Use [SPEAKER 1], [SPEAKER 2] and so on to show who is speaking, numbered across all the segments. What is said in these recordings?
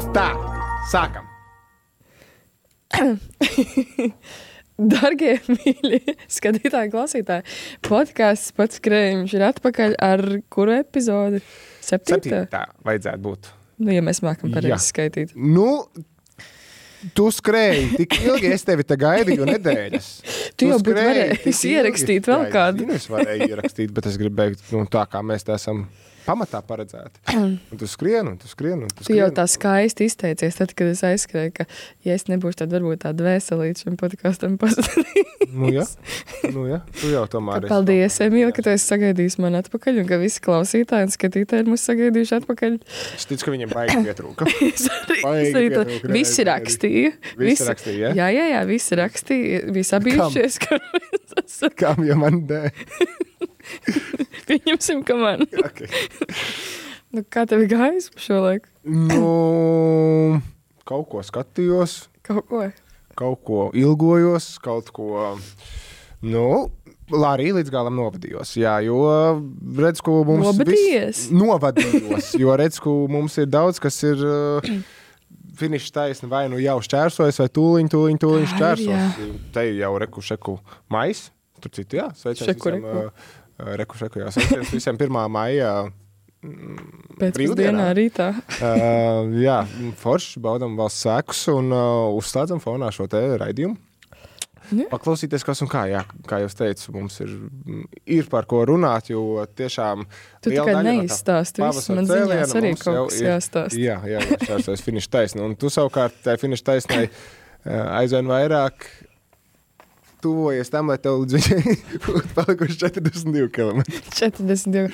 [SPEAKER 1] Tā, sākam.
[SPEAKER 2] Dargie mīļi skatītāji, klausītāji, podcasts Pats Krējums ir atpakaļ ar kuru epizodi? 7.
[SPEAKER 1] Vajadzētu būt.
[SPEAKER 2] Nu, ja mēs mākam pareizi skaitīt.
[SPEAKER 1] Nu, tu skrēji tik ilgi, es tevi te gaidīju nedēļas.
[SPEAKER 2] Tu jau būtu varējis ierakstīt vēl kādu.
[SPEAKER 1] Es varēju ierakstīt, bet es gribēju, tā kā mēs te esam pamatā paredzēti. Un tu skrien.
[SPEAKER 2] Tu jau tā skaisti izteicies, tad, kad es aizskrēju, ka, ja es nebūšu, tad varbūt tāda vēselīta šim podkastam pasadīt.
[SPEAKER 1] Nu jā, tu jau tomēr esi.
[SPEAKER 2] Paldies, Emīl, ka tu esi sagaidījis man atpakaļ un ka visi klausītāji un skatītāji ir mūs sagaidījuši atpakaļ.
[SPEAKER 1] Es ticu, ka viņiem baigi pietrūka.
[SPEAKER 2] Visi rakstīja.
[SPEAKER 1] Visi rakstīja,
[SPEAKER 2] ja? Jā, visi rakstīja. Visi abījušies.
[SPEAKER 1] Kam, ja man dē?
[SPEAKER 2] Pieņemsim, ka man.
[SPEAKER 1] Okay.
[SPEAKER 2] Nu, kā tev gājis par šo laiku?
[SPEAKER 1] Nu, kaut ko skatījos. Kaut ko ilgojos, kaut ko, arī līdz galam novadījos. Jā, jo redz, ko mums novadījos, jo redz, ko mums ir daudz, kas ir finiša taisni vai nu jau šķērsojas, vai tūliņ šķērsos. Te ir jau reku mais, tur citu, jā, sveiciens visam. Reku, jā, sveiciens visiem 1. maijā.
[SPEAKER 2] Pēcpusdienā rītā.
[SPEAKER 1] Jā, forši baudam valsts sēkus un uzslēdzam fonā šo te raidījumu. Ja. Paklausīties, kas un kā, jā, kā jūs teicu, mums ir par ko runāt, jo tiešām
[SPEAKER 2] tu tikai neizstāsti visu, man ziņās arī kaut kas jāstāst.
[SPEAKER 1] Jā, šķērsojas finiša taisni, un tu savukārt tai finiša taisnai aizvien vairāk tuvojies tam, lai tev līdz viņai būtu palikuši 42 km.
[SPEAKER 2] 42.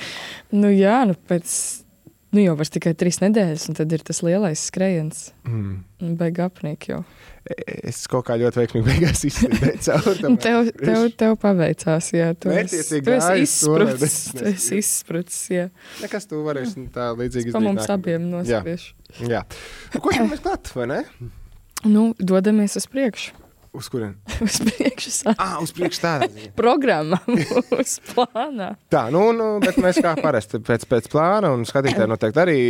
[SPEAKER 2] Nu jā, jau vairs tikai 3 nedēļas, un tad ir tas lielais skrējiens. Beig apnīk jau.
[SPEAKER 1] Es kaut kā ļoti veiksmīgi beigās izslīdēju caur.
[SPEAKER 2] Tev paveicās, jā. Tu esi izsprucis, jā.
[SPEAKER 1] Nekas tu varēsi tā līdzīgi izdarīt.
[SPEAKER 2] Pa mums abiem nospiešu.
[SPEAKER 1] Jā. Ko jau mēs klāt, vai ne?
[SPEAKER 2] Nu, dodamies uz priekšu.
[SPEAKER 1] Uz kurien?
[SPEAKER 2] Uz priekšu
[SPEAKER 1] uz priekšu tādā.
[SPEAKER 2] Programma uz plānā.
[SPEAKER 1] Tā, bet mēs kā parasti pēc plāna un skatītāji noteikti arī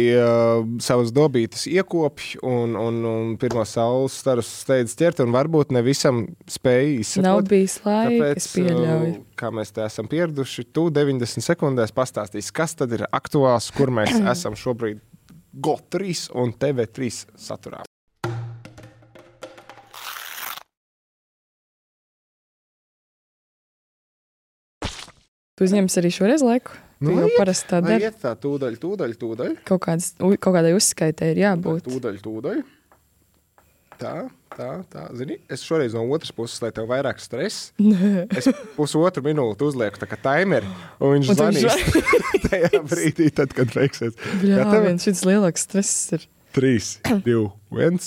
[SPEAKER 1] savas dobītas iekopj un pirmos saules starus steidz ķert un varbūt ne visam spēja izsakot.
[SPEAKER 2] Nav bijis laika, es pieļauju.
[SPEAKER 1] Kā mēs te esam pieraduši, tu 90 sekundēs pastāstīs, kas tad ir aktuāls, kur mēs esam šobrīd GO3 un TV3 saturā.
[SPEAKER 2] Tu uzņems arī šoreiz laiku? Tu jau parasti tā dari.
[SPEAKER 1] Iet tā tūdaļ.
[SPEAKER 2] Kaut kādai uzskaitē ir jābūt.
[SPEAKER 1] Tūdaļ. Tā. Zini, es šoreiz no otras puses, lai tev vairāk stress, es 1,5 minūti uzlieku tā kā timeri, un viņš zvanīs tajā brīdī, tad, kad beigsies.
[SPEAKER 2] Šis lielāks stress ir.
[SPEAKER 1] 3, 2, 1.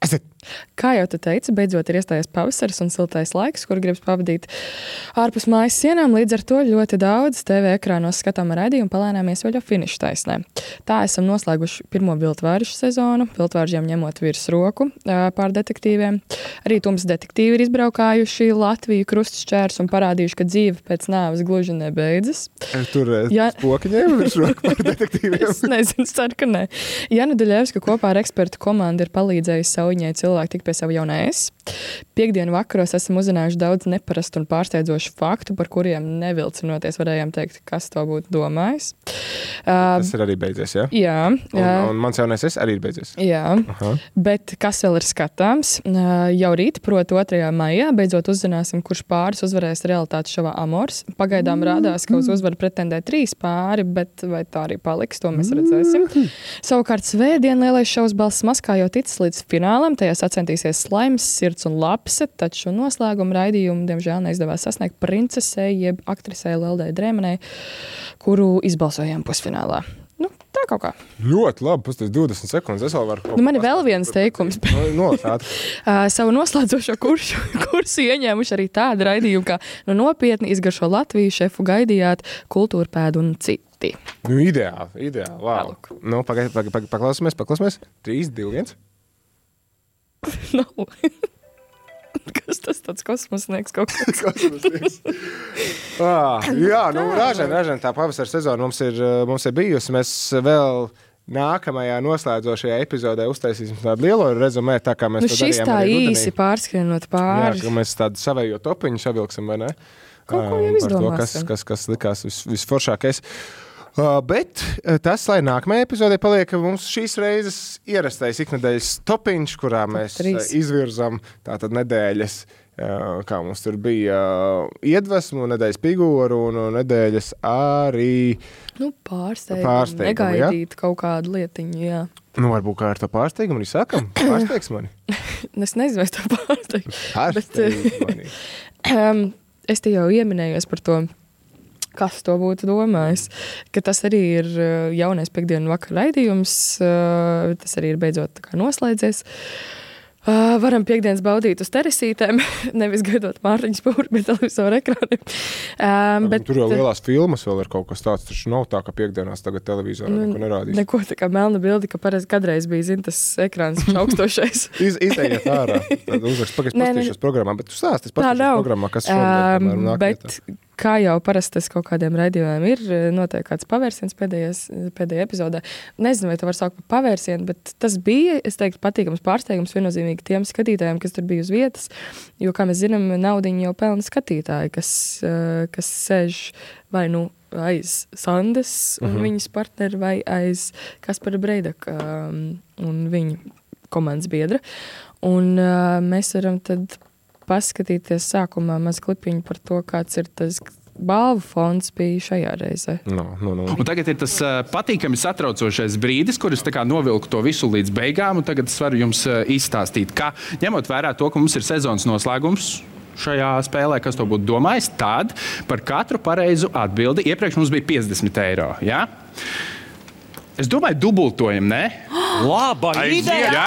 [SPEAKER 1] Aiziet!
[SPEAKER 2] Kā jau tu teici, beidzot ir iestājies pavasaris un siltais laiks, kur gribas pavadīt ārpus mājas sienām. Līdz ar to ļoti daudz TV ekrānos skatām raidījumu palēnāmies vēl jau finiša taisnē. Tā esam noslēguši pirmo viltvāršu sezonu, viltvāržiem ņemot virs roku pār detektīviem. Arī tums detektīvi ir izbraukājuši Latviju krustšķērs un parādījuši, ka dzīve pēc nāves gluži nebeidzas.
[SPEAKER 1] Tur spokiņiem virs roku pār detektīviem?
[SPEAKER 2] Es nezinu, ceru, ka ne. Jana Duļevska kopā ar ekspertu komandu ir palīdzējusi Sauņai cilvēki tik pie savu jaunā es. Piekdienu vakaros esam uzzinājuši daudz neparastu un pārsteidzošu faktu, par kuriem nevilcinoties varējām teikt, kas to būtu domājis.
[SPEAKER 1] Tas ir arī beidzies, ja?
[SPEAKER 2] Jā.
[SPEAKER 1] Un mans jaunais es arī ir beidzies.
[SPEAKER 2] Jā, bet kas vēl ir skatāms? Jau rīt, proti 2. maijā, beidzot uzzināsim, kurš pāris uzvarēs realitātes šovā Amors. Pagaidām rādās, ka uz uzvaru pretendē 3 pāri, bet vai tā arī paliks, to mēs redzēsim. Savukārt svētdien lielais šovs Balss maskā jau ticis līdz finālam, tajā sacensties Slaims, Sirds un Lapse, taču noslēguma raidījumu, diemžēl, neizdevās sasniegt princesei, jeb aktrisei Leldai Drēmanai, kuru izbalsojām pusfinālā. Tā kaut kā.
[SPEAKER 1] Ļoti labi, pastāst 20 sekundes, es vēl varu...
[SPEAKER 2] Man ir vēl viens teikums.
[SPEAKER 1] Nolasāt.
[SPEAKER 2] Savu noslēdzošo kursu ieņēmuši arī tādu raidījumu, kā nopietni izgaršo Latviju, šefu gaidījāt, kultūrpēdu un citi.
[SPEAKER 1] Ideāli, wow. Paklausāmies. 3, 2, 1.
[SPEAKER 2] Nav. Kas tas tāds kosmosnieks kaut kas?
[SPEAKER 1] Kosmosnieks. Jā, ražen tā pavasara sezona mums ir bijusi. Mēs vēl nākamajā noslēdzošajā epizodē uztaisīsim tādu lielo rezumē, tā kā mēs to darījām
[SPEAKER 2] šis tā
[SPEAKER 1] arī rudenī.
[SPEAKER 2] īsi pārskrienot pāri.
[SPEAKER 1] Jā, ka mēs tādu savējo topiņu savilksim, vai ne?
[SPEAKER 2] Kaut ko jau izdomāsim.
[SPEAKER 1] Kas likās visforšākais. Bet tas, lai nākamajā epizodē paliek mums šīs reizes ierastais iknedēļas topiņš, kurā mēs izvirzam tātad nedēļas, kā mums tur bija iedvesmu, nedēļas figūru un nedēļas arī pārsteigumu,
[SPEAKER 2] negaidīt kaut kādu lietiņu, jā.
[SPEAKER 1] Varbūt kā ar to pārsteigumu arī sākam. Pārsteigs mani.
[SPEAKER 2] Es nezinu, vai es to pārsteigtu.
[SPEAKER 1] Pārsteigs mani.
[SPEAKER 2] Es te jau ieminējos par to, kas to būtu domājis, ka tas arī ir jaunais piektdienu vakar raidījums, tas arī ir beidzot tā kā noslēdzies. Varam piekdienas baudīt uz teresītēm, nevis gaidot Mārtiņu Spūri pie televizoru ekrāniem.
[SPEAKER 1] Tur jau lielās filmas vēl ir kaut kas tāds, taču nav tā, ka piekdienās tagad televizorā neko nerādīs.
[SPEAKER 2] Neko tā kā melna bildi, ka kādreiz bija, zin, tas ekrāns augstošais.
[SPEAKER 1] Izējiet ārā, tad uzrakst, paskatīšos programmā, bet tu stāsties programmā, kas šodien nāk vietā.
[SPEAKER 2] Kā jau parasti tas kaut kādiem raidījumiem ir, notiek kāds pavērsiens pēdējā epizodē. Nezinu, vai to var saukt par pavērsienu, bet tas bija, es teiktu, patīkams pārsteigums viennozīmīgi tiem skatītājiem, kas tur bija uz vietas, jo, kā mēs zinām, naudiņu jau pelna skatītāji, kas sēž vai aiz Sandes un viņas partneri, vai aiz Kaspara Breidaka un viņa komandas biedra. Un mēs varam tad paskatīties sākumā maz klipiņu par to, kāds ir tas balvu fonds bija šajā reizē.
[SPEAKER 3] Un tagad ir tas patīkami satraucošais brīdis, kur es tā kā novilku to visu līdz beigām, un tagad es varu jums izstāstīt, ka ņemot vērā to, ka mums ir sezonas noslēgums šajā spēlē, kas to būtu domājis, tad par katru pareizu atbildi, iepriekš mums bija 50 eiro, jā? Es domāju, dubultojam, ne?
[SPEAKER 4] Laba ideja!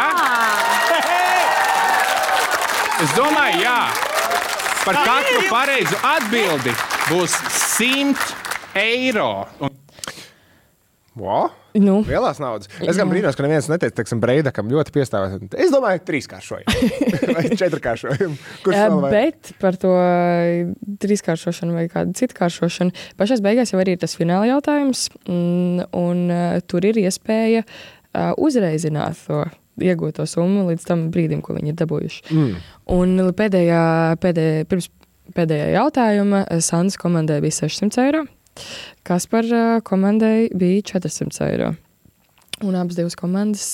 [SPEAKER 3] Es domāju, jā, par katru pareizu atbildi būs 100 eiro.
[SPEAKER 1] Wow. Lielās naudas. Es gan brīnos, ka neviens neteica, teiksim, Breidakam ļoti piestāvēt. Es domāju, 3-kāršojumu vai 4-kāršojumu.
[SPEAKER 2] Bet par to 3-kāršošanu vai kādu citu kāršošanu pašās beigās jau arī ir tas fināla jautājums, un tur ir iespēja uzreizināt to iegūto summu līdz tam brīdim, ko viņi ir dabūjuši. Un pirms pēdējā jautājuma Sandas komandai bija 600 eiro, Kaspar komandai bija 400 eiro. Un abas divas komandas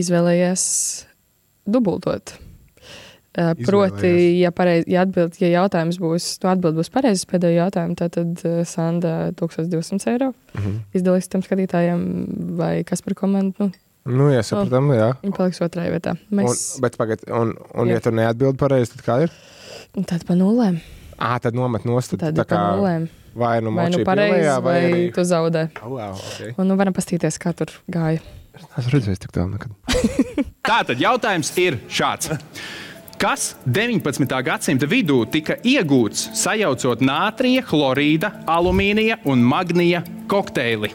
[SPEAKER 2] izvēlējās dubultot. Proti, ja jautājums būs, atbild būs pareizes pēdējo jautājumu, tad Sanda 1200 eiro izdalīs tam skatītājiem vai Kaspar komandu,
[SPEAKER 1] jā, sapratam, jā.
[SPEAKER 2] Viņi paliks otrajā vietā.
[SPEAKER 1] Bet pagad, un ja tu neatbildi pareizi, tad kā ir?
[SPEAKER 2] Tad pa nulēm.
[SPEAKER 1] Tad nomet nost.
[SPEAKER 2] Tad pa nulēm.
[SPEAKER 1] Vai močī
[SPEAKER 2] pareizi, vai tu zaudē.
[SPEAKER 1] Okay.
[SPEAKER 2] Un varam pastīties, kā tur gāja.
[SPEAKER 1] Es redzēju tik tālu nekad.
[SPEAKER 3] Tātad jautājums ir šāds. Kas 19. gadsimta vidū tika iegūts, sajaucot nātrija, chlorīda, alumīnija un magnija kokteili?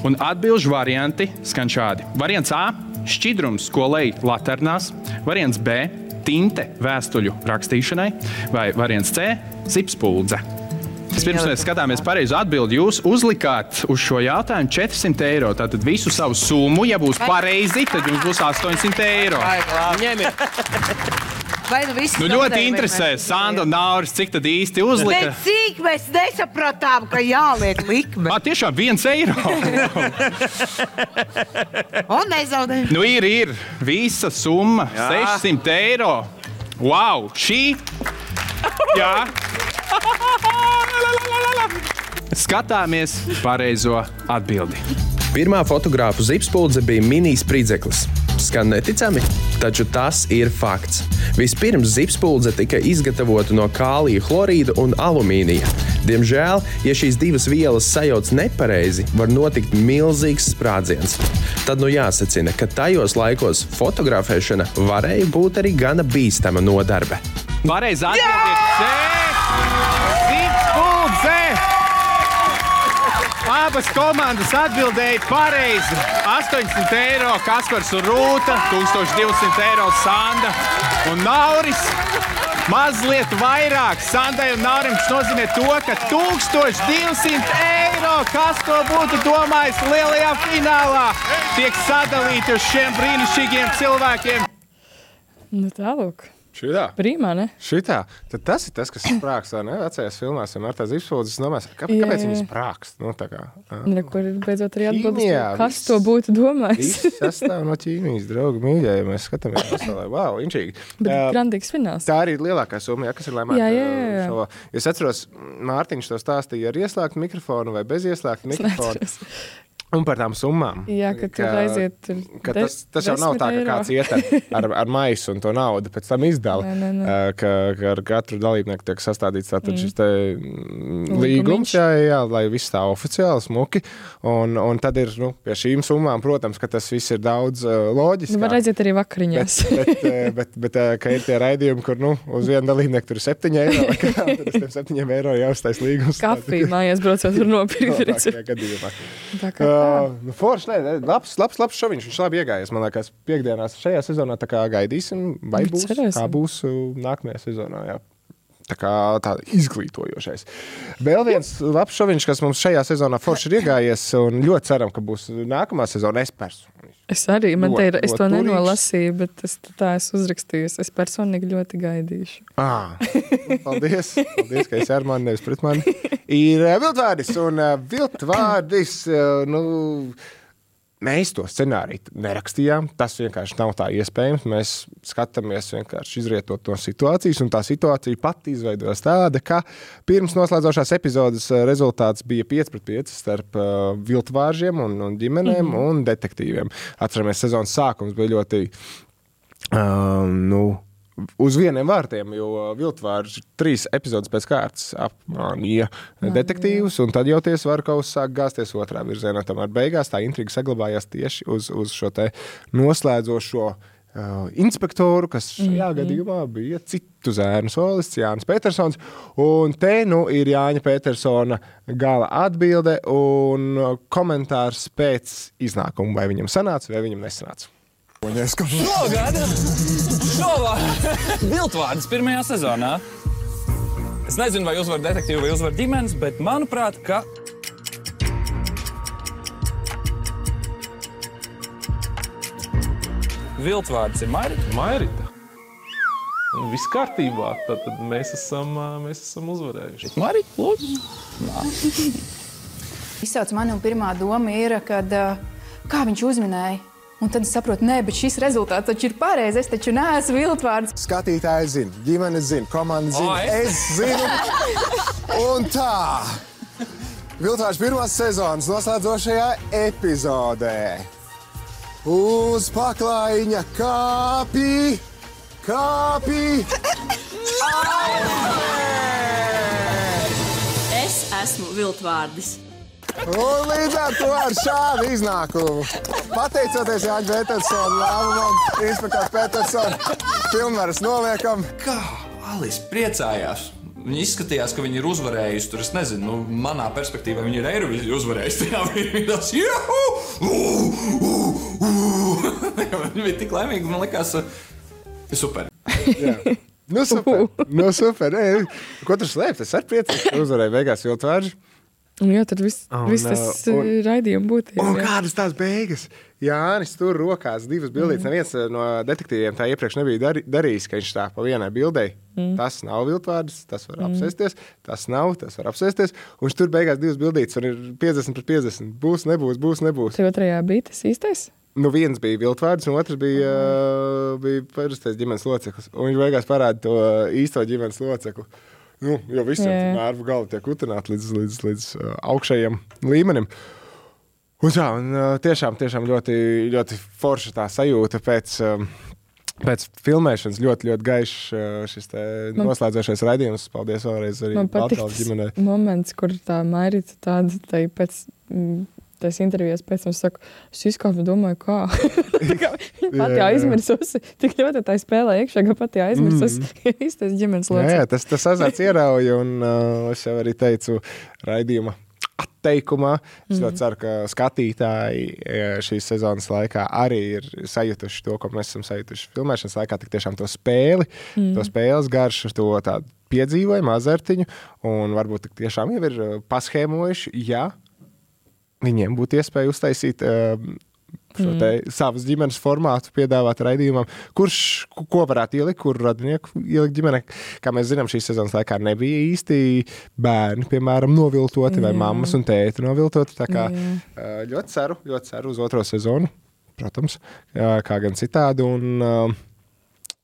[SPEAKER 3] Un atbilžu varianti skan šādi. Variants A – šķidrums, ko lej laternās. Variants B – tinte vēstuļu rakstīšanai. Vai variants C – zipspuldze. Pirms mēs skatāmies pareizu atbildi, jūs uzlikāt uz šo jautājumu 400 eiro. Tātad visu savu summu, ja būs pareizi, tad jums būs 800 eiro. Ļoti interesē, Sanda un Nauris, cik tad īsti uzlika?
[SPEAKER 5] Bet cik mēs nesapratām, ka jāliek likme?
[SPEAKER 3] Tiešām 1 eiro.
[SPEAKER 5] Un nezaudē.
[SPEAKER 3] Ir visa summa, 600 eiro. Wow, šī, jā. Skatāmies pareizo atbildi. Pirmā fotogrāfu zipspuldze bija mini-spridzeklis. Skan neticami, taču tas ir fakts. Vispirms zipspuldze tika izgatavota no kālija chlorīda un alumīnija. Diemžēl, ja šīs divas vielas sajauc nepareizi, var notikt milzīgs sprādziens. Tad jāsacina, ka tajos laikos fotografēšana varēja būt arī gana bīstama nodarbe. Pareizi atbildi ir C. Zipspuldze! Abas komandas atbildēja pareizi. 800 eiro Kaspars un Rūta, 1200 eiro Sanda un Nauris. mazliet vairāk Sandai un Naurim, tas nozīmē to, ka 1200 eiro, kas to būtu domājis lielajā finālā, tiek sadalīti uz šiem brīnišķīgiem cilvēkiem.
[SPEAKER 2] Nu tālūk.
[SPEAKER 1] Šitā.
[SPEAKER 2] Prīmā, ne?
[SPEAKER 1] Šitā. Tad tas ir tas, kas sprākst, vai ne? Vecajās filmās vienmēr tās izpildes, domās, kāpēc viņi sprākst? Nu, tā kā.
[SPEAKER 2] Kur ir beidzot arī atbildes, kas to būtu domājis?
[SPEAKER 1] Viss sastāv no ķīmijas, draugi, mīļie, ja mēs skatāmies pasaulē. Wow, inčīgi.
[SPEAKER 2] Bet grandīgs fināls.
[SPEAKER 1] Tā arī ir lielākā summa, kas ir lēmāta.
[SPEAKER 2] Jā.
[SPEAKER 1] Šo. Es atceros, Mārtiņš to stāstīja ar ieslēgtu mikrofonu vai bez ieslēgtu mikrofonu. Un par tām summām.
[SPEAKER 2] Jā, ka tur aiziet.
[SPEAKER 1] Tas jau nav tā, ka kāds iet ar maisu un to naudu pēc tam izdala. Ka ar katru dalībnieku tiek sastādīts tātad šis te līgums, jā, lai viss tā oficiāli smuki. Un tad ir, pie šīm summām, protams, ka tas viss ir daudz loģiskāk.
[SPEAKER 2] Var aiziet arī vakariņās.
[SPEAKER 1] Bet ka ir tie raidījumi, kur, uz vienu dalībnieku tur ir 7 eiro, vai kā, tad uz tiem 7 eiro jāuztais līgums.
[SPEAKER 2] Kafiju mājās braucot var nopirkt.
[SPEAKER 1] Tā kā forši, labs šoviņš, viņš labi iegājies, man liekas, piekdienās šajā sezonā, tā kā gaidīsim, vai būs, kā būs nākamajā sezonā, jā. Tā kā tāda izglītojošais. Vēl viens labs šoviņš, kas mums šajā sezonā forši ir iegājies, un ļoti ceram, ka būs nākamā sezona
[SPEAKER 2] Es arī, es to nenolasīju, bet es uzrakstīju, es personīgi ļoti gaidīšu.
[SPEAKER 1] Paldies, ka esi ar mani, nevis pret mani. Ir viltvārdis, un viltvārdis, mēs to scenāriju nerakstījām, tas vienkārši nav tā iespējams, mēs skatāmies vienkārši izrietot no situācijas, un tā situācija pati izveidojas tāda, ka pirms noslēdzošās epizodes rezultāts bija 5-5 starp viltvāržiem un ģimenēm un detektīviem. Atceramies, sezonas sākums bija ļoti, uz vieniem vārtiem, jo viltvārži 3 epizodes pēc kārtas apmānīja detektīvus, un tad jau tie svarkaus sāk gāzties otrā virzienā. Tomēr beigās tā intriga saglabājās tieši uz šo te noslēdzošo inspektoru, kas šajā gadījumā bija citu zēnu solists Jānis Petersons. Un te ir Jāņa Petersona gala atbilde un komentārs pēc iznākuma, vai viņam sanāca, vai viņam nesanāca.
[SPEAKER 4] Nogada! Viltvārds pirmajā sezonā. Es nezinu, vai uzvar detektīvu vai uzvar ģimenes, bet manuprāt, ka... Viltvārds ir Mairita.
[SPEAKER 6] Mairita? Viss kārtībā, tad mēs esam uzvarējuši.
[SPEAKER 4] Mairita, lūdzu.
[SPEAKER 7] Izsauc mani un pirmā doma ir, kad kā viņš uzminēja. Un tad es saprotu, bet šis rezultāts taču ir pareizi, es taču neesmu viltvārds.
[SPEAKER 1] Skatītāji zina, ģimenes zina, komanda zina, es zinu. Un tā, viltvārds pirmās sezonas noslēdzošajā epizodē. Uz paklājiņa kāpi.
[SPEAKER 8] Es esmu viltvārdis.
[SPEAKER 1] Un līdz ar to ar šādu iznākumu, pateicoties Jāņa Petersona lēmumam, inspektors Petersona, pilnvaras noliekam.
[SPEAKER 4] Kā Alis priecājās? Viņi izskatījās, ka viņi ir uzvarējusi. Tur es nezinu, manā perspektīvā viņi ir Eirovīziju uzvarējusi. Viņi tās Viņi bija tik laimīgi, man likās, super.
[SPEAKER 1] Jā. Super. Ko tur slēpt? Es arī priecīgs, ka uzvarēju beigās viltvārži.
[SPEAKER 2] Jā, tad viss tas raidījuma būtība.
[SPEAKER 1] Un kādas tās beigas? Jānis tur rokās 2 bildītes. Neviens no detektīviem tā iepriekš nebija darījis, ka viņš tā pa vienai bildei. Tas nav viltvārdis, tas var apsēsties. Tas nav, tas var apsēsties. Un viņš tur beigās 2 bildītes, un ir 50-50. Būs, nebūs.
[SPEAKER 2] Tev otrajā bija tas īstais?
[SPEAKER 1] Viens bija viltvārds, un otrs bija parastais ģimenes loceklis. Un viņš beigās parāda to īsto ģimenes locekli. Jo visiem mērvu gali tiek utināti līdz augšējiem līmenim. Un tiešām ļoti, ļoti forša tā sajūta pēc filmēšanas. Ļoti gaišs šis noslēdzošais raidījums. Paldies vēlreiz arī Baltkalnes ģimenei.
[SPEAKER 2] Man patīk moments, kur tā Mairita tāda pēc... Es intervijās pēc tam saku, es izkāpu domāju, kā. Viņa pati aizmirsusi. Tik ļoti tā spēlē iekšā, ka pati aizmirsusi īstais ģimenes loceklis.
[SPEAKER 1] Jā, tas azarts ierauja, un es jau arī teicu raidījuma atteikumā. Es ļoti ceru, ka skatītāji šīs sezonas laikā arī ir sajutuši to, ko mēs esam sajutuši filmēšanas laikā, tik tiešām to spēli, to spēles garšu, to tādu piedzīvojumu, azartiņu, un varbūt tik tiešām jau ir paschēmojuši, ja viņiem būtu iespēja uztaisīt šo te savas ģimenes formātu piedāvāt raidījumam, ko varētu ielikt, kuru radinieku ielikt ģimene. Kā mēs zinām, šīs sezonas laikā nebija īsti bērni, piemēram, noviltoti vai mammas un tēti noviltoti. Tā kā ļoti ceru uz otro sezonu, protams, kā gan citādi.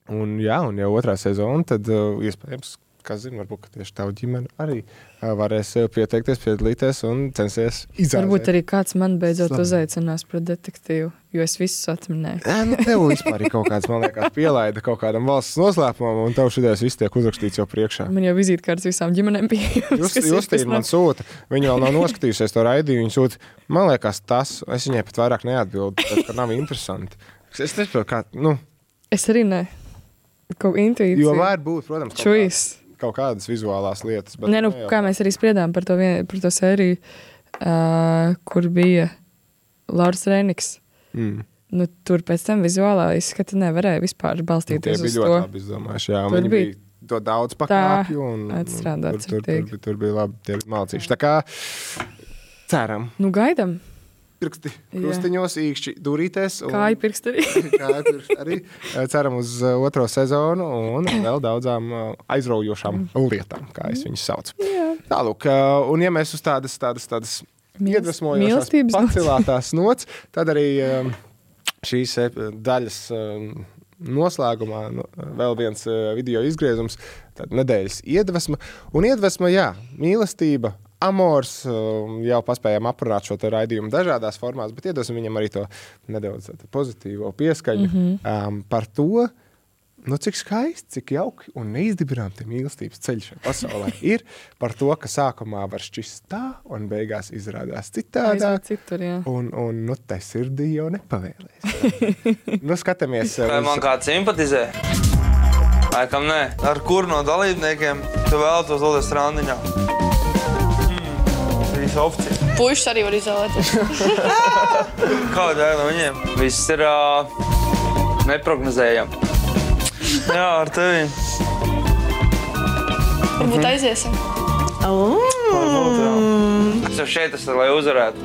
[SPEAKER 1] Un jau otrā sezona, tad iespējams, kas zina, varbūt, ka tieši tavu ģimeni arī varēs pieteikties, piedalīties un censties izrādīt.
[SPEAKER 2] Varbūt arī kāds man beidzot uzaicinās par detektīvu, jo es visus atminēju.
[SPEAKER 1] Tev vispār ir kaut kāds, man liekas, pielaida kaut kādam valsts noslēpumam, un tev šitās viss tiek uzrakstīts jau priekšā.
[SPEAKER 2] Man jau vizītkārtas visām ģimenēm pieejams.
[SPEAKER 1] Justīna man sūta, viņa vēl nav noskatījusies to raidījumu, viņa sūta, man liekas, tas, es viņai pat vairāk neatbildu, ka nav interesanti. Es nesaprotu, kā,
[SPEAKER 2] Es arī ne. Kaut intuīcija.
[SPEAKER 1] Jo var būt, protams, kaut kādas vizuālās lietas. Bet
[SPEAKER 2] kā mēs arī spriedām par to sēriju, kur bija Lauris Reiniks. Tur pēc tam vizuālā izskata nevarēja vispār balstīties uz to.
[SPEAKER 1] Tie bija ļoti labi izdomājuši, jā. Viņi bija to daudz pakāpju. Tur bija labi tie malcīši. Tā kā ceram.
[SPEAKER 2] Gaidam.
[SPEAKER 1] Pirksti krustiņos, īkšķi durītēs.
[SPEAKER 2] Kāju pirksti arī.
[SPEAKER 1] Kāju pirksti arī. Ceram uz otro sezonu un vēl daudzām aizraujošām lietām, kā es viņus saucu. Tālūk, un ja mēs uz tādas iedvesmojošās pacilātās nots, tad arī šīs daļas noslēgumā vēl viens video izgriezums, tad nedēļas iedvesma. Un iedvesma, mīlestība, amors, jau paspējām aprunāt šo te raidījumu dažādās formās, bet iedosim viņam arī to nedaudz pozitīvo pieskaņu par to, cik skaisti, cik jauki un neizdibinām te mīlestības ceļš pasaulē ir, par to, ka sākumā var šķist tā un beigās izrādās citādāk. Un te sirdī jau nepavēlēs. Skatāmies.
[SPEAKER 9] Vai man kāds simpatizē? Laikam nē. Ar kuru no dalībniekiem tu vēlētos doties randiņā?
[SPEAKER 10] Puišas arī var izvēlēties.
[SPEAKER 9] Kāda no viņiem? Viss ir neprognozējami. Jā, ar tevi.
[SPEAKER 10] Varbūt aiziesim.
[SPEAKER 9] Es jau šeit esmu, lai uzvarētu.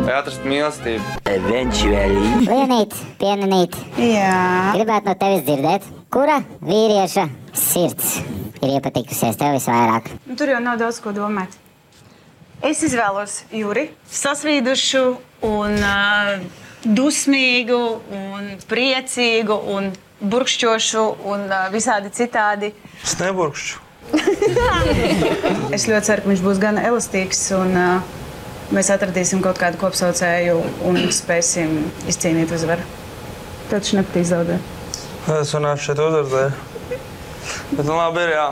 [SPEAKER 9] Vai atrast mīlestību.
[SPEAKER 11] Lienīt, pienanīt.
[SPEAKER 10] Jā.
[SPEAKER 11] Gribētu no tevis dzirdēt, kura vīrieša sirds ir iepatikusies tev visvairāk?
[SPEAKER 10] Tur jau nav daudz ko domāt. Es izvēlos Juri, sasvīdušu un dusmīgu un priecīgu un burkšķošu un visādi citādi.
[SPEAKER 9] Es neburkšķu.
[SPEAKER 10] Es ļoti ceru, ka viņš būs gan elastīgs un mēs atradīsim kaut kādu kopsaucēju un spēsim izcīnīt uzvaru. Tev taču nepatīs zaudēt.
[SPEAKER 9] Es runāšu šeit uzvarēju. Bet labi ir, jā.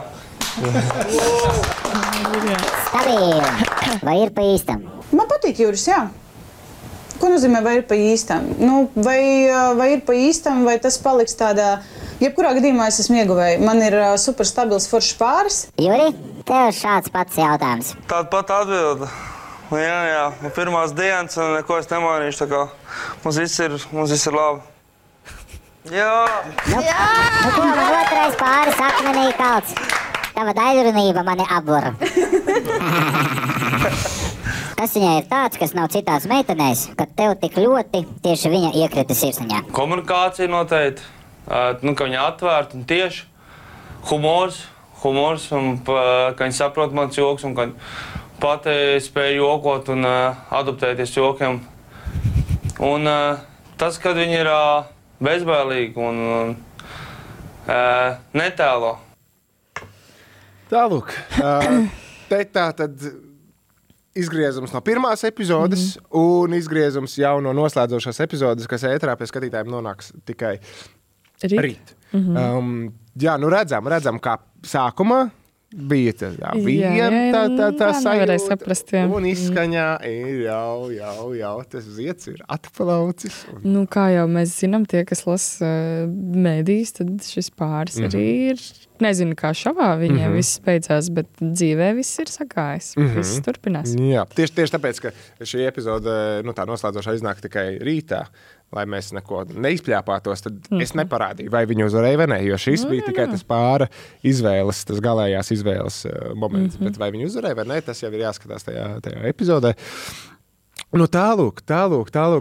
[SPEAKER 11] Stabili. Vai ir pa īstam?
[SPEAKER 10] Man patīk Juris, jā. Ko nozīmē, vai ir pa īstam? Vai ir pa īstam, vai tas paliks tādā... Jebkurā gadījumā es esmu ieguvēji. Man ir super stabils foršs pāris.
[SPEAKER 11] Juri, tev šāds pats jautājums.
[SPEAKER 9] Tāda pat atbilda. Jā. Pirmās dienas un neko es nemainīšu, tā kā mums viss ir labi. Jā!
[SPEAKER 11] Ko man otrais pāris akmenī kalts? Tava daļrunība mani apbura. Kas viņai ir tāds, kas nav citās meitenēs, kad tev tik ļoti tieši viņa iekrita sirsniņā?
[SPEAKER 9] Komunikācija noteikti. Ka viņa atvērta un tieši. Humors, un ka viņa saprot mans joks, un ka pati spēja jokot un adaptēties jokiem. Un tas, kad viņa ir bezbailīga un netēlo.
[SPEAKER 1] Tālūk, tā tad izgriezums no pirmās epizodes un izgriezums jau no noslēdzošās epizodes, kas ēterā pie skatītājiem nonāks tikai rīt. Redzam, kā sākumā bija tā sajūta, un izskaņā ir jau tas ziets ir atplaucis.
[SPEAKER 2] Kā jau mēs zinām, tie, kas lasa mēdīs, tad šis pāris arī ir Nezinu, kā šovā viņiem viss beidzās, bet dzīvē viss ir sagājis. Viss turpinās.
[SPEAKER 1] Jā, tieši tāpēc, ka šī epizode, tā noslēdzošā iznāk tikai rītā, lai mēs neko neizpļāpātos, tad es neparādīju, vai viņi uzvarēja vai ne, jo šis bija tikai tas pāra izvēles, tas galējās izvēles moments. Bet vai viņi uzvarēja vai ne, tas jau ir jāskatās tajā epizodē. Tālūk,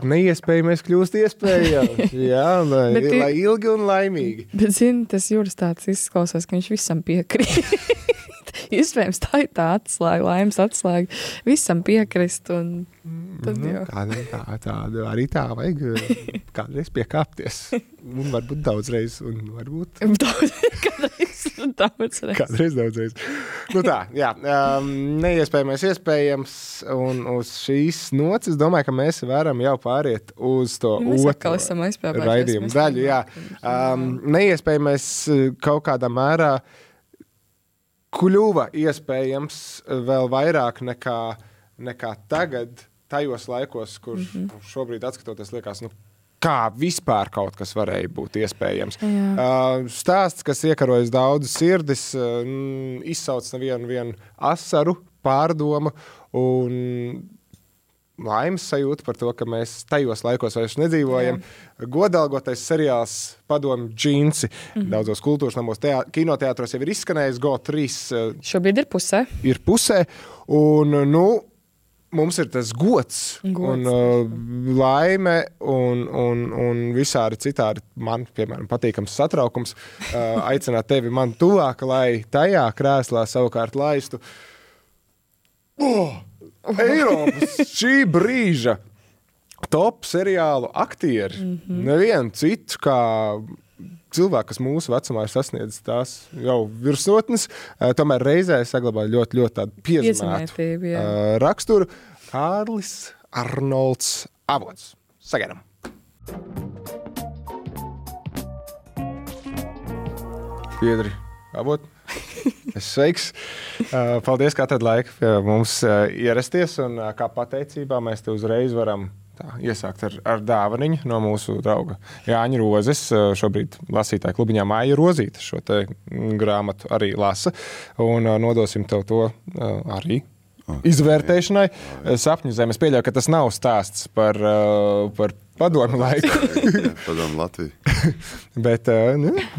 [SPEAKER 1] neiespējamais kļūst iespējams. Jā, lai ilgi un laimīgi.
[SPEAKER 2] Bet, tas Juris tāds izklausās, ka viņš visam piekrīt. Iespējams, tā ir tā atslēga, laimes atslēga. Visam piekrist un tad jau.
[SPEAKER 1] Arī tā vajag kādreiz piekāpties. Un varbūt daudzreiz, un varbūt... Kādreiz daudzreiz. Neiespējamais iespējams, un uz šīs nots, es domāju, ka mēs varam jau pāriet uz to otru raidījumu daļu. Jā. Neiespējamais kaut kādā mērā kļuva iespējams vēl vairāk nekā tagad, tajos laikos, kur šobrīd atskatoties liekas, kā vispār kaut kas varēja būt iespējams. Stāsts, kas iekarojas daudzas sirdis, izsauc nevienu asaru, pārdomu un laimes sajūta par to, ka mēs tajos laikos vairs nedzīvojam. Godalgotais seriāls Padomju džinsi. Daudzos kultūras namos, kinoteātros jau ir izskanējis GO3.
[SPEAKER 2] Šobrīd ir pusē.
[SPEAKER 1] Un, mums ir tas gods. Un laime un visādi citādi man, piemēram, patīkams satraukums aicināt tevi man tuvāk, lai tajā krēslā savukārt laistu Eiropas šī brīža top seriālu aktieri. Nevienu citu, kā cilvēki, kas mūsu vecumā ir sasniedzis tās jau virsotnes, tomēr reizē saglabāja ļoti tādu piezemētu raksturu. Kārlis Arnolds Avots. Sagaidām. Piedri Avot. Es sveiks. Paldies, ka atrad laiku pie mums ierasties, un kā pateicībā mēs te uzreiz varam iesākt ar dāvaniņu no mūsu drauga Jāņa Rozes. Šobrīd lasītāja klubiņā Māja Rozīte šo te grāmatu arī lasa, un nodosim tev to arī izvērtēšanai. Sapņu zeme. Es pieļauju, ka tas nav stāsts par padomu laiku.
[SPEAKER 12] Padomu Latviju.
[SPEAKER 1] Bet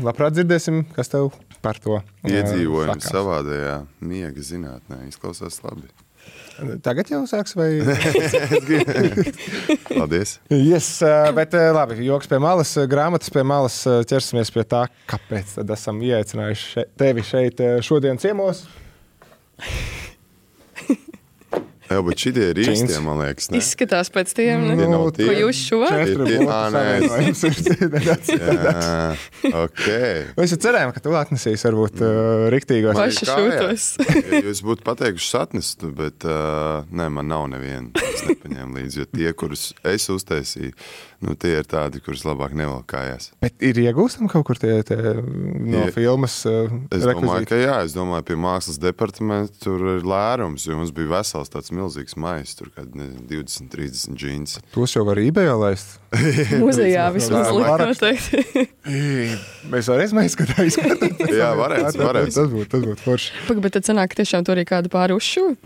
[SPEAKER 1] labprāt dzirdēsim, kas tev par to
[SPEAKER 12] iedzīvojumi savādajā miega zinātnē. Izklausās labi.
[SPEAKER 1] Tagad jau sāks vai?
[SPEAKER 12] Paldies.
[SPEAKER 1] Yes, bet labi, joks pie malas, grāmatas pie malas, ķersimies pie tā, kāpēc tad esam ieaicinājuši tevi šeit šodien ciemos.
[SPEAKER 12] Jā, bet šitie ir īstie, man liekas, ne?
[SPEAKER 2] Izskatās pēc tiem, ne? Ko jūs šovāt?
[SPEAKER 1] Mēs cerējām, ka tu atnesīs varbūt riktīgos.
[SPEAKER 2] Paši šūtos.
[SPEAKER 12] Jūs būtu pateikuši satnestu, bet man nav neviena. Es nepaņēmu līdzi, jo tie, kurus es uztaisīju, tie ir tādi, kurus labāk nevelk kājās.
[SPEAKER 1] Bet ir iegūstam kaut kur tie no filmas
[SPEAKER 12] rekvizīti? Es domāju, ka jā. Es domāju, pie mākslas departamenta tur ir lērums, jo mums bija vesels tāds milzīgs mais, tur kādi 20-30 džīns.
[SPEAKER 1] Tos jau var eBayā laist?
[SPEAKER 2] Muzejā vismaz likt noteikti.
[SPEAKER 1] Mēs varēs maizskatā izskatāt.
[SPEAKER 12] Jā, varēs.
[SPEAKER 1] Tas būtu forši.
[SPEAKER 2] Bet tad sanāk, tiešām tur arī kādu pāri uzšuvi?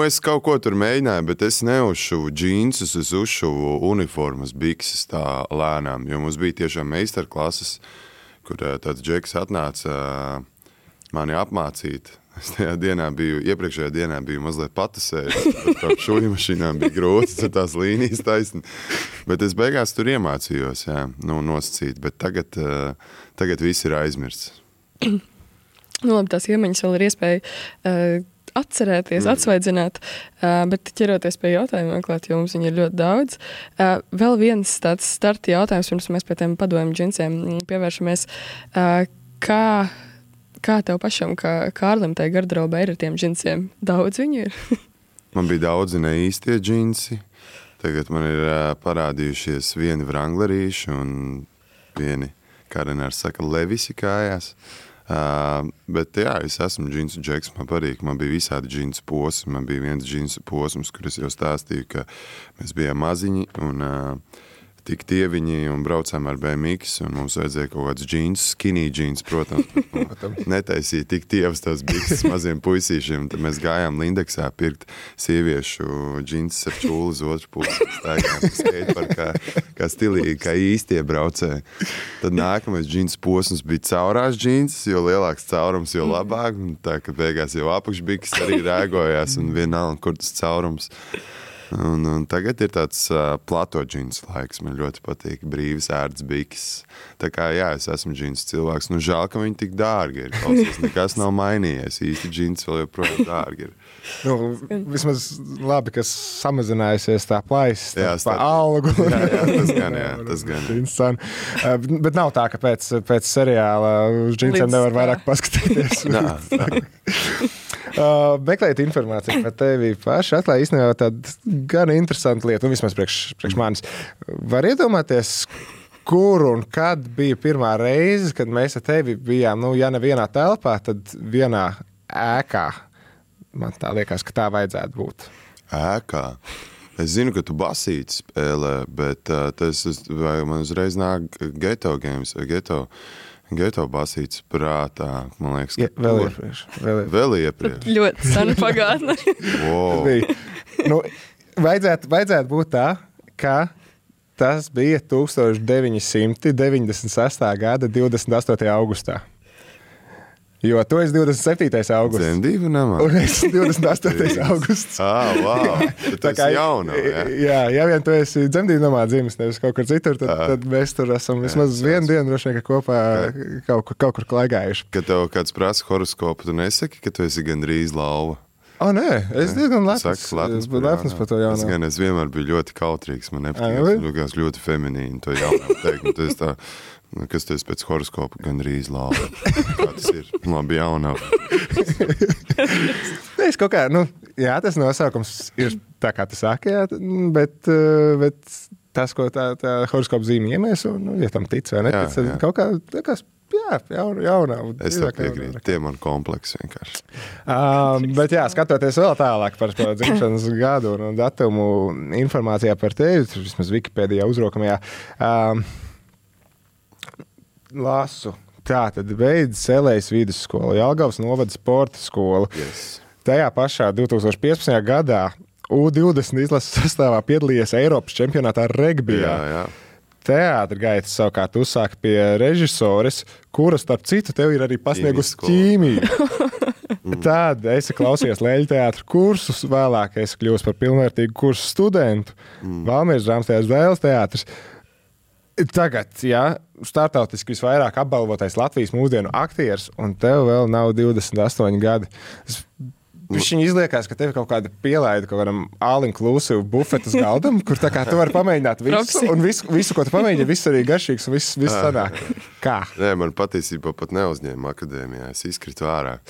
[SPEAKER 12] Es kaut ko tur mēģināju, bet es neuzšuvu džīnsus, es uzšuvu uniformas, bikses tā lēnām, jo mums bija tiešām meistarklases, kur tāds džeks atnāca mani apmācīt. Es iepriekšējā dienā biju mazliet patasējis, par šūju mašīnām bija grūti, tās līnijas taisni, bet es beigās tur iemācījos, nosacīt, bet tagad viss ir aizmirsts.
[SPEAKER 2] Labi, tās iemaņas vēl ir iespēja atcerēties, atsvaidzināt, bet ķeroties pie jautājumiem, klāt, jo mums viņi ir ļoti daudz. Vēl viens tāds starta jautājums, pirms mēs pie tiem padomju džinsiem pievēršamies. Kā tev pašam, kā Kārlim tai garderobē ir ar tiem džinsiem? Daudz viņu ir?
[SPEAKER 12] Man bija daudzi neīstie džinsi. Tagad man ir parādījušies vieni vranglerīši un vieni, kā Renārs saka, levisi kājās. Bet jā, es esmu džinsu džeks, man patīk, man bija visādi džinsu posmi, man bija viens džinsu posms, kur es jau stāstīju, ka mēs bijām maziņi un tik tieviņi un braucām ar BMX, un mums vajadzēja kaut kāds džīns, skinny džīns, protams. Netaisīja tik tievas tās bikses maziem puisīšiem. Tad mēs gājām Lindeksā pirkt sieviešu džīns ar čūlu uz otru pusi. Staigājām skateparkā, kā stilīgi, kā īstie braucēji. Tad nākamais džīns posms bija caurās džīns, jo lielāks caurums, jo labāk. Un tā, ka beigās jau apakšbiks arī rēgojās un vienalga, kur tas caurums. Un tagad ir tāds plato džins laiks, man ļoti patīk, brīvs ērts bikis. Tā kā, jā, es esmu džins cilvēks, nu žēl, ka viņi tik dārgi ir. Klausies, nekas nav mainījies, īsti džins vēl joprojām dārgi ir.
[SPEAKER 1] Nu, vismaz labi, ka samazinājusies tā plaisa, tā algu.
[SPEAKER 12] Jā, tas gan.
[SPEAKER 1] Bet nav tā, ka pēc seriāla uz džinsiem nevar vairāk paskatīties.
[SPEAKER 12] Nā.
[SPEAKER 1] Meklēt informāciju par tevi paši atklāja īstenībā tādu gan interesantu lietu, un vismaz priekš manis. Var iedomāties, kur un kad bija pirmā reize, kad mēs ar tevi bijām, nu, ja ne vienā telpā, tad vienā ēkā. Man tā liekas, ka tā vajadzētu būt.
[SPEAKER 12] Ēkā? Es zinu, ka tu basīti spēlē, bet man uzreiz nāk Geto games vai Geto basīts prātā, man liekas, ka vēl iepriekš.
[SPEAKER 2] Ļoti sena pagātne.
[SPEAKER 12] Wow.
[SPEAKER 1] Nu, vajadzētu būt tā, ka tas bija 1996. gada 28. augustā. Jo tu esi 27. augusts.
[SPEAKER 12] Dzemdību namā.
[SPEAKER 1] Un es 28. augusts.
[SPEAKER 12] Wow. Tu esi jauna,
[SPEAKER 1] jā, ja vien tu esi dzemdību namā dzimis, nevis kaut kur citur, tad mēs tur esam vismaz vienu dienu droši vien kopā kaut kur klaigājuši.
[SPEAKER 12] Kad tev kāds prasa horoskopu, tu nesaki, ka tu esi gandrīz lauva?
[SPEAKER 1] Nē, es diezgan lepns par to jaunā.
[SPEAKER 12] Es vienmēr biju ļoti kautrīgs, man nepatīk, ļoti feminīni to jaunā teikt. Tu esi tā, kas tu esi pēc horoskopa gandrīz lauva. Kā tas ir? Labi jaunā.
[SPEAKER 1] Es kaut kā, jā, tas nosaukums ir tā, kā tu saki, jā, bet tas, ko tā horoskopa zīme iemieso, ja tam tic vai netic, tad kaut kā, jaunā.
[SPEAKER 12] Es tev piekrītu, tie man kompleksi vienkārši.
[SPEAKER 1] Bet jā, skatoties vēl tālāk par to dzimšanas gadu un datumu informācijā par tevi, vismaz Wikipēdijā uzrokamajā, lasu. Tā tad beidz Selejas vidusskolu, Jelgavas novada sporta skolu.
[SPEAKER 12] Yes.
[SPEAKER 1] Tajā pašā 2015. gadā U20 izlases sastāvā piedalījies Eiropas čempionātā regbijā.
[SPEAKER 12] Jā.
[SPEAKER 1] Teātra gaitas savukārt uzsāka pie režisores, kura, starp citu, tev ir arī pasniegusi ķīmiju. Tad esi klausies Leļu teātra kursus, vēlāk esi kļuvis par pilnvērtīgu kursu studentu. Valmieras drāmas teātris, Dēles teātris. Tagad, startautiski visvairāk apbalvotais Latvijas mūsdienu aktieris, un tev vēl nav 28 gadi. Viņa izliekās, ka tev kaut kāda pielaida kaut kādam all-inclusive bufetas galdam, kur tā kā tu vari pamēģināt visu, un visu, ko tu pamēģini, viss arī garšīgs un viss sanāk. Kā?
[SPEAKER 12] Nē, man patiesībā pat neuzņēma akadēmijā. Es izkritu ārā.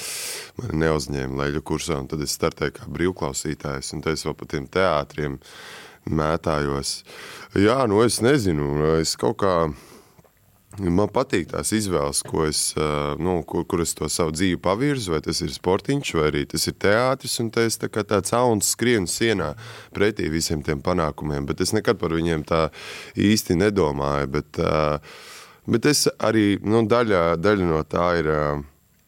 [SPEAKER 12] Man neuzņēma Leļu kursā, un tad es startēju kā brīvklausītājs, un tad es vēl pa tiem teātriem mētājos. Jā, es nezinu, es kaut kā... Man patīk tās izvēles, ko es, kur es to savu dzīvi pavirzu, vai tas ir sportiņš, vai arī tas ir teātris, un es tā kā tāds auns skrienu sienā pretī visiem tiem panākumiem, bet es nekad par viņiem tā īsti nedomāju, bet es arī, daļa no tā ir,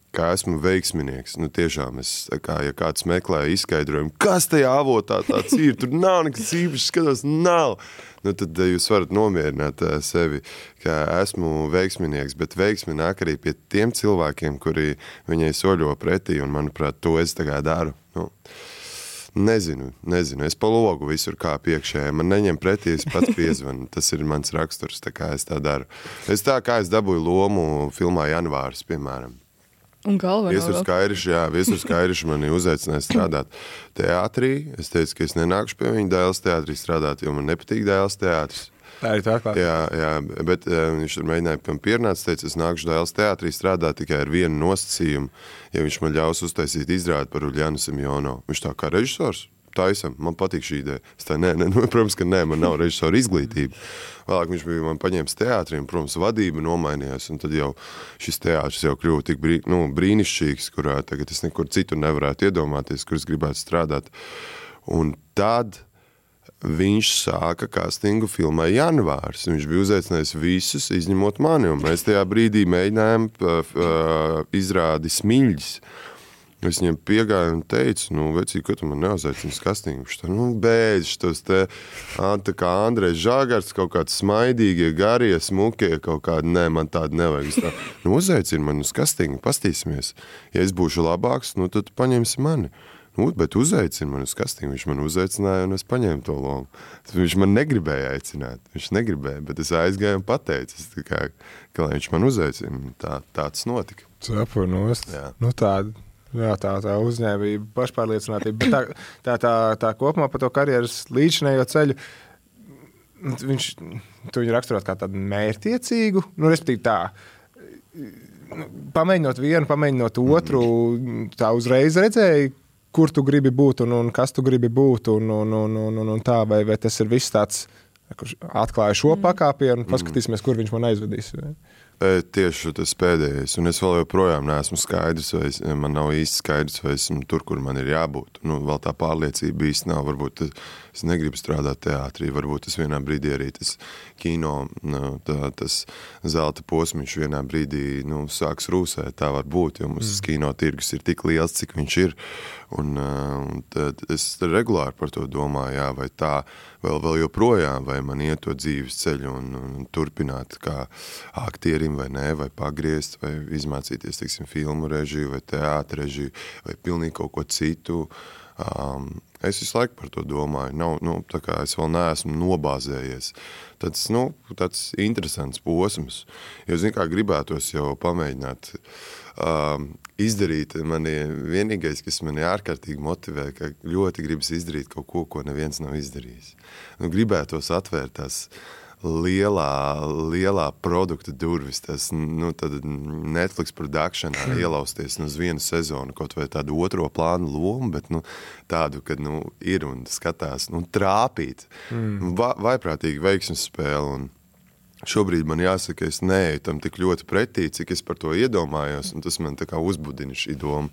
[SPEAKER 12] kā esmu veiksminieks, tiešām es, ja kāds meklē izskaidrojumu, kas tajā avotā tāds ir, tur nav nekas īpaši, skatos, nav. Tad jūs varat nomierināt sevi, ka esmu veiksminieks, bet veiksmi nāk arī pie tiem cilvēkiem, kuri viņai soļo pretī, un, manuprāt, to es tagad daru. Nezinu, es pa logu visur kā piekšējā, man neņem pretī, es pats piezvanu, tas ir mans raksturs, tā kā es tā daru. Es tā kā es dabūju lomu filmā Janvārs, piemēram.
[SPEAKER 2] Un galvenā
[SPEAKER 12] Viesurs Kairiši mani uzaicināja strādāt teātrī. Es teicu, ka es nenākušu pie viņa Dēles teātrī strādāt, jo man nepatīk Dēles teātris.
[SPEAKER 1] Tā ir tā klāt.
[SPEAKER 12] Jā, bet viņš tur mēģināja pie man pierunāt, teica, es nākušu Dēles teātrī strādāt tikai ar vienu nosacījumu, ja viņš man ļaus uztaisīt izrādi par Uļjanu Simjonovu. Viņš tā kā režisors. Taisam, man patīk šī ideja. Es tā, protams, ka nē, man nav režisora izglītība. Vēlāk viņš bija man paņēmis teātri, un, protams, vadība nomainījās, un tad jau šis teātris jau kļuva tik brīnišķīgs, kurā tagad es nekur citur nevarētu iedomāties, kur es gribētu strādāt. Un tad viņš sāka kastingu filmai Janvārs. Viņš bija uzaicinājis visus, izņemot mani, un mēs tajā brīdī mēģinājām izrādi Smiļģis. Es viņam piegāju un teicu, vecī, ko tu man neuzaicini uz kastingu? Viņš tā, beidz, šitos te, tā kā Andrejs Žagars, kaut kāds smaidīgie, garie, smukie, kaut kādi, nē, man tādi nevajag. Tā, uzaicini man uz kastingu, pastīsimies. Ja es būšu labāks, tad paņemsi mani. Bet uzaicini man uz kastingu. Viņš man uzaicināja un es paņēmu to lomu. Viņš man negribēja aicināt. Viņš negribēja, bet es aizgāju un pateicu, ka lai viņš man uzaicina. Tāds notika.
[SPEAKER 1] Sapronost. Tā uzņēmība, pašpārliecinātība, bet tā kopumā par to karjeras līdzinējo ceļu, tu viņu raksturot kā tādu mērķtiecīgu, respektīvi tā, pamēģinot vienu, pamēģinot otru, tā uzreiz redzēji, kur tu gribi būt un kas tu gribi būt un tā, vai tas ir viss tāds, atklāju šo pakāpienu, paskatīsimies, kur viņš man aizvedīs.
[SPEAKER 12] Tieši tas pēdējais, un es vēl joprojām neesmu skaidrs, vai man nav īsti skaidrs, vai esmu tur, kur man ir jābūt. Vēl tā pārliecība īsti nav, varbūt es negribu strādāt teātrī, varbūt es vienā brīdī arī tas kino, tas zelta posmiņš vienā brīdī, sāks rūsēt, tā var būt, jo mums kino tirgus ir tik liels, cik viņš ir, un es regulāri par to domāju, vai tā vēl joprojām, vai man iet to dzīves ceļu un turpināt kā aktierim vai nē, vai pagriezt, vai izmācīties, filmu režiju, vai teātra režiju, vai pilnīgi kaut ko citu. Es visu laiku par to domāju. Tā kā es vēl neesmu nobāzējies. Tāds interesants posms. Jo, gribētos jau pamēģināt izdarīt. Vienīgais, kas mani ārkārtīgi motivē, ka ļoti gribas izdarīt kaut ko neviens nav izdarījis. Gribētos atvērt tās lielā produkta durvis, tas, tad Netflix produkšanā ielausties uz vienu sezonu, kaut vai tādu otro plānu lomu, bet, tādu, kad, ir un skatās, trāpīt. Vaiprātīgi veiksmes spēle, un šobrīd man jāsaka, es neeju tam tik ļoti pretī, cik es par to iedomājos, un tas man tā kā uzbudina šī doma.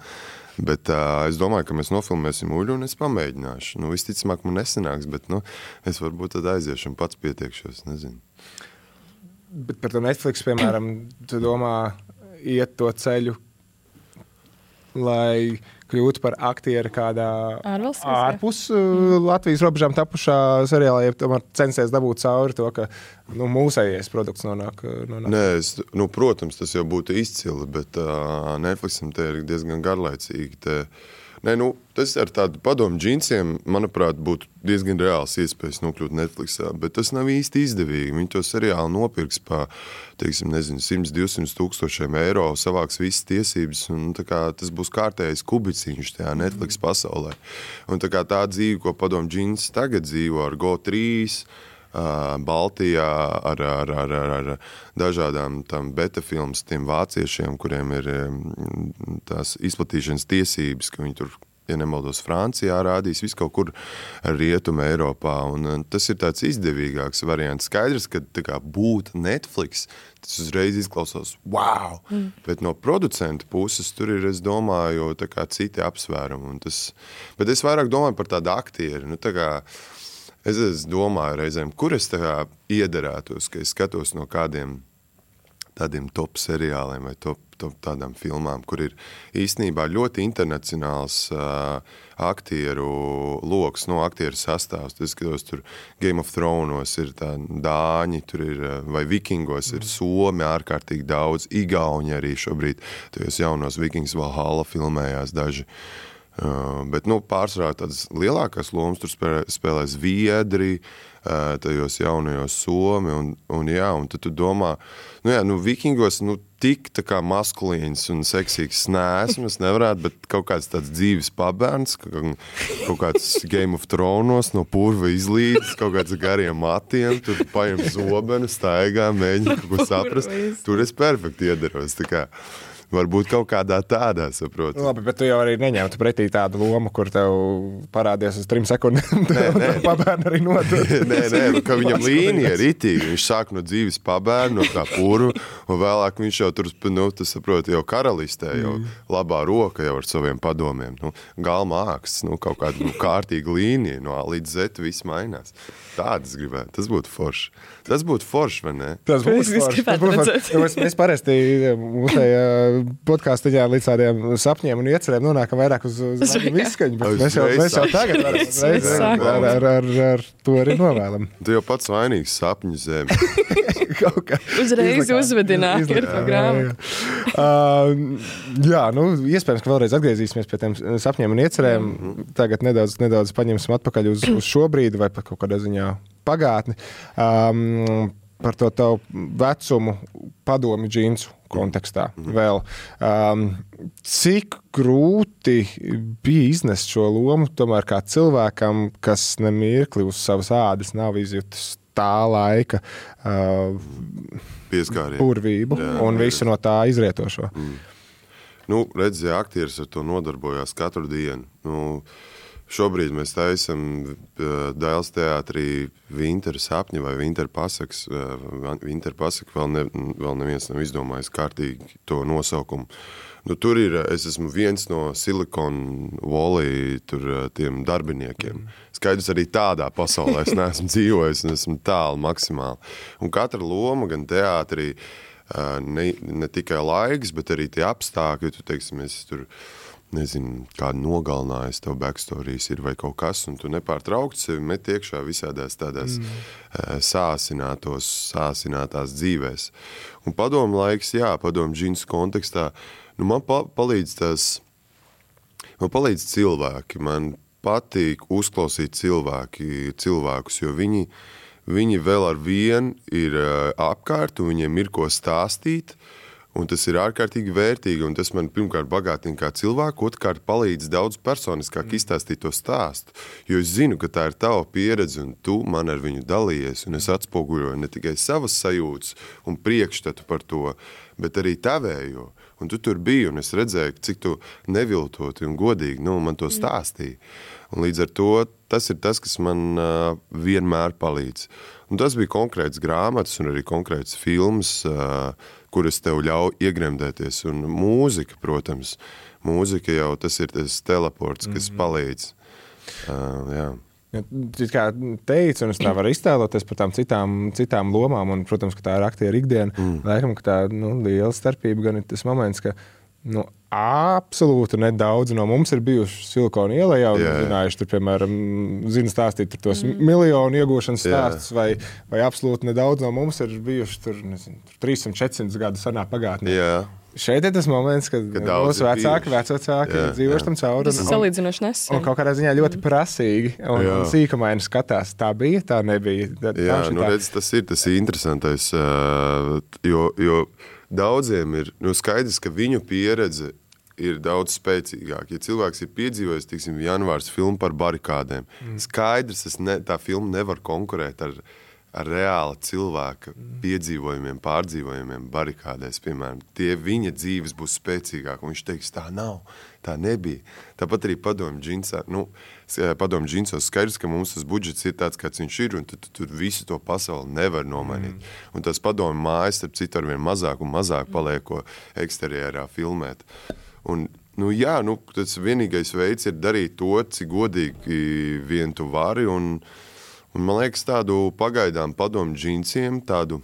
[SPEAKER 12] Bet es domāju, ka mēs nofilmēsim Uļu un es pamēģināšu. Visticamāk man nesanāks, bet es varbūt tad aiziešu un pats pietiekšos, nezinu.
[SPEAKER 1] Bet par to Netflix, piemēram, tu domā iet to ceļu, lai kļūtu par aktieri kādā ārpus Latvijas robežām tapušā seriālā, ja tomēr censties dabūt cauri to, ka mūsējies produkts nonāk.
[SPEAKER 12] Nē, protams, tas jau būtu izcili, bet Netflixam te ir diezgan garlaicīgi. Tas ar tādu padomu džinsiem, manuprāt, būtu diezgan reāls iespējas nokļūt Netflixā, bet tas nav īsti izdevīgi. Viņi to seriālu nopirks pa, 100-200 tūkstošiem eiro, savāks visas tiesības, un tas būs kārtējais kubiciņš tajā Netflix pasaulē. Un tā dzīve, ko padomu džins tagad dzīvo ar Go3, Baltijā ar dažādām tam beta filmas, tiem vāciešiem, kuriem ir tās izplatīšanas tiesības, ka viņi tur, ja nemaldos, Francijā rādīs, visu kaut kur Rietuma Eiropā, un tas ir tāds izdevīgāks variants. Skaidrs, ka būt Netflix, tas uzreiz izklausās, wow! Bet no producentu puses tur ir, es domāju, citi apsvērumi. Bet es vairāk domāju par tādu aktieri, Es domāju reizēm, kur es iederētos, ka es skatos no kādiem tādiem top seriāliem vai top tādām filmām, kur ir īstenībā ļoti internacionāls aktieru loks, aktieru sastāvs. Es skatos, tur Game of Thrones ir tā dāņi, tur ir, vai Vikingos ir somi ārkārtīgi daudz, igauņi arī šobrīd, tajos jaunos Vikings Valhalla filmējās daži. Bet pārsvarā tādas lielākās lomas tur spēlē zviedri, tajos jaunajos somi, un tad tu domā, Vikingos, tik tā kā maskulīns un seksīgs neesmu, es nevarētu, bet kaut kāds tāds dzīves pabērns, kaut kāds Game of Thrones no purva izlīdz, kaut kāds gariem matiem, tur paņem zobenu, staigā, mēģina kaut ko saprast. Tur es perfekti iederos, Varbūt kaut kādā tādā, saproti.
[SPEAKER 1] Labi, bet tu jau arī neņemtu pretī tādu lomu, kur tev parādies uz 3 sekundēm. Pabērni arī nodod.
[SPEAKER 12] Nē, ka viņam līnija ir itīgi. Viņš sāk no dzīves pabērnu, no tā puru, un vēlāk viņš jau tur, tu saproti, jau karalistē, jau labā roka jau ar saviem padomiem. Galma āksts, kaut kāda kārtīga līnija, no A līdz Z viss mainās. Tādas gribētu. Tas būtu forši. Tas būtu forši, vai ne?
[SPEAKER 1] Tas būtu forši. Mēs parasti mūsu podkāstiņā līdz tādiem sapņiem un iecerēm nonākam vairāk uz izskaņu, bet mēs jau tagad ar to arī novēlam.
[SPEAKER 12] Tu jau pats vainīgs sapņu zemi.
[SPEAKER 2] Uzreiz uzvedināti ir programma.
[SPEAKER 1] Jā, iespējams, ka vēlreiz atgriezīsimies pie tiem sapņiem un iecerēm. Tagad nedaudz paņemsim atpakaļ uz šo brīdi vai pat kaut kādā ziņā pagātni. Par to tavu vecumu padomi džinsu kontekstā vēl. Cik grūti bija iznest šo lomu tomēr kā cilvēkam, kas nemirkli uz savas ādas nav izjutis tā laika burvību un visu no tā izrietošo?
[SPEAKER 12] Redz, ja aktieris ar to nodarbojās katru dienu. Šobrīd mēs taisam Dailes teātrī Vintera sapņi vai Vintera pasakas. Vintera pasaka vēl neviens nav izdomājis kārtīgi to nosaukumu. Tur ir, es esmu viens no Silicon Valley tiem darbiniekiem. Skaidrs, arī tādā pasaulē es neesmu dzīvojis un esmu tālu maksimāli. Un katra loma gan teātrī, ne tikai laiks, bet arī tie apstākļi, tu teiksim, es tur nezinu, kādu nogalinājis, tev backstorijas ir vai kaut kas, un tu nepārtraukti sevi met iekšā visādās tādās sāsinātās dzīvēs. Un padomu laiks, padomu džinsu kontekstā, man palīdz cilvēki, man patīk uzklausīt cilvēkus, jo viņi vēl ar vienu ir apkārt, un viņiem ir ko stāstīt, un tas ir ārkārtīgi vērtīgi, un tas man pirmkārt bagātina kā cilvēku, otrkārt palīdz daudz personiskāk izstāstīt to stāstu, jo es zinu, ka tā ir tava pieredze, un tu man ar viņu dalījies, un es atspoguļoju ne tikai savas sajūtas un priekšstatu par to, bet arī tavējo. Un tu tur biji, un es redzēju, cik tu neviltoti un godīgi man to stāstīji. Un līdz ar to tas ir tas, kas man vienmēr palīdz. Un tas bija konkrēts grāmatas un arī konkrēts filmas, kuras tev ļauj iegremdēties. Un mūzika, protams, mūzika jau tas ir tas teleports, kas palīdz. Jā.
[SPEAKER 1] Tu kā teici, un es tā varu iztēloties par tām citām lomām, un, protams, ka tā ir aktieru ikdiena. Laikam, ka tā liela starpība gan ir tas moments, ka absolūti nedaudz no mums ir bijuši Silikona ielā jau zinājuši, tur, piemēram, zina stāstīt tur tos miljonu iegūšanas stāstus, vai absolūti nedaudz no mums ir bijuši tur, nezinu, 300-400 gadu senā pagātnē.
[SPEAKER 12] Jā.
[SPEAKER 1] Šeit ir tas moments, kad mūsu vecāki dzīvoši tam cauri.
[SPEAKER 2] Tas ir salīdzinoši nesen.
[SPEAKER 1] Un kaut kādā ziņā ļoti prasīgi un sīkumaini skatās. Tā bija, tā nebija.
[SPEAKER 12] Redz, tas ir interesantais, jo daudziem ir skaidrs, ka viņu pieredze ir daudz spēcīgāka. Ja cilvēks ir piedzīvojis, tiksim, janvārs filmu par barikādēm, skaidrs, tā filma nevar konkurēt ar reāla cilvēka piedzīvojumiem, pārdzīvojumiem barikādēs, piemēram. Viņa dzīves būs spēcīgāk, un viņš teiks, tā nav, tā nebija. Tāpat arī padomu džinsos skaidrs, ka mums tas budžets ir tāds, kāds viņš ir, un tu visu to pasauli nevar nomainīt. Un tas padomu mājas, starp citu, arvien mazāk un mazāk paliek, ko eksterjerā filmēt. Un, tas vienīgais veids ir darīt to, cik godīgi vien tu vari, un man liekas, tādu pagaidām padomu džinsiem, tādu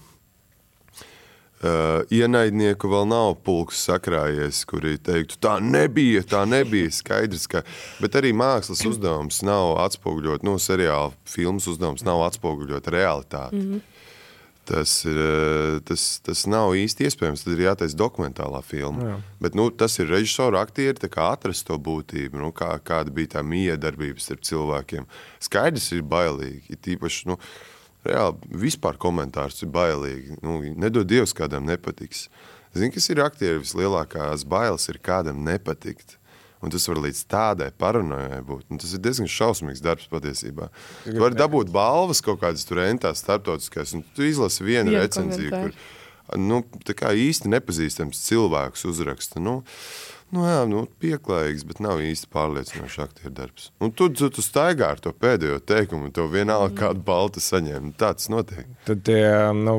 [SPEAKER 12] ienaidnieku vēl nav pulks sakrājies, kuri teiktu, tā nebija skaidrs, bet arī mākslas uzdevums nav atspoguļot, seriāla filmas uzdevums nav atspoguļot realitāti. Tas nav īsti iespējams, tad ir jātaisa dokumentālā filma. Bet tas ir režisoru aktieri, tā kā atrast to būtību, kāda bija tā miedarbības starp cilvēkiem. Skaidrs ir bailīgi, tīpaši, reāli vispār komentārs ir bailīgi. Nedod Dievs, kādam nepatiks. Zini, kas ir aktieri vislielākās bailes ir kādam nepatikt. Un tas var līdz tādai paranojai būt. Un tas ir diezgan šausmīgs darbs patiesībā. Tu vari dabūt balvas kaut kādas tur entās starptautiskās, un tu izlasi vienu recenziju, kur tā kā īsti nepazīstams cilvēks uzraksta, pieklājīgs, bet nav īsti pārliecinošs aktieru darbs. Un tu staigā ar to pēdējo teikumu, un to vienalga kādu baltu saņem. Tāds notiek.
[SPEAKER 1] Tad tie,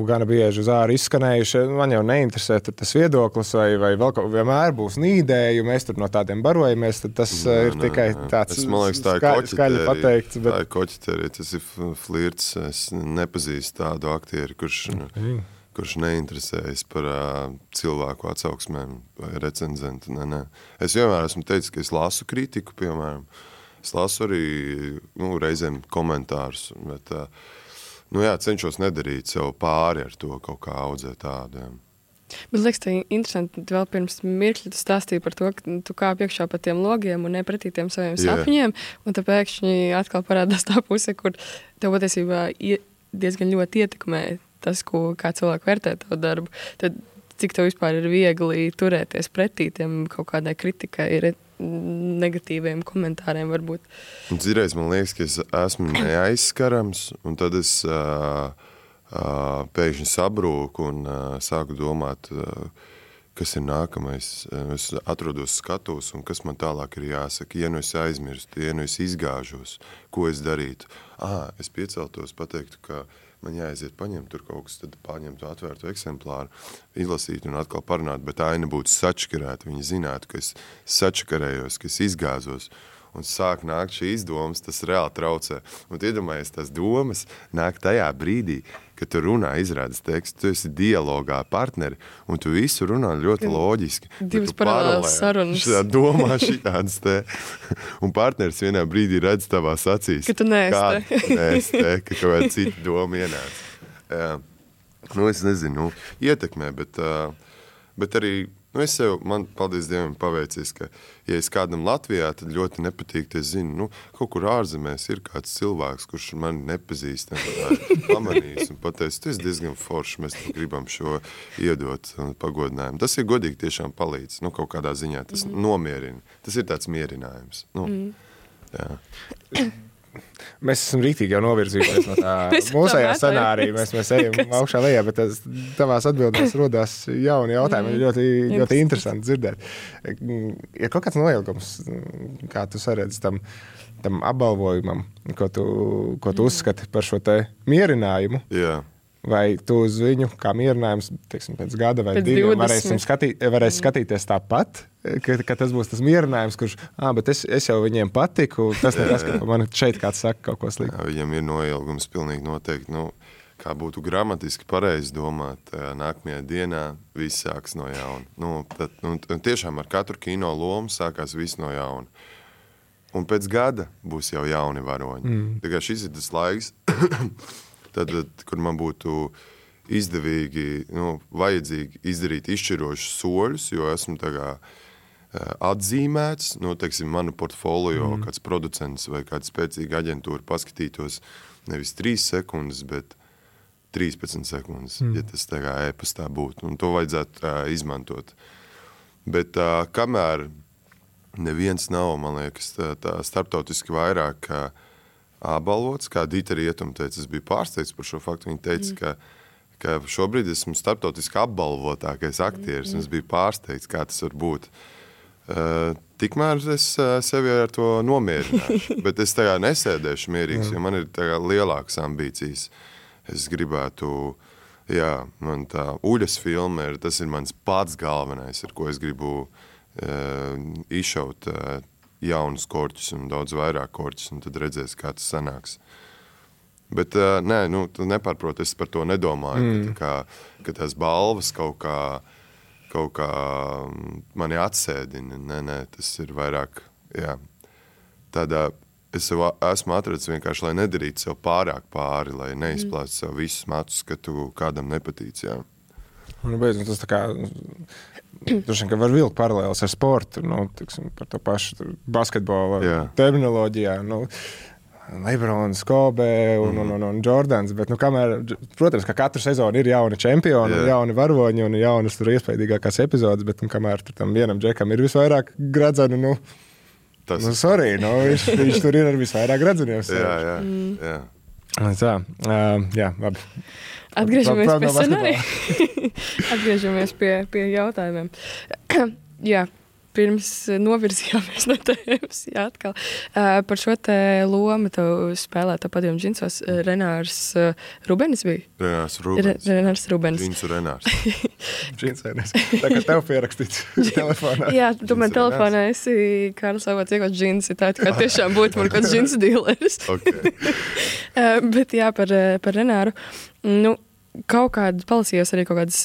[SPEAKER 1] gana bieži uz āru izskanējuši, man jau neinteresē tas viedoklis, vai vēl vienmēr būs nīdēju, mēs tur no tādiem barojamies, tad tas ir tikai tāds skaļi pateikts. Bet...
[SPEAKER 12] Tā ir koķiterija, tas ir flirts, es nepazīstu tādu aktieru, kurš neinteresējas par cilvēku atsauksmēm vai recenzentu. Nē. Es vienmēr esmu teicis, ka es lasu kritiku, piemēram. Es lasu arī reizēm komentārus, bet cenšos nedarīt sev pāri ar to kaut kā audzēt tādu. Jā.
[SPEAKER 2] Bet liekas, tā interesanti, vēl pirms mirkļa tu stāstīji par to, ka tu kāp iekšā pa tiem logiem un nepratī tiem saviem sapņiem, un tā pēkšņi atkal parādās tā puse, kur tev patiesībā diezgan ļoti ietekmē tas, kā cilvēki vērtē tavu darbu, tad cik tev vispār ir viegli turēties pretī tiem kaut kādai kritikai, negatīviem komentāriem varbūt.
[SPEAKER 12] Un citreiz man liekas, ka es esmu neaizskarams, un tad es pēkšņi sabrūku un sāku domāt, kas ir nākamais. Es atrodos skatos, un kas man tālāk ir jāsaka. Ja nu es aizmirstu, ja nu es izgāžos, ko es darītu. Es pieceltos, pateiktu, ka man jāaiziet paņemt tur kaut kas, tad paņemtu atvērtu eksemplāru, izlasītu un atkal parunāt, bet aina būtu sačakarēta. Viņi zinātu, ka es sačakarējos, ka es izgāzos. Un sāk nākt šīs domas, tas reāli traucē. Un iedomājies, tās domas nāk tajā brīdī, kad tu runā, izrādes tekstu, tu esi dialogā partneri, un tu visu runā ļoti loģiski.
[SPEAKER 2] Divas paralēlas sarunas.
[SPEAKER 12] Domā šitādas te. Un partneris vienā brīdī redz tavās acīs.
[SPEAKER 2] Ka tu neesi
[SPEAKER 12] te, ka kaut kāda cita doma ienāc. Es nezinu, ietekmē, bet arī man, paldies Dievam, paveicies, ka, ja es kādam Latvijā, tad ļoti nepatīk, es zinu, kaut kur ārzemēs ir kāds cilvēks, kurš mani nepazīst, pamanīs un pateic, tu esi diezgan foršs, mēs gribam šo iedot pagodinājumu. Tas ir godīgi tiešām palīdz, kaut kādā ziņā, tas nomierina. Tas ir tāds mierinājums. Jā.
[SPEAKER 1] Mēs esam rītīgi jau novirzījušies no tā mūsējā scenārija. Mēs ejam augšā lejā, bet tavās atbildēs rodās jauni jautājumi. Ļoti, ļoti interesanti dzirdēt. Ir kaut kāds noilgums, kā tu saredzi tam apbalvojumam, ko tu uzskati par šo te mierinājumu?
[SPEAKER 12] Jā.
[SPEAKER 1] Vai tu uz viņu kā mierinājums, teiksim, pēc gada vai diviem varēsi skatīties tāpat, ka tas būs tas mierinājums, kurš, bet es jau viņiem patiku, tas nekas, ka man šeit kāds saka kaut ko sliktu.
[SPEAKER 12] Jā, viņam ir noilgums pilnīgi noteikti, kā būtu gramatiski pareizi domāt, nākamajā dienā viss sāks no jauna. Tiešām ar katru kino lomu sākās viss no jauna. Un pēc gada būs jau jauni varoņi. Tā kā šis ir tas laiks, tad, kur man būtu izdevīgi, vajadzīgi izdarīt izšķirošus soļus, jo esmu atzīmēts, teiksim, manu portfolio, kāds producents vai kāda spēcīga aģentūra paskatītos nevis 3 sekundes, bet 13 sekundes, ja tas e-pastā būtu. Un to vajadzētu izmantot. Bet kamēr neviens nav, man liekas, tā starptautiski vairāk apbalvots, kā Dīta Rietuma teica, es biju pārsteigts par šo faktu. Viņa teica, ka šobrīd esmu starptautiski apbalvotākais aktieris, un es biju pārsteigts, kā tas var būt. Tikmēr es sevi ar to nomierināšu, bet es nesēdēšu mierīgs, jo man ir lielākas ambīcijas. Es gribētu, man tā Uļas filma tas ir mans pats galvenais, ar ko es gribu izšaut jaunus korķus un daudz vairāk korķus, un tad redzēs, kā tas sanāks. Bet, tu nepārprot, es par to nedomāju, ka tās balvas kaut kā mani atsēdina. Nē, tas ir vairāk, es esmu atradis vienkārši, lai nedarītu sev pārāk pāri, lai neizplāstu sev visus matus, ka tu kādam nepatīc,
[SPEAKER 1] Beidzot, tas tā kā, droši vien, ka var vilkt paralēlis ar sportu, tiksim, par to pašu basketbola terminoloģijā, Lebrons, Kobe un Jordans, bet, kamēr, protams, ka katru sezonu ir jauni čempioni, jauni varoņi un jaunas tur iespējīgākās epizodes, bet, kamēr tur tam vienam džekam ir visvairāk gradzenu, viņš tur ir ar visvairāk gradzeniem.
[SPEAKER 12] Jā.
[SPEAKER 1] Tā, labi.
[SPEAKER 2] Atgriežamies pie scenārija. Atgriežamies pie jautājumiem. Jā. Pirms novirzījāmies no tēmas, atkal. Par šo te lomu tev spēlēta padomu džinsos Renārs Rubenis bija?
[SPEAKER 12] Renārs
[SPEAKER 2] Rubenis.
[SPEAKER 12] Džinsu Renārs.
[SPEAKER 1] Džinsu Renārs. Tā kā tev pierakstīts telefonā.
[SPEAKER 2] Jā, tu man telefonā esi Kārlis Avots iekot džinsi, tā kā tiešām būtu man kāds džinsu dīleris.
[SPEAKER 12] Okay.
[SPEAKER 2] Bet jā, par Renāru. Nu, kaut kādu palasījos arī kaut kādas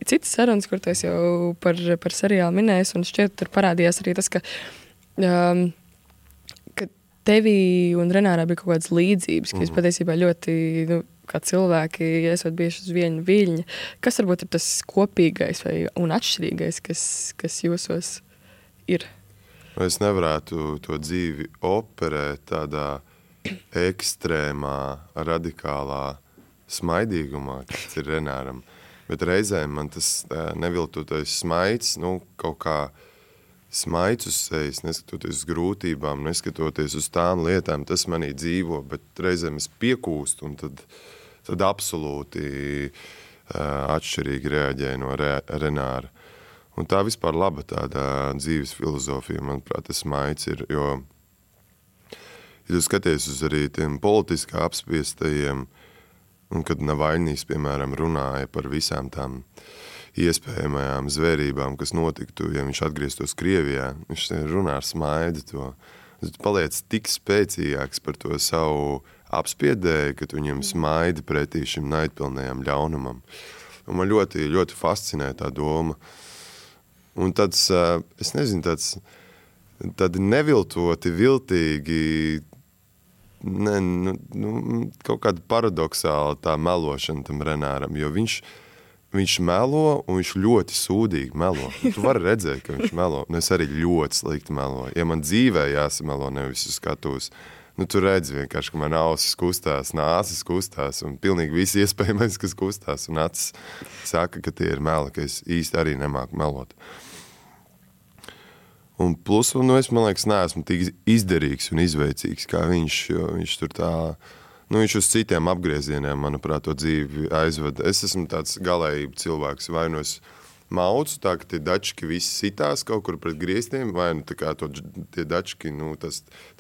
[SPEAKER 2] citas sarunas, kur tu esi jau par seriālu minējis, un šķiet, tur parādījās arī tas, ka tevī un Renārā bija kaut kādas līdzības, ka jūs patiesībā ļoti, kā cilvēki, esat bijuši uz vienu viļņu. Kas varbūt ir tas kopīgais un atšķirīgais, kas jūsos ir?
[SPEAKER 12] Es nevarētu to dzīvi operēt tādā ekstrēmā, radikālā smaidīgumā, kas ir Renāram. Bet reizēm man tas neviltotais smaids, kaut kā smaids uz sejas, neskatoties uz grūtībām, neskatoties uz tām lietām, tas manī dzīvo, bet reizēm es piekūstu un tad absolūti atšķirīgi reaģēju no Renāra. Un tā vispār laba tāda dzīves filozofija, manuprāt, tas smaids ir, jo, ja tu skaties uz arī tiem politiski apspiestajiem, un kad Navaļnijs, piemēram, runāja par visām tām iespējamajām zvērībām, kas notiktu, ja viņš atgrieztos Krievijā, viņš runā ar smaidu to. Tu paliec tik spēcīgāks par to savu apspiedēju, ka tu viņam smaidi pretī šim naidpilnajam ļaunumam. Un man ļoti, ļoti fascinē tā doma. Un tāds, es nezinu, tādi neviltoti, viltīgi, kaut kāda paradoxāla tā melošana tam Renāram, jo viņš melo un viņš ļoti sūdīgi melo. Tu vari redzēt, ka viņš melo, un es arī ļoti slikti meloju. Ja man dzīvē jāsamelo, nevis uz skatuves, tu redzi vienkārši, ka man ausis kustās, nāsis kustās, un pilnīgi visi iespējamais, kas kustās, un acis saka, ka tie ir meli, ka es īsti arī nemāku melot. Un plus, es, man liekas, neesmu tik izderīgs un izveicīgs, kā viņš, jo viņš tur tā, viņš uz citiem apgriezieniem, manuprāt, to dzīvi aizveda. Es esmu tāds galējība cilvēks, vai es maucu, tā, ka tie dački visi sitās kaut kur pret griestiem, vai tā kā tie dački,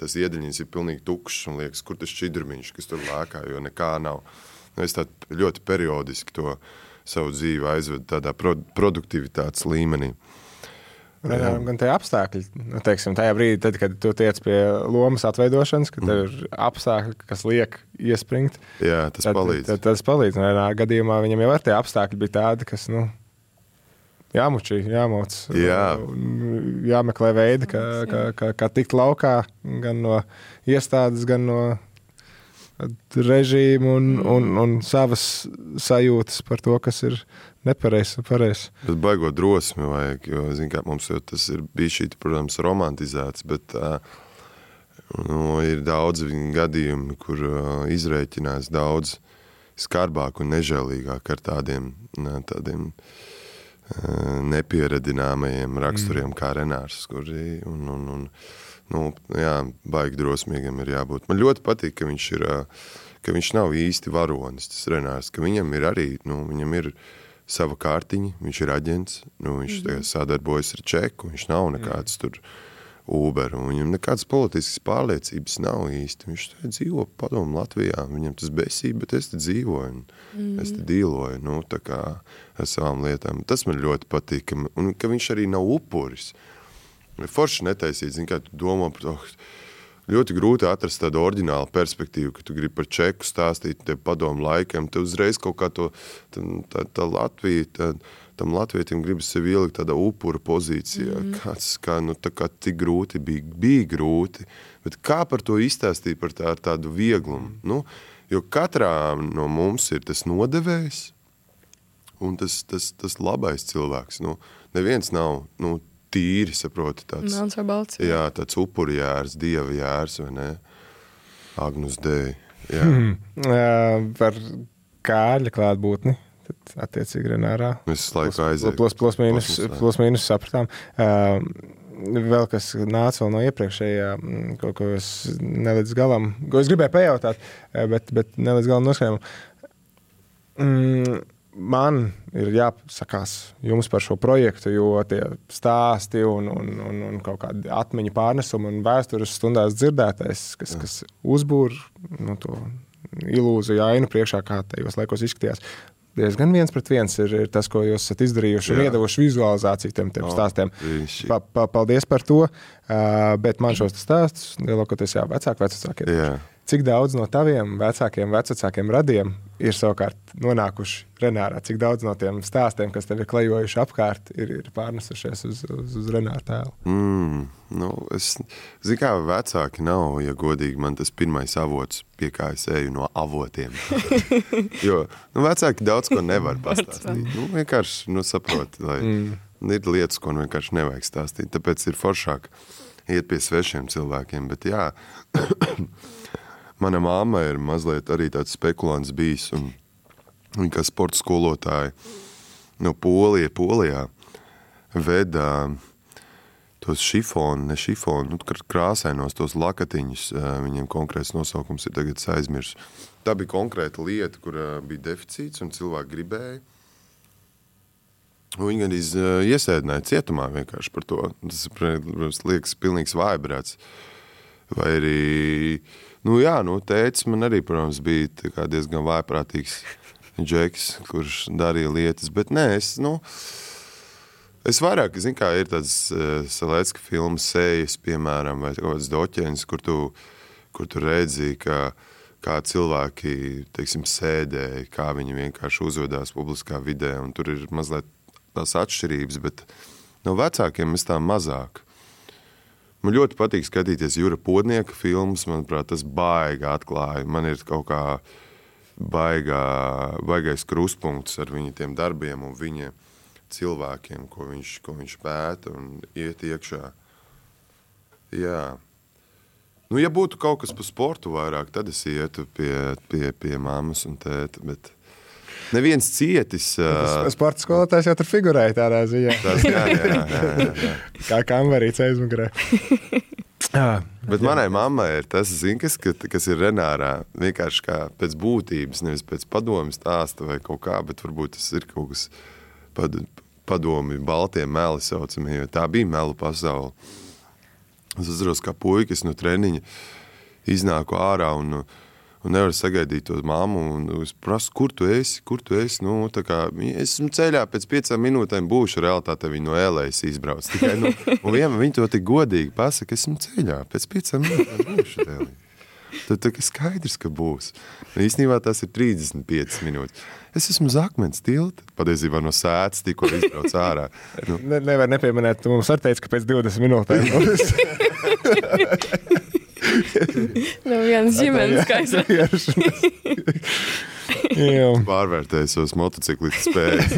[SPEAKER 12] tas iedeļņins ir pilnīgi tukšs un liekas, kur tas šķidrumiņš, kas tur lēkā, jo nekā nav. Es tā ļoti periodiski to savu dzīvi aizvedu tādā produktivitātes līmenī.
[SPEAKER 1] Renāram gan tie apstākļi, teiksim, tajā brīdī, tad, kad tu tiec pie lomas atveidošanas, kad tev ir apstākļi, kas liek iespringt.
[SPEAKER 12] Jā, tas palīdz.
[SPEAKER 1] Tas palīdz. Renāra gadījumā viņam jau ar tie apstākļi bija tādi, kas, jāmučī, jāmoc.
[SPEAKER 12] Jā.
[SPEAKER 1] Jāmeklē veidi, kā tikt laukā, gan no iestādes, gan no režīmu un savas sajūtas par to, kas ir nepareizs un pareizs.
[SPEAKER 12] Bet baigo drosmi vajag, jo, kā mums jau tas ir bijis šī, protams, romantizēts, bet ir daudz gadījumi, kur izrēķinās daudz skarbāk un nežēlīgāk ar tādiem nepieradināmajiem raksturiem kā Renārs, kuri baigi drosmīgam ir jābūt. Man ļoti patīk, ka viņš nav īsti varonis, tas Renārs, ka viņam ir arī, viņam ir sava kārtiņa, viņš ir aģents, viņš sadarbojas ar čeku, viņš nav nekāds tur Uber, un viņam nekādas politiskas pārliecības nav īsti. Viņš dzīvo padomu Latvijā, viņam tas besība, bet es te dzīvoju, es te dīloju, tā kā ar savām lietām. Tas man ļoti patīk, un ka viņš arī nav upuris. Forši netaisīt, kā tu domā par to, ļoti grūti atrast tādu oriģinālu perspektīvu, ka tu gribi par čeku stāstīt te padomu laikiem, te uzreiz kaut kā tā Latvija, tam latvietim gribas sevi ielikt tādā upura pozīcijā, tā kā tik grūti bija grūti, bet kā par to izstāstīt par tādu vieglumu, jo katrā no mums ir tas nodevējs un tas labais cilvēks, neviens nav, tīri, saproti, tāds,
[SPEAKER 2] melns vai balts,
[SPEAKER 12] jā, tāds upuri jērs, dieva jērs, vai ne? Agnus Dei, jā.
[SPEAKER 1] Par Kārļa klātbūtni, tad attiecīgi Renārā.
[SPEAKER 12] Mēs laiku aizēju.
[SPEAKER 1] Plus mīnus sapratām. Vēl kas nāca vēl no iepriekšējā, ko es nelīdz galam, ko es gribēju pajautāt, bet nelīdz galam noskaņām. Man ir jāsakās jums par šo projektu, jo tie stāsti un kaut kādi atmiņu pārnesumi un vēstures stundās dzirdētais, kas uzbūr to ilūziju ainu priekšā, kā tajos laikos izskatījās. Diezgan 1-1 ir tas, ko jūs esat izdarījuši un iedavuši vizualizāciju tiem stāstiem. Paldies par to, bet man šos stāstus lielākoties vecākie. Cik daudz no taviem vecākiem radiem ir savukārt nonākuši Renārā? Cik daudz no tiem stāstiem, kas tev ir klejojuši apkārt, ir pārnesušies uz Renāra tēlu?
[SPEAKER 12] Es zinu, kā vecāki nav, ja godīgi, man tas pirmais avots, pie kā es eju no avotiem. Jo vecāki daudz ko nevar pastāstīt. Vienkārši saprot, lai ir lietas, ko vienkārši nevajag stāstīt. Tāpēc ir foršāk iet pie svešiem cilvēkiem. Bet jā, mana mamma ir mazliet arī tāds spekulants bijis, un viņa kā sporta skolotāja no Polijā veda tos šifonu, krāsainos tos lakatiņus, viņiem konkrēts nosaukums ir tagad aizmirs. Tā bija konkrēta lieta, kur bija deficīts un cilvēki gribēja. Viņi gan iesēdināja cietumā vienkārši par to. Tas, protams, liekas pilnīgs vājbrāts. Vai arī, tētis man arī, protams, bija diezgan vājprātīgs džeks, kurš darīja lietas, bet nē, es vairāk, zinu, kā ir tāds Salecka filmas Sejas, piemēram, vai kaut kāds doķens, kur tu redzi, kā cilvēki, teiksim, sēdēja, kā viņi vienkārši uzvedās publiskā vidē, un tur ir mazliet tās atšķirības, bet no vecākiem es tā mazāk. Man ļoti patīk skatīties Jura Podnieka filmas, manuprāt, tas baigi atklāja. Man ir kaut kā baigais kruspunkts ar viņa tiem darbiem un viņa cilvēkiem, ko viņš pēta un iet iekšā. Jā. Ja būtu kaut kas par sportu vairāk, tad es ietu pie mammas un tēta, bet neviens cietis.
[SPEAKER 1] Sporta skolotājs jau tur figurēja tādā ziņā.
[SPEAKER 12] Tas jā.
[SPEAKER 1] Kā kambarīts aizmugurē.
[SPEAKER 12] Bet manai mammai ir tas, kas ir Renārā, vienkārši kā pēc būtības, nevis pēc padomi stāsta vai kaut kā, bet varbūt tas ir kaut kas padomi, baltie meli saucamie, jo tā bija melu pasaule. Es atceros, kā puikas no treniņa iznāku ārā un nevaru sagaidīt to mammu, un es prasu, kur tu esi? Tā kā, esmu ceļā, pēc 5 minūtēm būšu, realitātē viņi no Ēlējas izbrauc. Tikai, viņi to tik godīgi pasaka, esmu ceļā, pēc 5 minūtēm būšu Ēlējas. Tad skaidrs, ka būs. Īstenībā tas ir 35 minūtes. Es esmu uz akmens tilta, patiesībā no sētas tikko izbrauc ārā.
[SPEAKER 1] Nevar nepieminēt, tu mums arī teici, ka pēc 20 minūtēm būs.
[SPEAKER 2] Viens ģimenes skaisrs.
[SPEAKER 12] Pārvērtēju savus motociklistu spējas.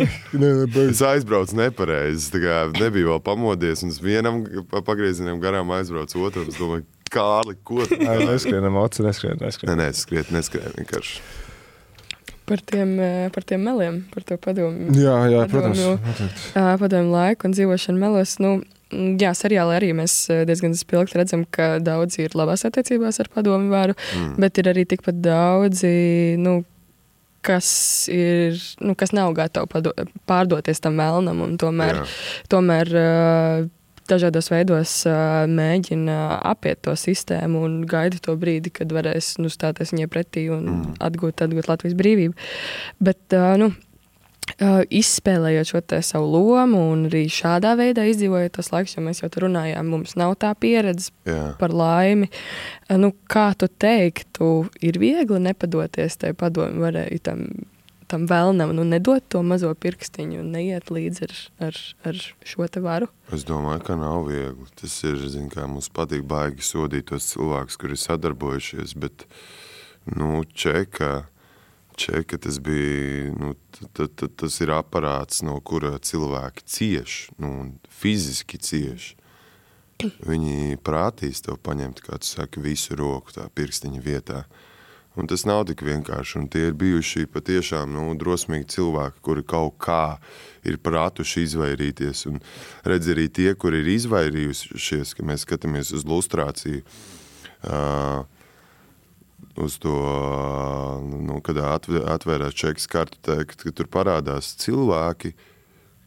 [SPEAKER 12] Es aizbraucu nepareizi. Nebiju vēl pamodies, un es vienam pagriezienam garām aizbraucu otram. Es domāju, Kārli, ko?
[SPEAKER 1] Neskrienam, oci, neskrien.
[SPEAKER 12] Neskrien vienkārši.
[SPEAKER 2] Par tiem meliem, par to padomu.
[SPEAKER 1] Jā, protams.
[SPEAKER 2] Padomu laiku un dzīvošanu melos. Jā, seriāli arī mēs diezgan spilgti redzam, ka daudzi ir labās attiecībās ar padomu varu, bet ir arī tikpat daudzi, kas nav gatavi pārdoties tam melnam un tomēr dažādos veidos mēģina apiet to sistēmu un gaida to brīdi, kad varēs stāties viņai pretī un atgūt Latvijas brīvību. Bet, izspēlējot šo te savu lomu un arī šādā veidā izdzīvojot tos laikus, jo mēs jau tur runājām, mums nav tā pieredze par laimi. Kā tu teiktu, ir viegli nepadoties tai padomu varēja tam vēlnam, nedot to mazo pirkstiņu un neiet līdz ar šo te varu?
[SPEAKER 12] Es domāju, ka nav viegli. Tas ir, kā mums patīk baigi sodīt tos cilvēkus, kuri sadarbojušies, bet, Čeka tas bija, tas ir aparāts, no kura cilvēki cieš, fiziski cieš. Viņi prātīs tev paņemt, kā tu saki, visu roku tā pirkstiņa vietā. Un tas nav tik vienkārši, un tie ir bijuši patiešām drosmīgi cilvēki, kuri kaut kā ir prātuši izvairīties. Un redz arī tie, kuri ir izvairījušies, ka mēs skatāmies uz lustrāciju, uz to, kad atvērās čekas kartu, ka tur parādās cilvēki,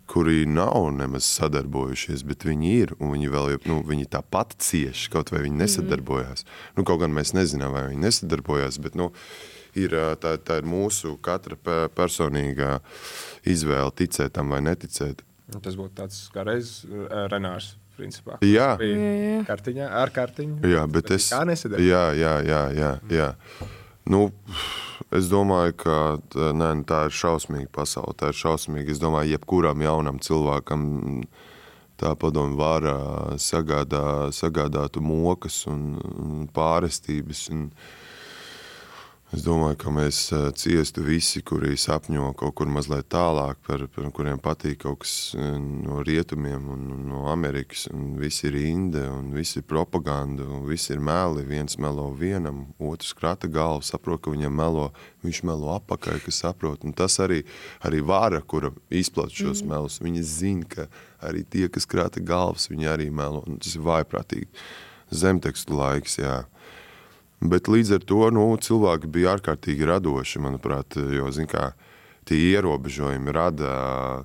[SPEAKER 12] kuri nav nemaz sadarbojušies, bet viņi ir, un viņi vēl, viņi tāpat cieši, kaut vai viņi nesadarbojās. Kaut gan mēs nezinām, vai viņi nesadarbojās, bet, tā ir mūsu katra personīgā izvēle ticēt tam vai neticēt.
[SPEAKER 1] Tas būtu tāds kā reiz Renārs, principā.
[SPEAKER 12] Jā.
[SPEAKER 1] Kartiņā, ar kartiņu.
[SPEAKER 12] Jā, bet es...
[SPEAKER 1] Kā nesadarbojas?
[SPEAKER 12] Jā. Es domāju, ka tā ir šausmīga pasaule, tā ir šausmīga. Es domāju, jebkuram jaunam cilvēkam tā padomu var sagādātu mokas un pārestības. Un es domāju, ka mēs ciestu visi, kuri sapņo kaut kur mazliet tālāk, par kuriem patīk kaut kas no rietumiem un no Amerikas, un visi ir inde, un visi ir propaganda, un visi ir meli, viens melo vienam, otrs krata galvu, saprot, ka viņam melo, viņš melo apakai, kas saprot, un tas arī vara, kura izplat šos melus, viņi zina, ka arī tie, kas krata galvas, viņi arī melo, un tas ir vājprātīgi. Zemtekstu laiks, jā. Bet līdz ar to cilvēki bija ārkārtīgi radoši, manuprāt, jo, tie ierobežojumi rada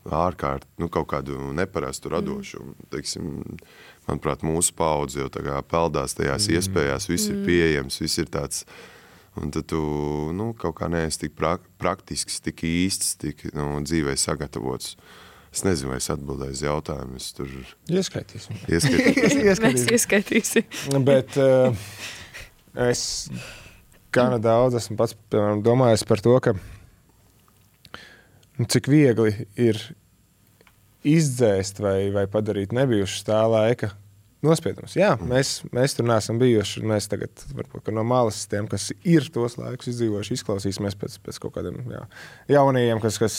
[SPEAKER 12] kaut kādu neparastu radošu. Teiksim, manuprāt, mūsu paudze jau tā kā peldās tajās iespējās, viss ir pieejams, viss ir tāds, un tad tu, kaut kā neesi tik praktisks, tik īsts, tik dzīvē sagatavots. Es nezinu, vai es atbildēju uz jautājumu, es tur...
[SPEAKER 1] Ieskaitīsim.
[SPEAKER 2] Mēs ieskaitīsim.
[SPEAKER 1] Bet... Es gana daudz esmu pats, piemēram, domājis par to, ka cik viegli ir izdzēst vai padarīt nebijušas tā laika nospiedumus. Jā, mēs tur neesam bijuši, mēs tagad varbūt no malas tiem, kas ir tos laikus izdzīvojuši, izklausīsimies pēc kaut kādiem jaunajiem, kas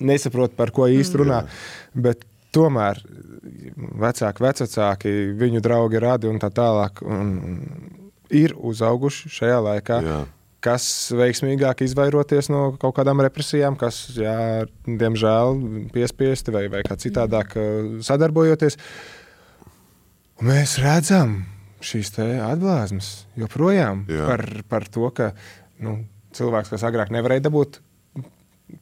[SPEAKER 1] nesaprot, par ko īsti runā, bet tomēr vecāki, viņu draugi radi un tā tālāk, ir uzauguši šajā laikā, kas veiksmīgāk izvairoties no kaut kādām represijām, kas, diemžēl, piespiesti vai kā citādāk sadarbojoties. Un mēs redzam šīs te atblāzmas joprojām par to, ka cilvēks, kas agrāk nevarēja dabūt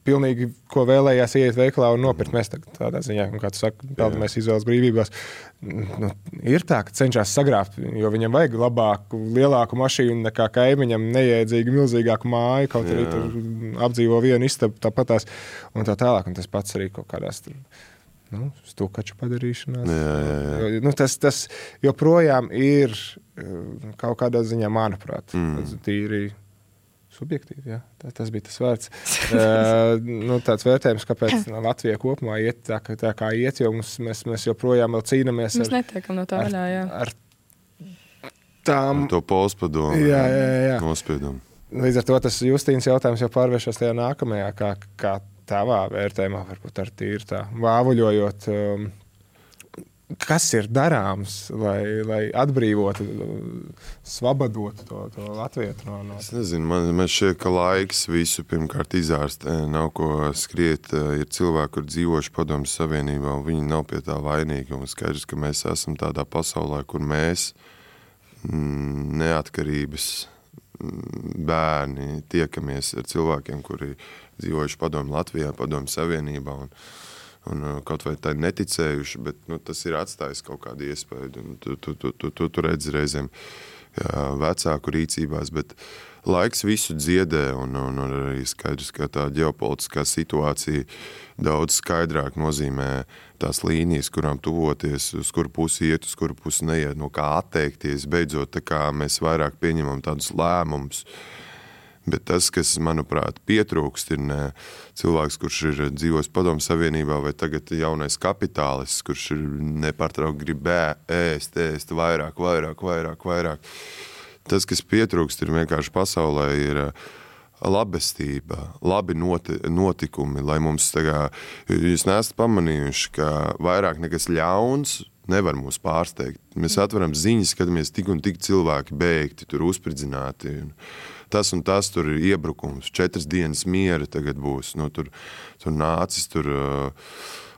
[SPEAKER 1] pilnīgi, ko vēlējās iet veiklā un nopirkt. Mēs tādā ziņā, kā tu saki, peldamies izvēles brīvībās. Ir tā, ka cenšas sagrābt, jo viņam vajag labāku, lielāku mašīnu nekā kaimiņam, neiedzīgu, milzīgāku māju, kaut arī tur apdzīvo vienu istabu tāpatās un tā tālāk. Un tas pats arī kaut kādās tur, stukaču padarīšanās. Tas joprojām ir kaut kādā ziņā, manuprāt, tīri subjektīvi, jā. Tas bija tas vārds. Tāds vērtējums, kāpēc Latvija kopumā iet tā kā iet, jo mēs joprojām vēl cīnamies
[SPEAKER 2] mēs netiekam no tā vaļā, jā.
[SPEAKER 12] Ar to polspadomu nospiedumu.
[SPEAKER 1] Līdz ar to tas Justīnas jautājums jau pārvēršas tajā nākamajā, kā tavā vērtējumā, varbūt ar tīri tā vāvuļojot, kas ir darāms, lai atbrīvotu, svabadotu to latvietu no...
[SPEAKER 12] Es nezinu, man šķiet, ka laiks visu pirmkārt izārstē, nav ko skriet, ir cilvēki, kur dzīvoši Padomju Savienībā, un viņi nav pie tā vainīgi, un skaidrs, ka mēs esam tādā pasaulē, kur mēs neatkarības bērni tiekamies ar cilvēkiem, kuri dzīvojuši Padomju Latvijā, Padomju Savienībā, un kaut vai tā neticējuši, bet tas ir atstājis kaut kādu iespēju. Tu redzi reizēm vecāku rīcībās, bet laiks visu dziedē, un arī skaidrs, ka tā ģeopolitiskā situācija daudz skaidrāk nozīmē tās līnijas, kurām tuvoties, uz kuru pusi iet, uz kuru pusi neiet, no kā atteikties, beidzot, tā kā mēs vairāk pieņemam tādus lēmumus. Bet tas, kas, manuprāt, pietrūkst, ir cilvēks, kurš ir dzīvojis Padomju Savienībā, vai tagad jaunais kapitālists, kurš ir nepārtraukti grib ēst vairāk. Tas, kas pietrūkst, ir vienkārši pasaulē, ir labestība, labi notikumi, lai mums jūs neesat pamanījuši, ka vairāk nekas ļauns nevar mūs pārsteigt. Mēs atveram ziņas, skatāmies tik un tik cilvēki beigti, tur uzspridzināti, tas un tas, tur ir iebrukums, 4 dienas miera tagad būs, tur nācis, tur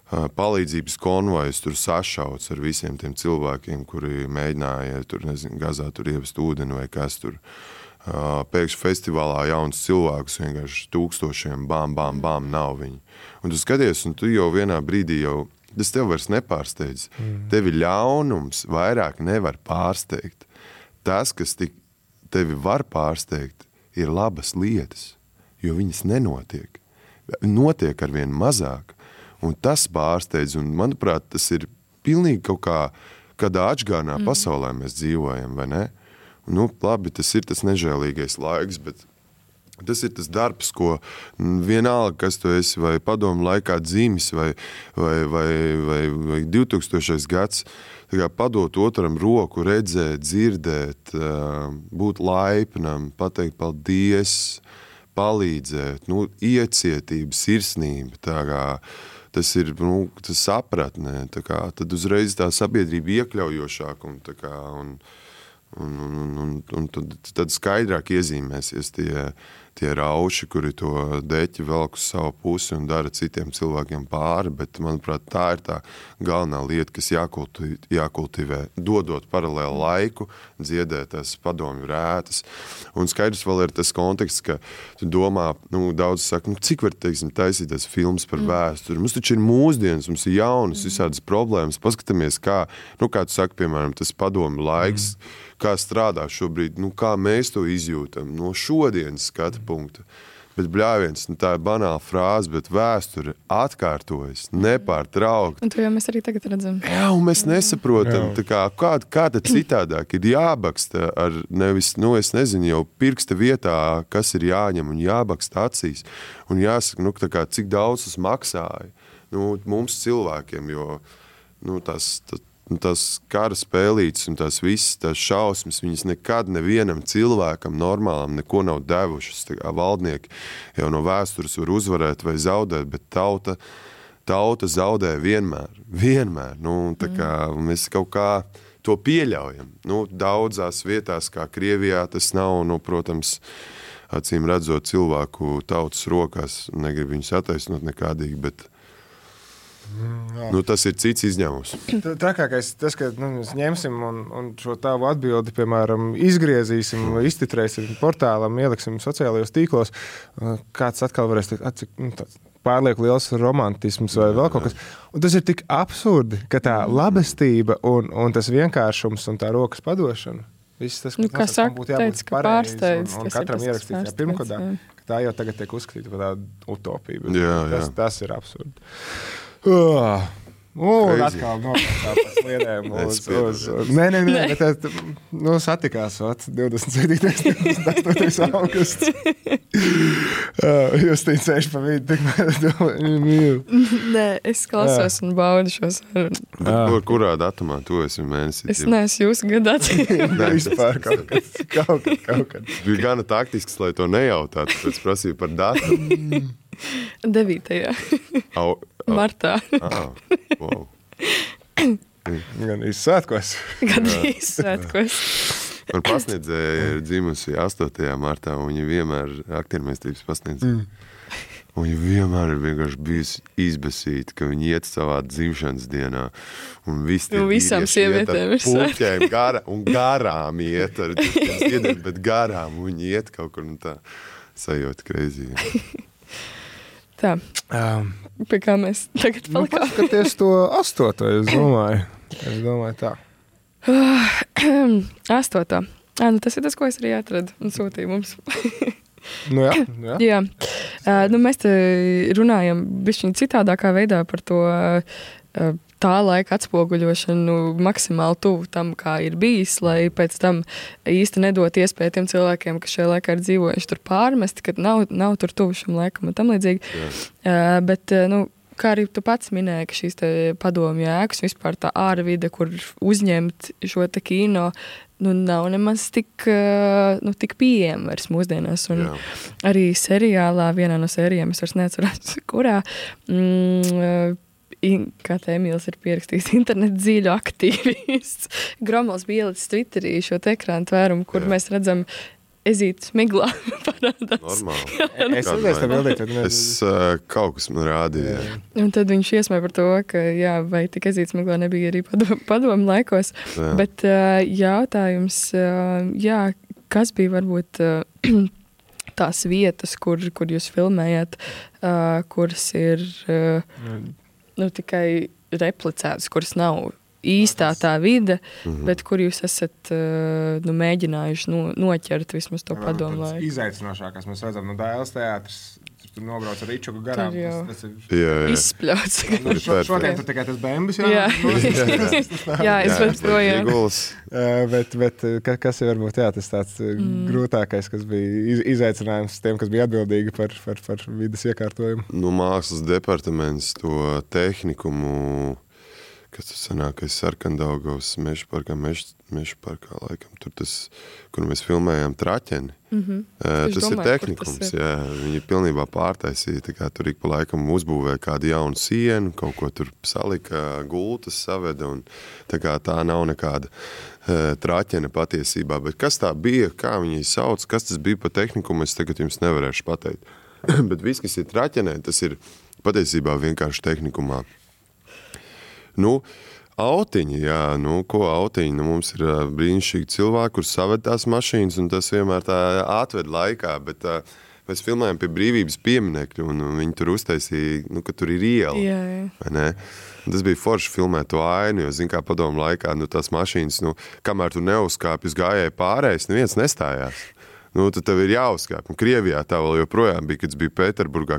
[SPEAKER 12] palīdzības konvojs, tur sašauts ar visiem tiem cilvēkiem, kuri mēģināja, tur, nezinu, Gazā tur ievest ūdeni vai kas tur. pēkšņi festivālā jauns cilvēkus, vienkārši tūkstošiem, bam, nav viņi. Un tu skaties, un tu jau vienā brīdī tas tev vairs nepārsteidz. Tevi ļaunums vairāk nevar pārsteigt. Tas, kas tevi var pārsteigt, ir labas lietas, jo viņas nenotiek. Notiek arvien mazāk, un tas pārsteidz, un manuprāt, tas ir pilnīgi kaut kādā atžgānā pasaulē mēs dzīvojam, vai ne? Nu, labi, tas ir tas nežēlīgais laiks, bet tas ir tas darbs, ko vienalga, kas tu esi, vai padomu laikā dzimis, vai 2000. Gads, padot otram roku, redzēt, dzirdēt, būt laipnam, pateikt paldies, palīdzēt, iecietība, sirsnība, tas ir, tas sapratnē, tad uzreiz tā sabiedrība iekļaujošāk un tad skaidrāk iezīmēsies tie rauši, kuri to deķi velk uz savu pusi un dara citiem cilvēkiem pāri, bet, manuprāt, tā ir tā galvenā lieta, kas jākultivē, dodot paralēlu laiku, dziedēt tās padomju rētas. Un skaidrs vēl ir tas konteksts, ka tu domā, daudz saka, cik var, taisīt tas filmas par vēsturi. Mums taču ir mūsdienas, mums ir jaunas visādas problēmas. Paskatāmies, kā tu saki, piemēram, tas padomju laiks, kā strādā šobrīd, kā mēs to izjūtam no šodienas skatu punkta. Bet bļāviens, tā ir banāla frāze, bet vēsture atkārtojas, nepārtraukt.
[SPEAKER 2] Un to jau mēs arī tagad redzam.
[SPEAKER 12] Jā, un mēs nesaprotam, kā tad citādāk ir jābaksta ar nevis, es nezinu, jau pirksta vietā, kas ir jāņem un jābaksta acīs. Un jāsaka, cik daudz tas maksāja. Mums cilvēkiem, jo tās kara spēlītes un tās visas tās šausmas, viņas nekad nevienam cilvēkam normālam neko nav devušas. Valdnieki jau no vēstures var uzvarēt vai zaudēt, bet tauta zaudē vienmēr. Mēs kaut kā to pieļaujam. Daudzās vietās, kā Krievijā, tas nav, protams, acīm redzot cilvēku tautas rokās, negribu viņus attaisnot nekādīgi, bet tas ir cits izņēmums.
[SPEAKER 1] Trakākais tas, ka mēs ņemsim un šo tavu atbildi, piemēram, izgriezīsim, iztitrēsim portālam, ieliksim sociālajos tīklos, kāds atkal varēs pārlieku liels romantisms vai vēl kaut kas. Un tas ir tik absurdi, ka tā labestība un tas vienkāršums un tā rokas padošana, viss tas,
[SPEAKER 2] kā saka, teica, ka pārsteidz.
[SPEAKER 1] Un katram ierakstīt pirmkodā, ka tā jau tagad tiek uzskatīta par tādu utopiju. Tas ir absurdi. Atkal nokāpā pa sliedēm Nē, bet satikās 27. 28. augusts. Justīna sēž pa vidu, tikmēr mīlu.
[SPEAKER 2] Nē, es klausos un baudu šo sarunu.
[SPEAKER 12] Kurā datumā tu esi mēnesī?
[SPEAKER 2] Es neesmu jūsu gadāt.
[SPEAKER 1] Vispār kaut kad.
[SPEAKER 12] Bija gana taktisks, lai to nejautātu, pēc prasīju par datumu.
[SPEAKER 2] 9. Martā.
[SPEAKER 12] Wow.
[SPEAKER 1] Gan izsvētkos.
[SPEAKER 12] Man pasniedzēja ir dzimusi 8. martā, un viņa vienmēr aktiermēstības pasniedzēja. Un viņa vienmēr ir vienkārši bijusi izbesīta, ka viņa iet savā dzimšanas dienā. Un
[SPEAKER 2] visām sievietēm ir
[SPEAKER 12] puķēm garām iet ar dziediem, bet garām viņa iet kaut kur un tā sajūta kreizīgi.
[SPEAKER 2] Tā, pie kā mēs tagad palikām?
[SPEAKER 1] Paskaties to 8. es domāju tā.
[SPEAKER 2] 8. Tas ir tas, ko es arī atradu un sūtīju mums.
[SPEAKER 1] Jā.
[SPEAKER 2] Mēs te runājam bišķiņ citādākā veidā par to tā laika atspoguļošanu maksimāli tuvu tam, kā ir bijis, lai pēc tam īsti nedot iespēju tiem cilvēkiem, kas šajā laikā ir dzīvojuši tur pārmesti, kad nav tur tuvu šim laikam un tam līdzīgi. Bet, kā arī tu pats minēji, ka šīs te padomju ēkas, vispār tā ārvide, kur uzņemt šo te kino, nav nemaz tik pieejama vairs mūsdienās. Un arī seriālā, vienā no sērijām, es vairs neatceros, kurā, kā te Emīls ir pierakstījis, internet dzīļu aktīvists. Gromals bija ielicis Twitterī šo te ekrānu tvērumu, kur mēs redzam ezīti smiglā parādās.
[SPEAKER 12] Normāli. Es kaut kas man rādīja.
[SPEAKER 2] Un tad viņš iesmēja par to, ka vai tik ezīti smiglā nebija arī padomu laikos. Bet jautājums, kas bija varbūt tās vietas, kur jūs filmējat, kuras ir tikai replicētas, kuras nav īstā tā vide, bet kur jūs esat mēģinājuši noķert vismaz to padomu laiku.
[SPEAKER 1] Izaicinošākās mēs redzam, Dailes teātris, tur nobrauc ar Ričuku garām. Tas
[SPEAKER 2] ir izspļauts.
[SPEAKER 1] Šodien tur tikai tas bembis,
[SPEAKER 2] jā, es varu projām.
[SPEAKER 1] Bet kas ir varbūt tas tāds grūtākais, kas bija izaicinājums tiem, kas bija atbildīgi par vides iekārtojumu?
[SPEAKER 12] Mākslas departaments to tehnikumu, kas tas sanākais Sarkandaugavas Mežparkā, laikam, tur tas, kur mēs filmējām Traķeni. Tas ir tehnikums, jā. Viņi pilnībā pārtaisīja, tā kā tur ik pa laikam uzbūvēja kādu jaunu sienu, kaut ko tur salika, gultas saveda, un tā kā tā nav nekāda Traķene patiesībā. Bet kas tā bija, kā viņi sauc, kas tas bija pa tehnikumu, es tagad jums nevarēšu pateikt. Bet viss, kas ir Traķenē, tas ir patiesībā vienkārši tehnikumā. Autiņi, jā, ko autiņi? Mums ir brīnišķīgi cilvēki, kur saved tās mašīnas, un tas vienmēr tā atved laikā, bet mēs filmējam pie Brīvības pieminekļa, un viņi tur uztaisīja, ka tur ir iela. Vai ne? Tas bija forši filmēt to ainu, jo, kā padomu laikā, tās mašīnas, kamēr tu neuzkāpi uz gājēju pārējais, neviens nestājās. Tad tev ir jāuzkāp. Krievijā tā vēl joprojām bija, kad bija Pēterburgā.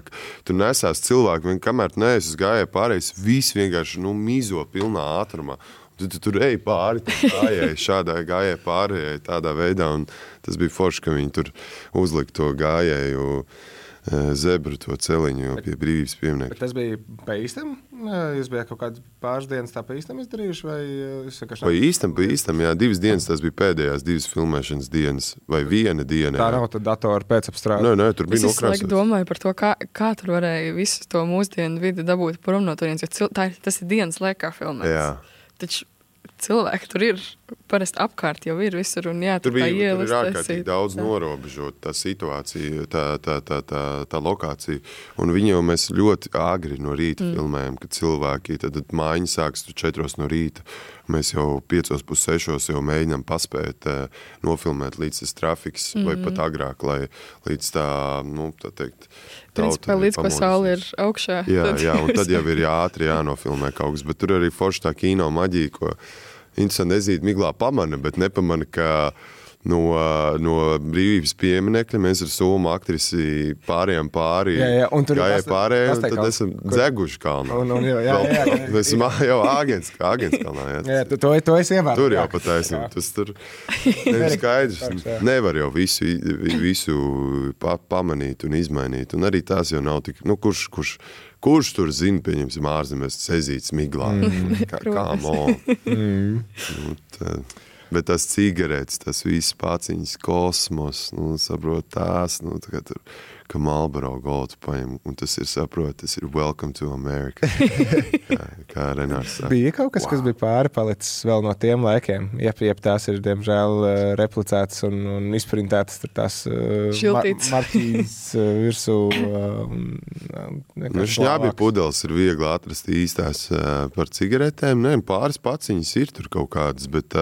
[SPEAKER 12] Tu nesās cilvēku, kamēr tu neesi uz gājēju pārējais, viss vienkārši mizo pilnā ātrumā. Tu tur ej pāri, gājēji, šādā gājēji pārējai, tādā veidā. Un tas bija forši, ka viņi tur uzlika to gājēju zebru, to celiņu pie Brīvības pieminekļa.
[SPEAKER 1] Bet tas bija pa īstam? Jūs bijāt kaut kādas pāris dienas tā pa īstam izdarījuši?
[SPEAKER 12] Pa īstam, jā. 2 dienas tas bija pēdējās 2 filmēšanas dienas, vai 1 diena.
[SPEAKER 1] Tā nav tad datora pēcapstrāde?
[SPEAKER 12] Nē, tur bija nokrāsots.
[SPEAKER 2] Es domāju par to, kā tur varēja visu to mūsdienu vidi dabūt prom no turienes, jo tas ir dienas laikā filmēts.
[SPEAKER 12] Jā.
[SPEAKER 2] Taču cilvēki tur ir, parasti apkārt jau ir visur, un jā, tur tā ielas.
[SPEAKER 12] Tur ir ārkārtīgi daudz norobežot tā situācija, tā lokācija, un viņi jau mēs ļoti agri no rīta filmējam, kad cilvēki, tad mājiņa sāks 4 no rīta, mēs jau 5:30 jau mēģinām paspēt nofilmēt līdz tas trafiks, vai pat agrāk, lai līdz tā, tā teikt,
[SPEAKER 2] principā līdz, ko saule ir augšā.
[SPEAKER 12] Jā, un tad jau ir ātri jānofilmē kaut kas, bet tur arī forši tā kino maģija, ko interesanti nezīt miglā pamana, bet nepamana, ka no Brīvības pieminekļa mēs ar Somu aktrisi pārējām pāri, gājēji pārējām, un tad esam dzeguši kalnā. Mēs esam jau Āgens kalnā.
[SPEAKER 1] Jā, to es ievēru.
[SPEAKER 12] Tur jau pataisnība, tas tur nevis skaidrs. Nevar jau visu pamanīt un izmainīt, un arī tās jau nav tik, kurš tur zina, pieņemsim ārzemēs sezīts miglā. Bet tas cigaretes, tas viss paciņas, kosmos, saprot tās, tur, ka Marlboro Golds paņem, un tas ir, saprot, tas ir Welcome to America. kā Renārs saka.
[SPEAKER 1] Bija kaut kas, kas bija pārpalicis vēl no tiem laikiem, jeb tās ir, diemžēl, replicētas un izprintētas tur tās marķītes virsū.
[SPEAKER 12] Šņābi pudeles ir viegli atrast īstās par cigaretēm, pāris paciņas ir tur kaut kādas, bet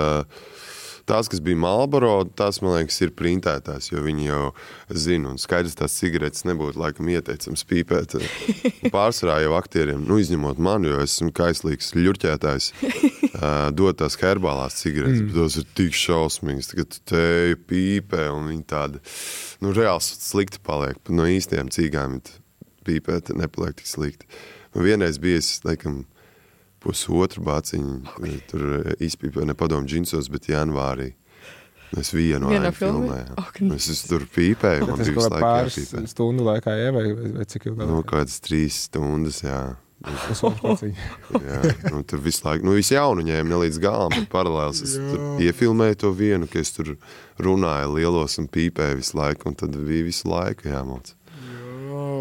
[SPEAKER 12] tās, kas bija Marlboro, tās, man liekas, ir printētās, jo viņi jau zina, un skaidrs tās cigaretes nebūtu laikam ieteicams pīpēt. Pārsvarā jau aktieriem, izņemot mani, jo esmu kaislīgs ļurķētājs, dod tās herbālās cigaretes, bet tos ir tik šausmīgas, ka tu teju pīpē, un viņi tādi, reāls slikti paliek, bet no īstiem cīgām pīpēt nepaliek tik slikti. Vienreiz bija, laikam, 1,5 bāciņu, tur izpīpēju nepadomu džinsos, bet janvārī. Mēs vienu ainu filmējām. Es tur pīpēju, man bija visu laiku jāpīpē.
[SPEAKER 1] Pāris stundu laikā, vai cik ilgā?
[SPEAKER 12] Kādas 3 stundas, jā. Jā, tur visu laiku, visu jaunu ņēmu ne līdz galam, bet paralēls es tur iefilmēju to vienu, ka es tur runāju lielos un pīpēju visu laiku, un tad bija visu laiku jāmauc.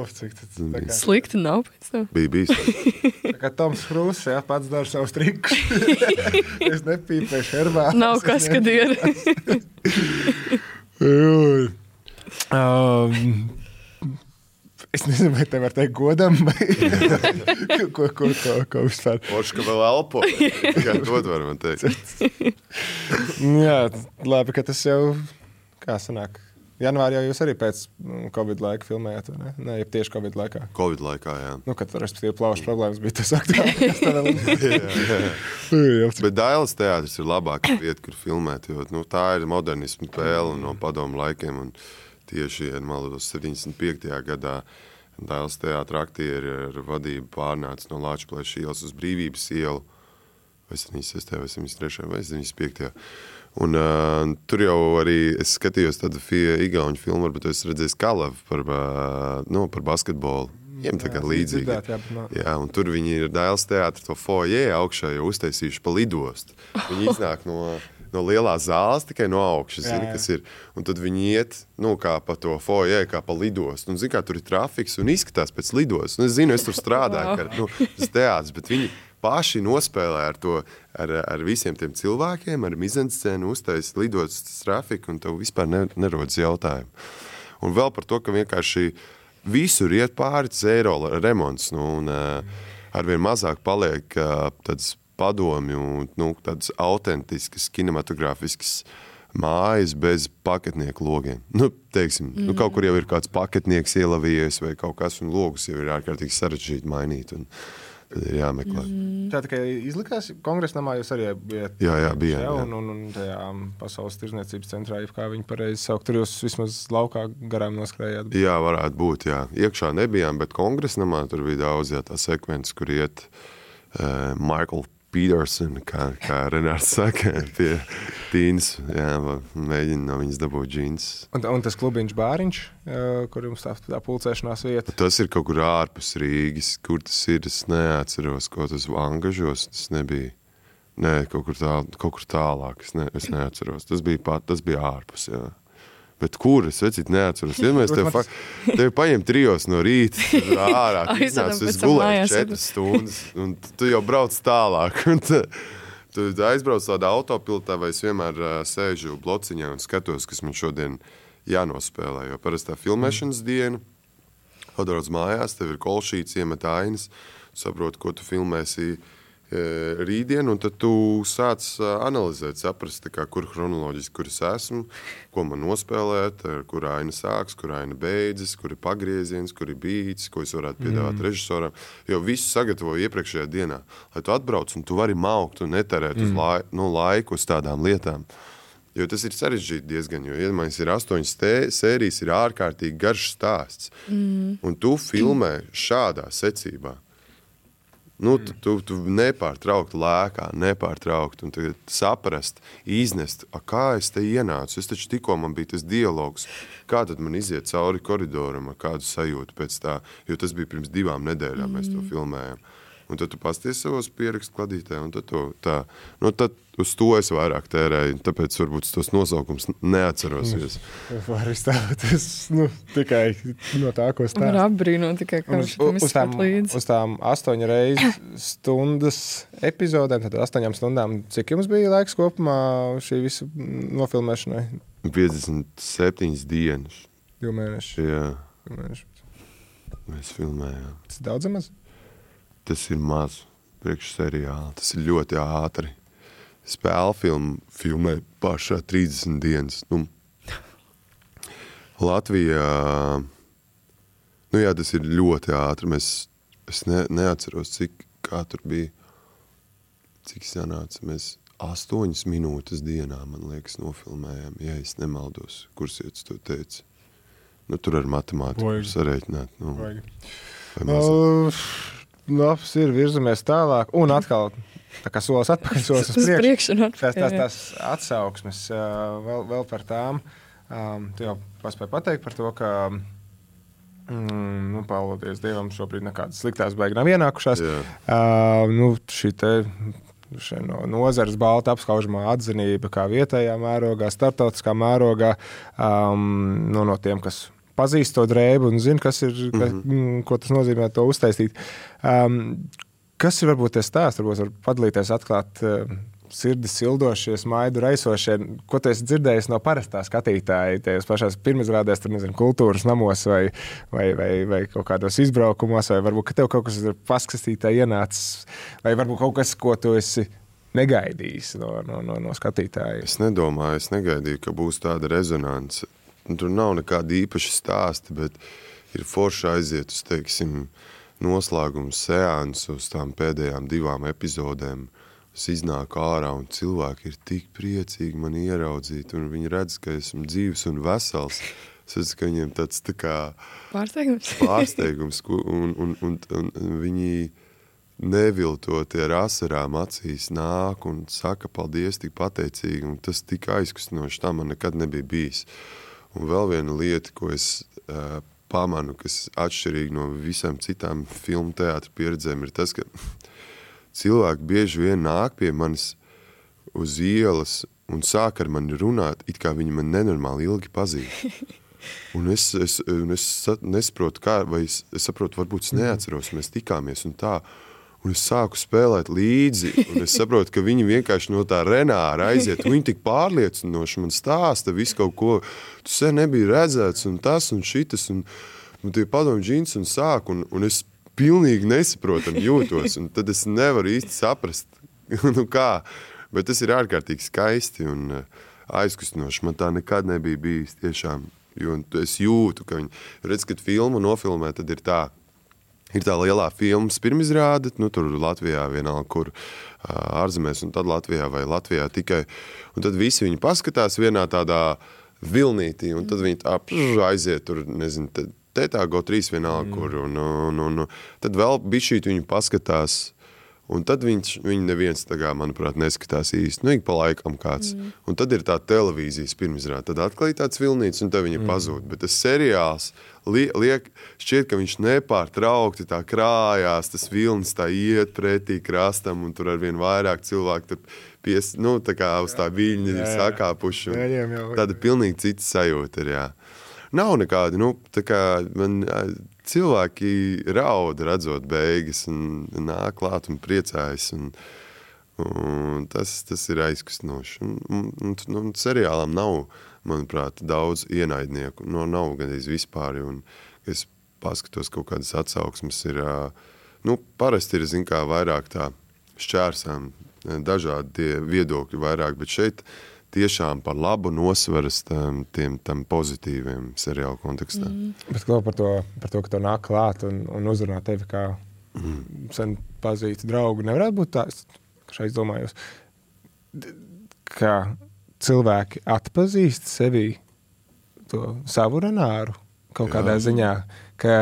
[SPEAKER 2] Slikti nav pēc tam.
[SPEAKER 12] Bija.
[SPEAKER 1] Tā kā Toms Krūss, pats dara savus trikus. Es nepīpēšu herbālās.
[SPEAKER 2] Nav kas, kad ir.
[SPEAKER 1] Es nezinu, vai te var teikt godam, vai ko vispār.
[SPEAKER 12] Poši, ka vēl elpo. Kā dod var man teikt.
[SPEAKER 1] Jā, labi, ka tas jau Kā sanāk? Janvārī jau jūs arī pēc Covid laika filmējāt, vai ne? Nē, ja tieši Covid laikā.
[SPEAKER 12] Covid laikā, jā.
[SPEAKER 1] Nu, kad, respektīvi, plaušu problēmas bija tas aktuālākais.
[SPEAKER 12] jā. Bet Dailes teātris ir labāka vieta, kur filmēt, jo tā ir modernismu pēle no padomu laikiem. Un tieši, ja maldos, 75. gadā Dailes teātra aktieri ar vadību pārnāca no Lāčplēša ielas uz Brīvības ielu, vai 76. vai 73. vai 75. Un tur jau arī es skatījos tādu igauņu filmu, bet es redzēju Kalavu par basketbolu. Viņiem tā kā līdzīgi. Jā, un tur viņi ir Dailes teātra to foyer augšā jau uztaisījuši pa lidostu. Viņi iznāk no lielās zāles tikai no augšas, zini, kas ir. Un tad viņi iet, kā pa to foyer, kā pa lidostu. Un zini, kā tur ir trafiks un izskatās pēc lidostas. Un es zinu, es tur strādāju, tas teātris, bet viņi paši nospēlē ar visiem tiem cilvēkiem, ar mizanscēnu, uztaisa lidostas trafiku, un tev vispār nerodas jautājumu. Un vēl par to, ka vienkārši visur iet pāri zero remonts, un arvien mazāk paliek tāds padomju, tādas autentiskas, kinematogrāfiskas mājas bez paketnieku logiem. Teiksim, kaut kur jau ir kāds paketnieks ielavījies vai kaut kas, un logus jau ir ārkārtīgi sarežģīti mainīt. Un tad ir jāmeklē.
[SPEAKER 1] Tā tikai izlikās kongresnamā, jūs arī bijat.
[SPEAKER 12] Jā, bija.
[SPEAKER 1] Un tajā pasaules tirzniecības centrā, kā viņi pareizi saukt, tur jūs vismaz laukā garām noskrējāt.
[SPEAKER 12] Jā, varētu būt, jā. Iekšā nebijām, bet kongresnamā tur bija daudz, tā sekvences, kur iet Michael Peterson, kā Renārs saka, pie Tīnas, mēģina no viņas dabūt džīns.
[SPEAKER 1] Un tas klubiņš bāriņš, kur jums tā pulcēšanās vieta?
[SPEAKER 12] Tas ir kaut kur ārpus Rīgas, kur tas ir, es neatceros, ko tas Angažos, tas nebija. Nē, kaut kur tālāk, es neatceros. Tas bija ārpus, jā. Bet kur? Es neatceros. Ja mēs tevi paņem 3 no rīta, ārā, es gulēju 4 stundas, un tu jau brauc tālāk. Tu aizbrauc tādā autopilotā, vai es vienmēr sēžu blociņā un skatos, kas man šodien jānospēlē. Jo parasti tā filmēšanas diena, atbrauc mājās, tev ir kolšīts, iemet ainas, saproti, ko tu filmēsi rītdien, un tad tu sāc analizēt, saprast, kur chronoloģiski, kur es esmu, ko man nospēlēt, kur aina sāks, kur aina beidzas, kur ir pagrieziens, kur ir bīts, ko es varētu piedāvāt režisoram. Jo visu sagatavoju iepriekšējā dienā, lai tu atbrauc un tu vari maukt un neterēt uz laiku uz tādām lietām. Jo tas ir sarežģīti diezgan, jo iedomājies ir 8 sērijas, ir ārkārtīgi garš stāsts. Un tu filmē šādā secībā. Tu nepārtraukti lēkā, un tagad saprast, iznest, kā es te ienācu. Es taču tikko man bija tas dialogs, kā tad man iziet cauri koridoram ar kādu sajūtu pēc tā, jo tas bija pirms 2 nedēļām, mēs to filmējam. Un tad tu pasties savos pierakstu kladītē, un tad tad uz to es vairāk tērēju, tāpēc varbūt tos nosaukums neatceros.
[SPEAKER 1] Var izstāvēt, tikai no tā, ko stāst.
[SPEAKER 2] Var apbrīnot tikai, kā šitam izskat līdzi.
[SPEAKER 1] Uz tām 8 reizes stundas epizodēm, tad 8 stundām, cik jums bija laiks kopumā šī visa nofilmēšanai?
[SPEAKER 12] 57 dienas.
[SPEAKER 1] 2 mēneši.
[SPEAKER 12] Jā. Mēs filmējām.
[SPEAKER 1] Tas ir daudz maz?
[SPEAKER 12] Tas ir maz priekš seriāla. Tas ir ļoti ātri. Spēle filmē pašā 30 dienas. Latvijā, tas ir ļoti ātri. Es neatceros, kā tur bija. Cik sanāca? Mēs 8 minūtes dienā, man liekas, nofilmējām. Ja es nemaldos, kursietis to teica. Tur ar matemātiku sarēķināt.
[SPEAKER 1] Labs ir, virzamies tālāk, un atkal tā kā solis atpakaļ, solis uz priekšu. Tās atsauksmes vēl par tām. Tu jau paspēji pateikt par to, ka paldies Dievam, šobrīd nekādas sliktās baigi nav ienākušās. Šī no nozares balta apskaužamā atzinība kā vietējā mērogā, starptautiskā mērogā, no tiem, kas pazīst to drēbu un zina, ko tas nozīmē to uztaisīt. Kas ir varbūt tas stāsts? Varbūt var padalīties, atklāt sirdi sildošie, smaidu raisošie. Ko tu esi dzirdējis no parastā skatītāja? Tajās pašās pirmizrādēs, kultūras namos vai kaut kādos izbraukumos, vai varbūt, ka tev kaut kas ir paskatītā ienācis, vai varbūt kaut kas, ko tu esi negaidījis no skatītāja?
[SPEAKER 12] Es negaidīju, ka būs tāda rezonance. Tur nav nekāda īpaša stāsta, bet ir forši aiziet uz, teiksim, noslēgumu seansu uz tām pēdējām 2 epizodēm. Es iznāku ārā un cilvēki ir tik priecīgi mani ieraudzīt un viņi redz, ka esmu dzīvs un vesels. Es redzu, ka viņiem tāds tā kā pārsteigums un viņi neviltot ar asarām acīs nāk un saka paldies tik pateicīgi un tas tik aizkustinoši, tā man nekad nebija bijis. Un vēl viena lieta, ko es pamanu, kas atšķirīgi no visām citām filmu teātra pieredzēm, ir tas, ka cilvēki bieži vien nāk pie manis uz ielas un sāk ar mani runāt, it kā viņi man nenormāli ilgi pazīst. Un es nesaprotu, kā, vai es saprotu, varbūt es neatceros, mēs tikāmies un tā. Un es sāku spēlēt līdzi, un es saprotu, ka viņi vienkārši no tā Renāra aiziet. Viņi tik pārliecinoši man stāsta visu kaut ko. Tu sen nebija redzēts, un tas, un šitas, un tie padomu džins, un sāk, un es pilnīgi nesaprotam jūtos, un tad es nevaru īsti saprast, nu kā, bet tas ir ārkārtīgi skaisti un aizkustinoši. Man tā nekad nebija bijis tiešām, jo es jūtu, ka viņi, redz, kad filmu nofilmē, tad ir tā lielā filmas pirmizrāde, nu tur Latvijā vienalga, kur ārzemēs, un tad Latvijā vai Latvijā tikai, un tad visi viņi paskatās vienā tādā vilnītī, un tad viņi tā aiziet tur, nezinu, Tētā GO3 vienalga, kur, un tad vēl bišķīt viņi paskatās, un tad viņi neviens, tagad, manuprāt, neskatās īsti, nu, ik pa laikam kāds. Un tad ir tā televīzijas pirmizrāde, tad atklāja tāds vilnīts, un tad viņi pazūd. Bet tas seriāls šķiet, ka viņš nepārtraukti tā krājās, tas vilnis tā iet pretī krastam, un tur arvien vairāk cilvēku tur tā kā uz tā viļņa ir sakāpuši. Tāda pilnīgi cita sajūta ir, jā. Nav nekādi, tā kā man cilvēki raud redzot beigas un nāk klāt un priecājas un tas ir aizkustinoši. Un seriālam nav, manuprāt, daudz ienaidnieku, nav gandrīz vispār, un es paskatos kaut kādas atsauksmes ir, parasti ir, kā vairāk tā šķērsām, dažādi tie viedokļi vairāk, bet šeit tiešām par labu nosveras tam pozitīviem seriālu kontekstā.
[SPEAKER 1] Bet par to, ka to nāk klāt un uzrunā tevi kā sen pazītu draugu, nevarētu būt tā, šeit domājos, ka cilvēki atpazīst sevi to savu Renāru kaut kādā ziņā, ka,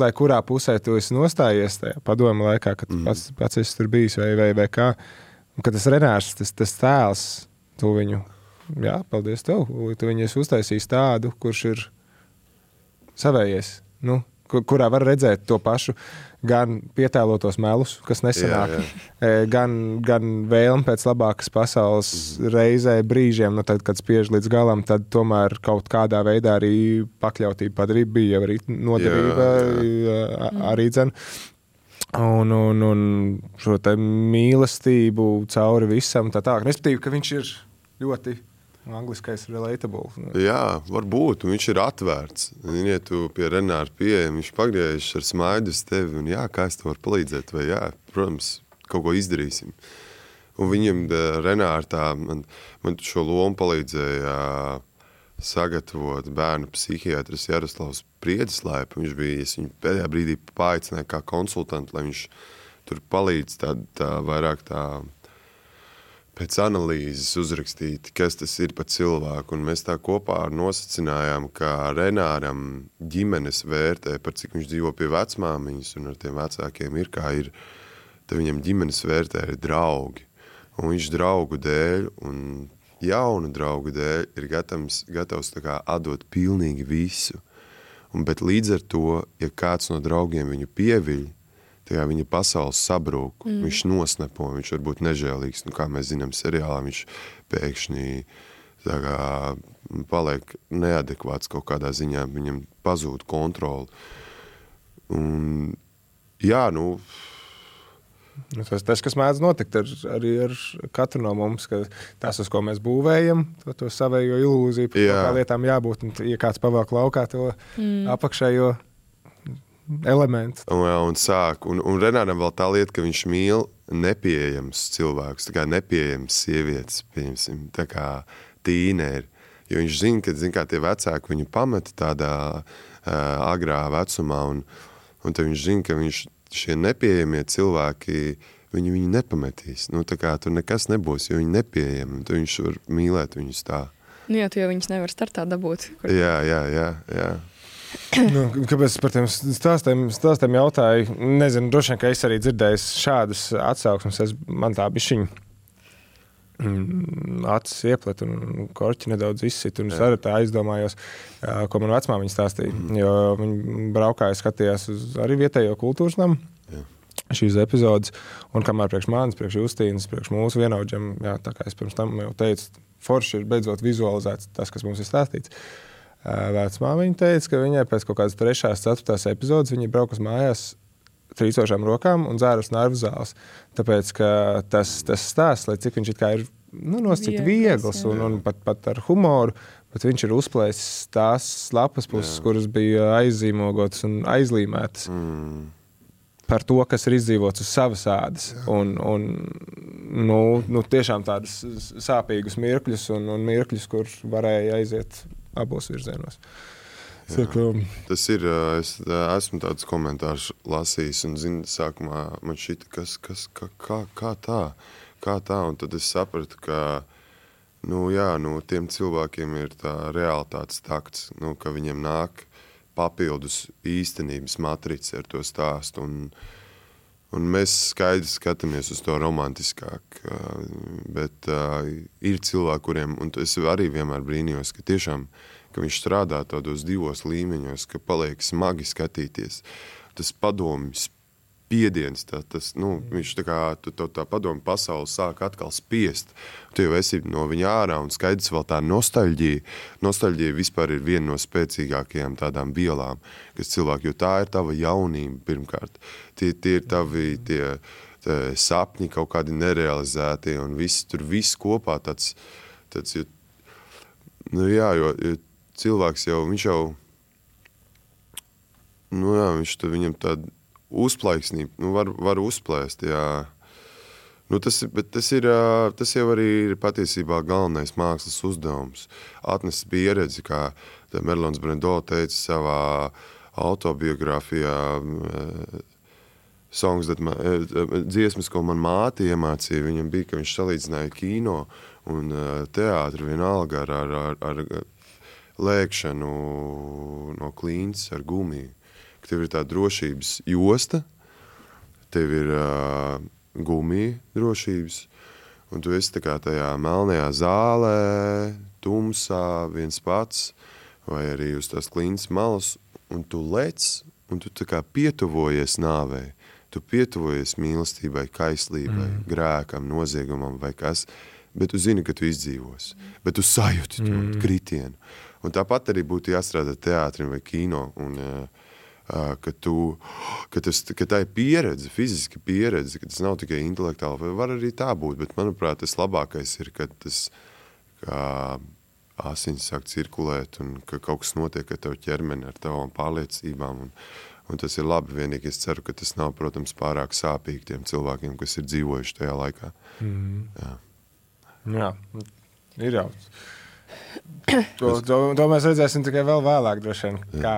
[SPEAKER 1] lai kurā pusē tu esi nostājies tajā padomu laikā, kad pats esi tur bijis vai kā, un ka tas Renārs, tas tēls, tu viņu, paldies tev, tu viņu esi uztaisījis tādu, kurš ir savējies, kurā var redzēt to pašu, gan pietēlotos melus, kas nesanāk, gan vēlmi pēc labākas pasaules reizē brīžiem, tad, kad spiež līdz galam, tad tomēr kaut kādā veidā arī pakļautība padarība bija arī nodevība, arī dzen. Un šo te mīlestību cauri visam tā. Respektīvi, ka viņš ir ļoti angliskais relatable.
[SPEAKER 12] Jā, varbūt, un viņš ir atvērts. Ja tu pie Renāra pieejam, viņš pagriežas ar smaidu uz tevi, un kā es tev varu palīdzēt, vai protams, kaut ko izdarīsim. Un viņam Renāra man šo lomu palīdzēja sagatavot bērnu psihiatris Jaroslavs Priedeslaipa. Viņš bija, es viņu pēdējā brīdī paaicināju kā konsultantu, lai viņš tur palīdz tā vairāk tā pēc analīzes uzrakstīt, kas tas ir pa cilvēku. Un mēs tā kopā nosacinājām, ka Renāram ģimenes vērtē, par cik viņš dzīvo pie vecmāmiņas un ar tiem vecākiem ir, kā ir, tad viņam ģimenes vērtē ir draugi. Un viņš draugu dēļ un jaunu draugu dēļ ir gatavs tā kā atdot pilnīgi visu. Bet līdz ar to, ja kāds no draugiem viņu pieviļ, tā viņa pasaules sabrūk, viņš nosnepo, viņš var būt nežēlīgs. Kā mēs zinām seriālā, viņš pēkšņi tā kā paliek neadekvāts kaut kādā ziņā, viņam pazūd kontroli. Un
[SPEAKER 1] Tas, kas mēdz notikt arī ar katru no mums, ka tas, uz ko mēs būvējam, to savējo ilūziju, par kā lietām jābūt, un ja kāds pavelk laukā to apakšējo elementu.
[SPEAKER 12] Un Renāram vēl tā lieta, ka viņš mīl nepieejams cilvēks, tā kā nepieejams sievietes, piemēram, tā kā tīneri. Jo viņš zina, kā tie vecāki viņu pameta tādā agrā vecumā, un tad viņš zina, ka šie nepieejamie cilvēki, viņi nepametīs. Nu, tā kā tur nekas nebūs, jo viņi nepieejami, un tad viņš var mīlēt viņus tā.
[SPEAKER 2] Nu jā, tu jau viņus nevar startā dabūt.
[SPEAKER 12] Jā.
[SPEAKER 1] Nu, kāpēc par tiem stāstiem jautāju? Nezinu, droši vien, ka es arī dzirdēju šādas atsauksmes. Man tā bišķiņa acis ieplet un korķi nedaudz izsit. Un es arī tā aizdomājos, ko man vecmāmiņa stāstīja. Jo viņi braukāja, skatījās uz arī vietējo kultūras namu. Šīs epizodes. Un kamēr priekš manis, priekš Justīnas, priekš mūsu vienaudžiem, tā kā es pirms tam jau teicu, forši ir beidzot vizualizēts tas, kas mums ir stāstīts. Vecmāmiņa teica, ka viņai pēc kaut kādas 3. 4. epizodes viņa braukas mājās trīcošām rokām un dzēras nervu zāles. Tāpēc, ka tas stāsts, lai cik viņš it kā ir nosacīt viegls un pat ar humoru, bet viņš ir uzplēsis tās lapas puses, kuras bija aizzīmogotas un aizlīmētas. Par to, kas ir izdzīvots uz savas ādas. Un tiešām tādas sāpīgus mirkļus un mirkļus, kur varēja aiziet abos virzienos.
[SPEAKER 12] Tas ir, es esmu tāds komentārs lasījis un zinu, sākumā man šita, kā tā, un tad es sapratu, ka, tiem cilvēkiem ir tā realitātes takts, ka viņiem nāk papildus īstenības matrice ar to stāstu, un mēs skaidri skatāmies uz to romantiskāk, bet ir cilvēki, kuriem, un es arī vienmēr brīnījos, ka tiešām, ka viņš strādā tādos 2 līmeņos, ka paliek smagi skatīties. Tas padomjas spiediens, viņš tā kā tā padomu pasauli sāk atkal spiest. Tu jau esi no viņa ārā un skaidrs vēl tā nostalģija. Nostalģija vispār ir viena no spēcīgākajām tādām vielām, kas cilvēki, jo tā ir tava jaunība pirmkārt. Tie ir tavi tie sapņi kaut kādi nerealizētie un viss kopā tāds jo cilvēks jau, viņam tāda uzplaiksnība, var uzplēst, jā. Tas jau arī ir patiesībā galvenais mākslas uzdevums. Atnest pieredzi, kā Merlons Brando teica savā autobiogrāfijā, dziesmas, ko man māte iemācīja, viņam bija, ka viņš salīdzināja kino un teātri vienalga ar lēkšanu no klīns ar gumiju. Ka tev ir tā drošības josta, tev ir gumija drošības, un tu esi tā kā tajā melnajā zālē, tumsā, viens pats, vai arī uz tās klīnas malas, un tu lec, un tu tā kā pietuvojies nāvei, tu pietuvojies mīlestībai, kaislībai, grēkam, noziegumam vai kas, bet tu zini, ka tu izdzīvos, bet tu sajūti to kritienu. Un tāpat arī būtu jāstrādā teātrim vai kino, un ka tā ir pieredze, fiziska pieredze, ka tas nav tikai intelektuāli, vai var arī tā būt, bet manuprāt, tas labākais ir, kad tas kā asins sāk cirkulēt un ka kaut kas notiek ar tavu ķermeni, ar tavām pārliecībām, un tas ir labi, vienīgi es ceru, ka tas nav, protams, pārāk sāpīgi tiem cilvēkiem, kas ir dzīvojuši tajā laikā.
[SPEAKER 1] Jā, ir jau. To mēs redzēsim tikai vēl vēlāk, droši vien, kā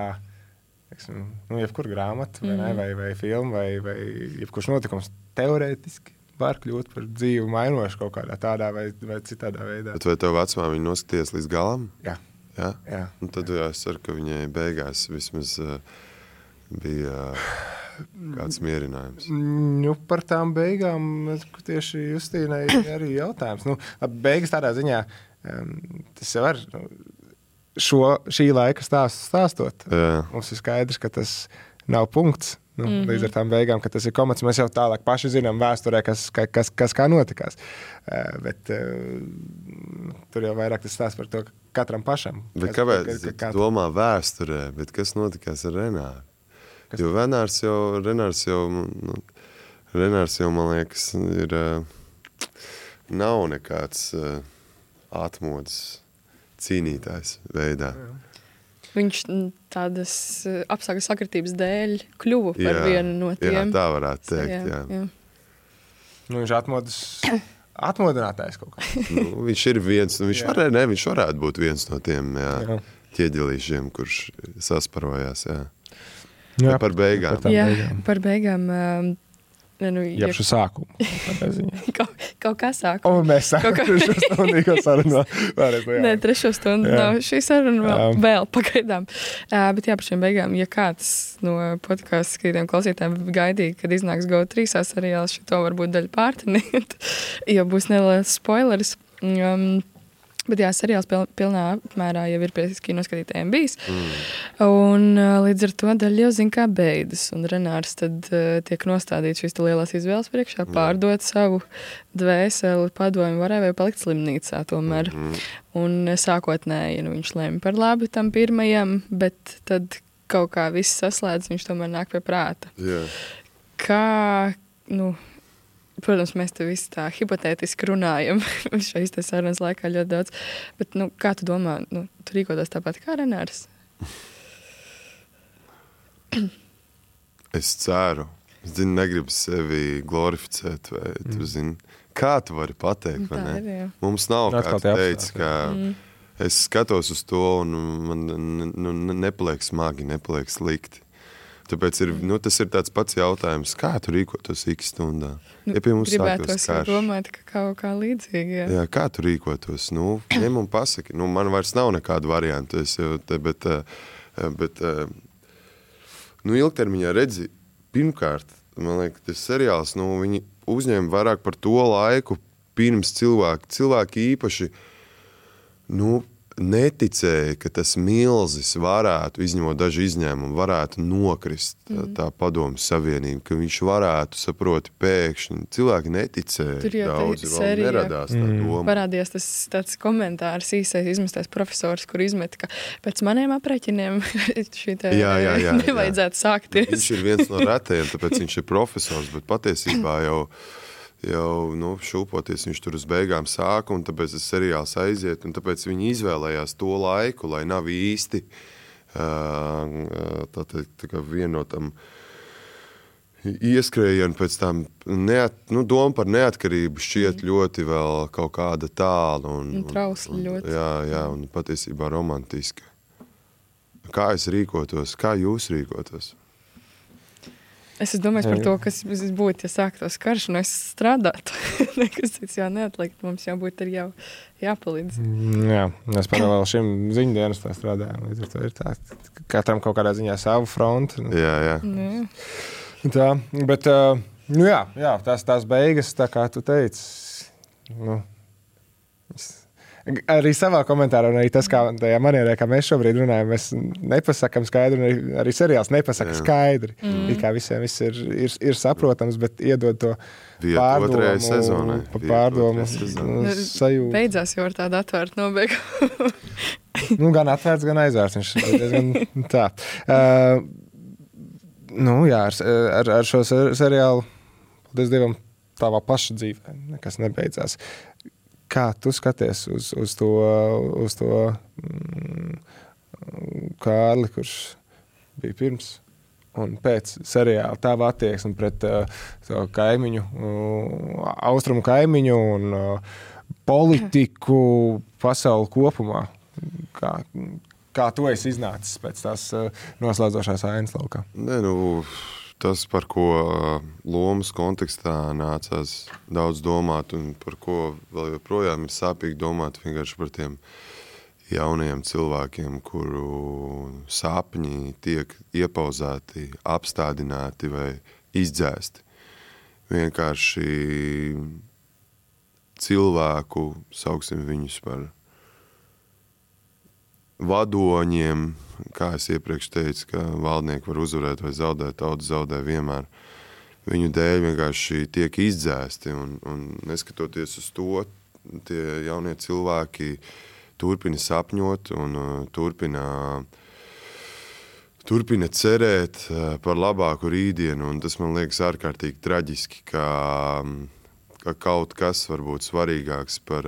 [SPEAKER 1] jebkur grāmata, vai filma, vai jebkurš notikums teorētiski var kļūt par dzīvu mainošu kaut kādā tādā vai citādā veidā.
[SPEAKER 12] Bet vai tev vecmāmiņa noskaties līdz galam?
[SPEAKER 1] Jā.
[SPEAKER 12] Un tad es ceru, ka viņai beigās vismaz bija kāds mierinājums.
[SPEAKER 1] Par tām beigām tieši Justīnai arī jautājums. Beigas tādā ziņā, tas jau var šī laika stāstot. Mums ir skaidrs, ka tas nav punkts. Līdz ar tām beigām, ka tas ir komats, mēs jau tālāk paši zinām vēsturē, kas kā notikās. Bet tur jau vairāk tas stāsts par to katram pašam.
[SPEAKER 12] Bet kāpēc domā vēsturē, bet kas notikās ar Renāru? Jo Renārs jau, man liekas, nav nekāds atmodas cīnītājs veidā.
[SPEAKER 2] Viņš tādas apstākļu sakritības dēļ kļuva par vienu no tiem.
[SPEAKER 12] Jā, tā varētu teikt, jā.
[SPEAKER 1] Viņš atmodinātājs kaut kā.
[SPEAKER 12] Viņš ir viens, viņš varētu būt viens no tiem ķieģelīšiem, kurš sasparojās, jā. Par beigām.
[SPEAKER 2] Par beigām.
[SPEAKER 1] Jebšu sākumu.
[SPEAKER 2] Kaut kā sākumu.
[SPEAKER 1] Un mēs sākam trešo stundīgo sarunu.
[SPEAKER 2] Nē, trešo stundu nav. Šī saruna vēl pagaidām. Bet jā, par šiem beigām, ja kāds no podcastu skatītājiem klausītājiem gaidīja, kad iznāks GO3 seriāls, šito varbūt daļu pārtiniet, jo būs neliels spoileris. Bet jā, seriāls pilnā apmērā jau ir pie kinoskatītājiem bijis. Un līdz ar to daļa jau zina, kā beidzas. Un Renārs tad tiek nostādīts šīs lielās izvēles priekšā, pārdot savu dvēseli, padomu varēja vai palikt slimnīcā tomēr. Un sākotnēji viņš lēma par labi tam pirmajam, bet tad kaut kā viss saslēdz, viņš tomēr nāk pie prāta. Kā, protams, mēs te visi tā hipotētiski runājam šais te sarunas laikā ļoti daudz, bet, kā tu domā, tu rīkotos tāpat kā Renārs?
[SPEAKER 12] Es ceru. Es negribu sevi glorificēt, vai tu zini, kā tu vari pateikt, vai ne? Mums nav kāds teicis, ka es skatos uz to un man nepaliek smagi, nepaliek slikti. Tāpēc tas ir tāds pats jautājums, kā tu rīkotos X stundā? Ja pie mums
[SPEAKER 2] gribētos jau domāt, ka kaut kā līdzīgi.
[SPEAKER 12] Jā, kā tu rīkotos? Ņem un pasaki. Man vairs nav nekādu variantu. Bet ilgtermiņā redzi, pirmkārt, man liekas, tas seriāls, viņi uzņēma vairāk par to laiku pirms cilvēki īpaši, neticēja, ka tas milzis varētu, izņemot daži izņēmumi, varētu nokrist tā padomu savienība, ka viņš varētu, saproti, pēkšņi. Cilvēki neticēja, daudzi vēl neradās tā doma.
[SPEAKER 2] Parādījās tas tāds komentārs, īsais izmestais profesors, kur izmeta, ka pēc maniem aprēķiniem šī te nevajadzētu sākties.
[SPEAKER 12] Viņš ir viens no retajiem, tāpēc viņš ir profesors, bet patiesībā jau šūpoties viņš tur uz beigām sāka, un tāpēc tas seriāls aiziet, un tāpēc viņi izvēlējās to laiku, lai nav īsti tā kā vienotam ieskrējienu pēc tam doma par neatkarību šķiet ļoti vēl kaut kāda tāla. Un
[SPEAKER 2] trausli ļoti.
[SPEAKER 12] Jā, un patiesībā romantiska. Kā es rīkotos? Kā jūs rīkotos?
[SPEAKER 2] Es domāju par to, kas būtu, ja sāktos karš, un es strādātu. Nekas cits jau neatlikt, mums jau būtu jau jāpalīdz.
[SPEAKER 1] Jā, mēs paralēli šim ziņdienas tā strādājam, līdz ar to ir tā, katram kaut kādā ziņā savu fronti.
[SPEAKER 12] Jā.
[SPEAKER 1] Tā, bet, tās beigas, tā kā tu teici, arī savā komentārā, un arī tas, kā tajā manierē, kā mēs šobrīd runājam, mēs nepasakam skaidri, un arī seriāls nepasaka skaidri. It kā visiem viss ir saprotams, bet iedod to pārdomu sajūtu.
[SPEAKER 2] Beidzās jau ar tādu atvērtu nobeigu.
[SPEAKER 1] Gan atvērts, gan aizvērts. Viņš ir diezgan tā. Ar šo seriālu, paldies Dievam, tavā paša dzīvē nekas nebeidzās. Kā tu skaties uz to Kārli, kurš bija pirms un pēc seriāla, tava attieksme pret to kaimiņu, austrumu kaimiņu un politiku pasauli kopumā? Kā tu esi iznācis pēc tās noslēdzošās ainas laukā?
[SPEAKER 12] Tas, par ko lomas kontekstā nācās daudz domāt un par ko vēl joprojām ir sāpīgi domāt vienkārši par tiem jaunajiem cilvēkiem, kuru sapņi tiek iepauzēti, apstādināti vai izdzēsti. Vienkārši cilvēku, sauksim viņus par vadoņiem, kā es iepriekš teicu, ka valdnieki var uzvarēt vai zaudēt, tauta zaudē vienmēr. Viņu dēļ vienkārši tiek izdzēsti, un neskatoties uz to, tie jaunie cilvēki turpina sapņot un turpina cerēt par labāku rītdienu, un tas man liekas ārkārtīgi traģiski, ka kaut kas var būt svarīgāks par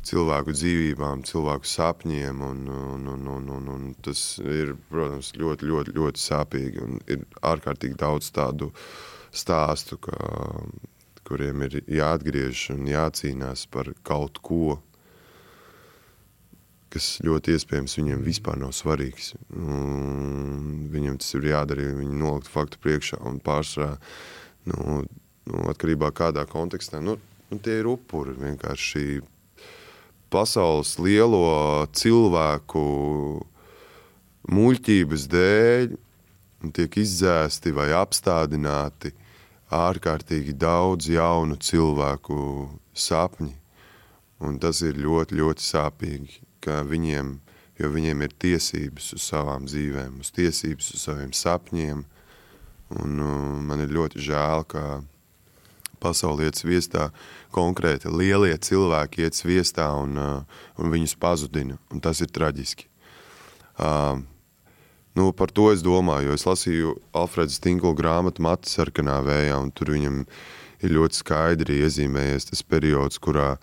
[SPEAKER 12] cilvēku dzīvībām, cilvēku sapņiem, un tas ir, protams, ļoti, ļoti, ļoti sāpīgi, un ir ārkārtīgi daudz tādu stāstu, ka kuriem ir jāatgriež un jācīnās par kaut ko, kas ļoti iespējams viņiem vispār nav svarīgs. Viņam tas ir jādara, viņi nolikt faktu priekšā un pārsvarā, atkarībā kādā kontekstā. Tie ir upuri vienkārši pasaules lielo cilvēku muļķības dēļ tiek izdzēsti vai apstādināti ārkārtīgi daudz jaunu cilvēku sapņi. Un tas ir ļoti, ļoti sāpīgi, ka jo viņiem ir tiesības uz savām dzīvēm, uz tiesības uz saviem sapņiem. Un man ir ļoti žēl, ka pasauli iet sviestā, konkrēti lielie cilvēki iet sviestā un viņus pazudina. Un tas ir traģiski. Par to es domāju, jo es lasīju Alfreda Stinkla grāmatu Mati sarkanā vējā, un tur viņam ir ļoti skaidri iezīmējies tas periods, kurā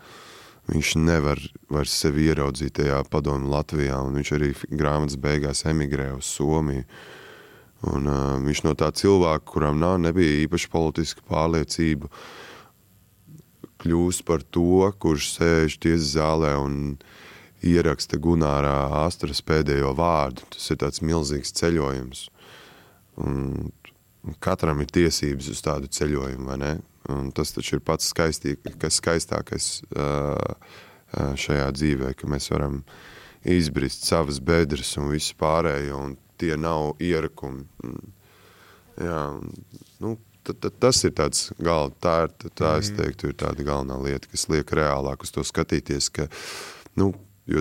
[SPEAKER 12] viņš nevar vairs sevi ieraudzīt tajā padomu Latvijā, un viņš arī grāmatas beigās emigrē uz Somiju. Un viņš no tā cilvēka, kuram nebija īpaši politiska pārliecība, kļūst par to, kurš sēž tiesas zālē un ieraksta Gunārā Astras pēdējo vārdu. Tas ir tāds milzīgs ceļojums. Un katram ir tiesības uz tādu ceļojumu, vai ne? Un tas taču ir pats skaistākais šajā dzīvē, ka mēs varam izbrist savas bedres un visu pārējo, un tie nav ierakumi. Jā, tas ir tāds tā es teiktu, ir tāda galvenā lieta, kas liek reālāk uz to skatīties, ka, jo,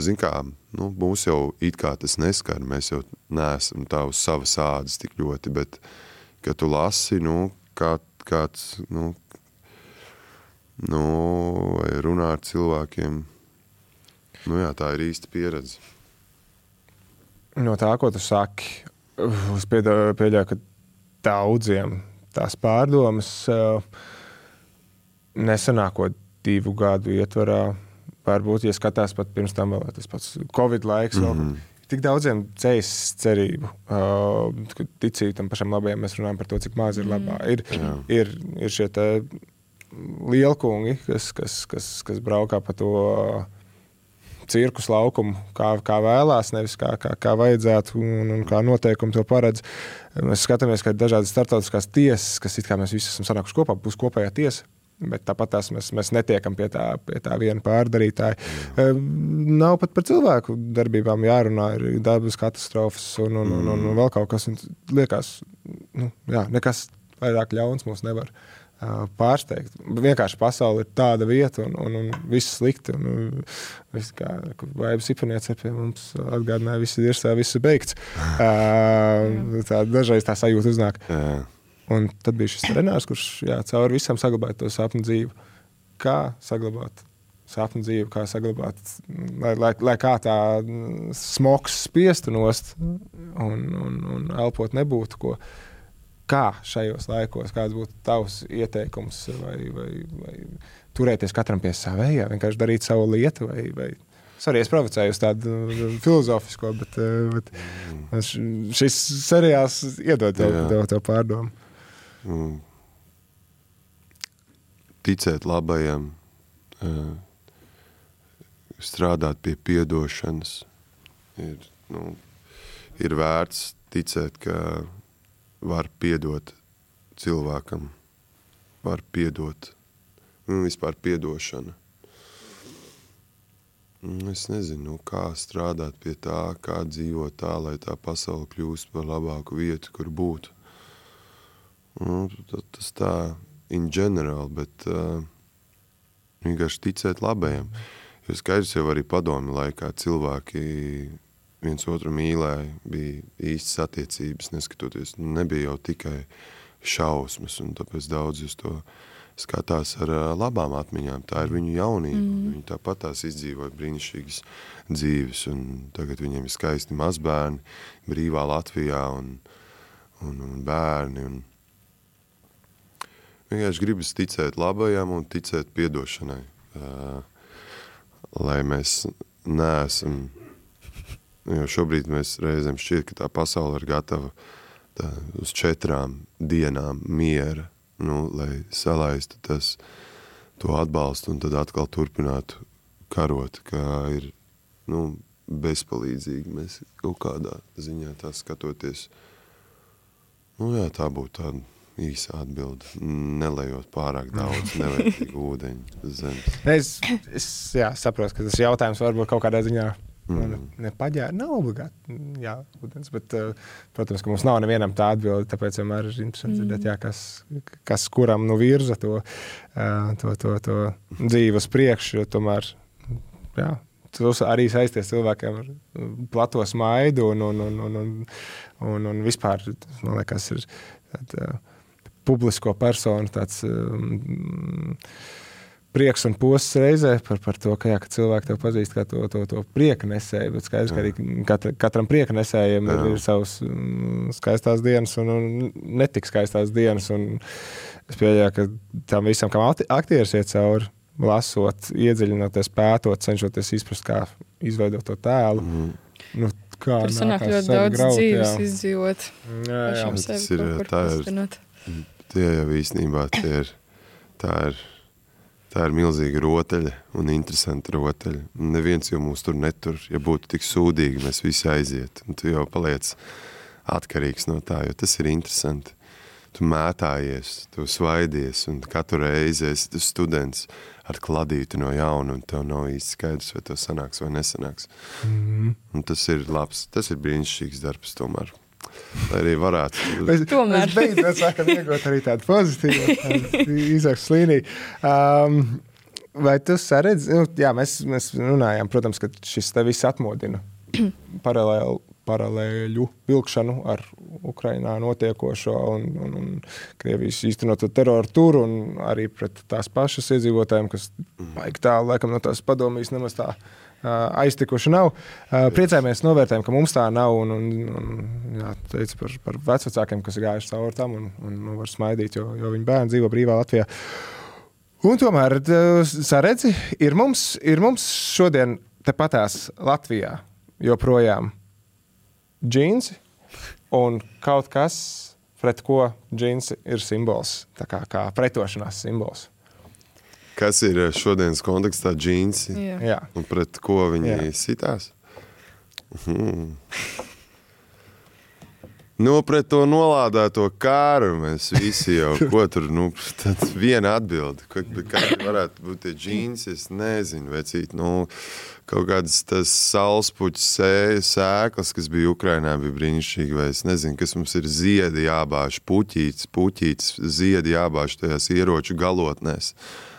[SPEAKER 12] zin kā, mūs jau it kā tas neskar, mēs jau neesam tā uz savas ādas tik ļoti, bet, kad tu lasi, kāds, vai runā ar cilvēkiem, jā, tā ir īsta pieredze.
[SPEAKER 1] No tā, ko tu saki, es pieļauju, ka daudziem tās pārdomas nesanākot 2 gadu ietvarā, varbūt, ja skatās pat pirms tam vēl tas pats Covid laiks, tik daudziem ceļas cerību, ticīgi tam pašam labajam, mēs runājam par to, cik maz ir labā. Ir šie te lielkungi, kas braukā pa to cirkus laukumu, kā vēlās, nevis kā vajadzētu un kā noteikumi to paredz. Mēs skatāmies, ka ir dažādas startautiskās tiesas, kas it kā mēs visi esam sanākuši kopā, būs kopējā tiesa. Bet tāpat tās mēs netiekam pie tā viena pārdarītāja. Nav pat par cilvēku darbībām jārunā, ir dabas katastrofas un vēl kaut kas. Liekas, nekas vairāk ļauns mums nevar pārsteigt. Vienkārši pasaule ir tāda vieta un viss slikti. Viss kā Vaibas Ipaniece pie mums atgādināja, viss ir viss beigts. Dažreiz tā sajūta uznāk. Un tad bija šis Renārs, kurš cauri visam saglabāja to sapņu dzīvi. Kā saglabāt sapņu dzīvi, kā saglabāt, lai kā tā smogs spiestu nost un elpot nebūtu, ko. Kā šajos laikos, kāds būtu tavs ieteikums vai turēties katram pie savējā, vienkārši darīt savu lietu vai es provocēju uz tādu filozofisko, bet šis seriāls iedod tev pārdomu.
[SPEAKER 12] Ticēt labajam, strādāt pie piedošanas, ir vērts ticēt, ka var piedot cilvēkam, var piedot, vispār piedošana. Es nezinu, kā strādāt pie tā, kā dzīvot tā, lai tā pasaule kļūst par labāku vietu, kur būt. Tas tā in general, bet vienkārši ticēt labajam. Jo skaidrs jau arī padomju laikā cilvēki viens otru mīlēja, bija īstas attiecības, neskatoties. Nebija jau tikai šausmas, un tāpēc daudz uz to skatās ar labām atmiņām. Tā ir viņu jaunība. Viņi tāpat tās izdzīvoja brīnišķīgas dzīves, un tagad viņiem ir skaisti mazbērni, brīvā Latvijā un bērni. Un vienkārši gribas ticēt labajam un ticēt piedošanai, lai mēs neesam, jo šobrīd mēs reizēm šķiet, ka tā pasaule ir gatava uz 4 dienām miera lai salaistu to atbalstu un tad atkal turpinātu karot, kā ir, bezpalīdzīgi mēs kaut kādā ziņā tā skatoties. Tā būtu tāda īsa atbilde, nelejot pārāk daudz nevērtīgu ūdeņu uz zemes.
[SPEAKER 1] Es saprotu, ka tas jautājums varbūt kaut kādā ziņā nepaģēra, nav obligāti, ūdens, bet, protams, ka mums nav nevienam tā atbilde, tāpēc vienmēr ir interesanti dzirdēt, kas kuram virza to dzīvi uz priekšu, jo tomēr, tas arī saisties cilvēkiem ar plato smaidu un vispār, man liekas, ir publisko personu tāds prieks un posts reizē par to, ka cilvēki tev pazīst kā to prieka nesēju, bet skaidrs, ka arī katram prieka nesējiem ir savas skaistās dienas un netik skaistās dienas, un es pieļauju, ka tam visam, kam aktieris iet cauri, lasot, iedziļinoties, pētot, cenšoties izprast, kā izveidot to tēlu.
[SPEAKER 2] Tur sanāk ļoti daudz dzīves izdzīvot. Pašam sevi kaut kur pastinot.
[SPEAKER 12] Tie jau īstenībā tā ir milzīga rotaļa un interesanta rotaļa. Neviens jau mūs tur netur. Ja būtu tik sūdīgi, mēs visi aiziet. Un tu jau paliec atkarīgs no tā, jo tas ir interesanti. Tu mētājies, tu svaidies, un katru reizi esi tu students ar kladītu no jauna, un tev nav īsti skaidrs, vai to sanāks vai nesanāks. Un tas ir labs, tas ir brīnišķīgs darbs tomēr. Lai arī varētu.
[SPEAKER 1] Mēs beidzot sākam iegūt arī tādu pozitīvu izaugsmes līniju. Vai tu saredzi, mēs runājām, protams, ka šis te viss atmodina paralēļu vilkšanu ar Ukrainā notiekošo un Krievijas īstenoto teroru tur un arī pret tās pašas iedzīvotājiem, kas baigi tālu, laikam, no tās padomjas nemaz tā aiztikuši nav. Priecājamies, novērtējam, ka mums tā nav un teica par vecvecākiem, kas ir gājuši cauri tam un var smaidīt, jo viņi bērni dzīvo brīvā Latvijā. Un tomēr, saredzi, ir mums šodien tepatās Latvijā joprojām džinsi un kaut kas, pret ko džinsi ir simbols, tā kā pretošanās simbols.
[SPEAKER 12] Kas ir šodienas kontekstā džinsi?
[SPEAKER 1] Jā.
[SPEAKER 12] Un pret ko viņi sitās? Pret to nolādēto kāru mēs visi jau, ko tur, tad viena atbilde, kādi varētu būt tie džinsi, es nezinu, vecīt, kaut kādas tas saulspuķis sēklas, kas bija Ukrainā, bija brīnišķīgi, vai es nezinu, kas mums ir ziedi jābāž, puķītis, ziedi jābāž tajās ieroču galotnēs.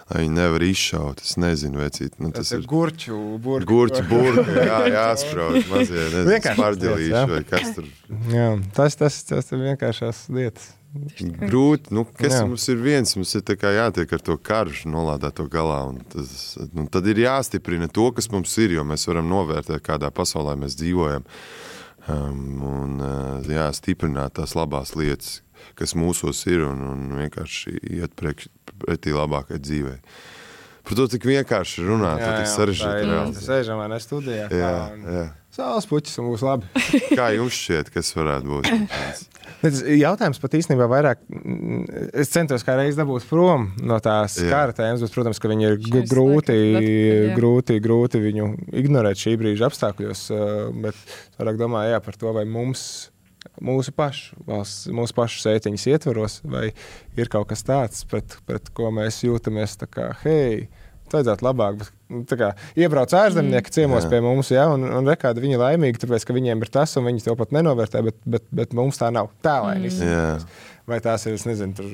[SPEAKER 12] Lai viņi nevar izšaut, es nezinu, vecīt.
[SPEAKER 1] Tas ir gurķu burki.
[SPEAKER 12] Gurķu burki, jāsprauž mazie, nezinu, smarģelīši vai kas tur.
[SPEAKER 1] Jā, tas ir vienkāršās lietas.
[SPEAKER 12] Grūti, kas mums ir viens, mums ir tā kā jātiek ar to karšu nolādēto galā, un tad ir jāstiprina to, kas mums ir, jo mēs varam novērtēt, kādā pasaulē mēs dzīvojam, un stiprināt tās labās lietas, kas mūsos ir, un vienkārši iet pretī labākai dzīvei. Par to tik vienkārši runāt, to tik sarežģīti reāli.
[SPEAKER 1] Sēžam vai ne studijā.
[SPEAKER 12] Jā.
[SPEAKER 1] Saules puķis un būs labi.
[SPEAKER 12] Kā jums šķiet, kas varētu būt?
[SPEAKER 1] Jautājums pat īstenībā vairāk, es centos kā reiz dabūt prom no tās kara tēmas, bet, protams, ka viņi ir grūti viņu ignorēt šī brīža apstākļos, bet vairāk domāju, par to, vai mūsu pašu sētiņas ietvaros, vai ir kaut kas tāds, pret ko mēs jūtamies tā kā, vajadzētu labāk, bet tā kā iebrauc ārzemnieki ciemos pie mums, un rekādi viņi laimīgi, tāpēc, ka viņiem ir tas, un viņi to pat nenovērtē, bet mums tā nav. Tā laimi izsakās. Vai tās ir, es nezinu, tur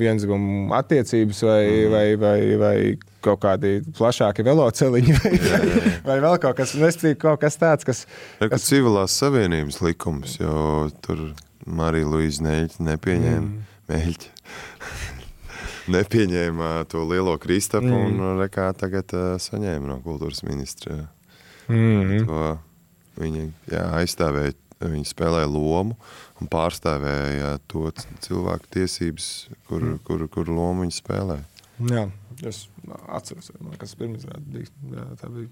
[SPEAKER 1] vienzgumu attiecības vai kaut kādi plašāki veloceliņi vai vēl kaut kas, kaut kas tāds, kas...
[SPEAKER 12] Civilās savienības likums, jo tur Marija Luīza Neļķa nepieņēma to lielo Kristapu un tagad saņēma no kultūras ministra. To viņi aizstāvēja, viņi spēlēja lomu un pārstāvēja to cilvēku tiesības, kur lomu viņi spēlēja.
[SPEAKER 1] Jā, es atceros, kas pirmizrāda bija. Tā bija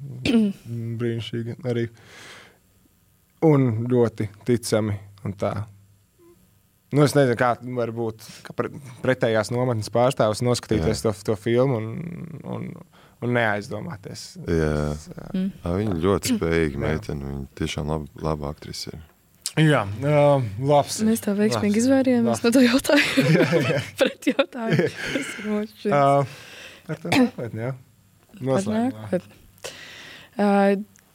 [SPEAKER 1] brīnišķīgi arī. Un ļoti ticami un tā. Nu, es nezinu, kā var būt pretējās nometnes pārstāvs noskatīties to filmu un neaizdomāties.
[SPEAKER 12] Jā. Viņa ļoti spējīga meitene. Viņa tiešām laba aktrise ir.
[SPEAKER 1] Jā, labs.
[SPEAKER 2] Mēs tā veiksmīgi izvērījāmies no to jautājumu. Pret jautājumu. Tas ir moči.
[SPEAKER 1] Ar to nākotni, jā. Noslēgumā.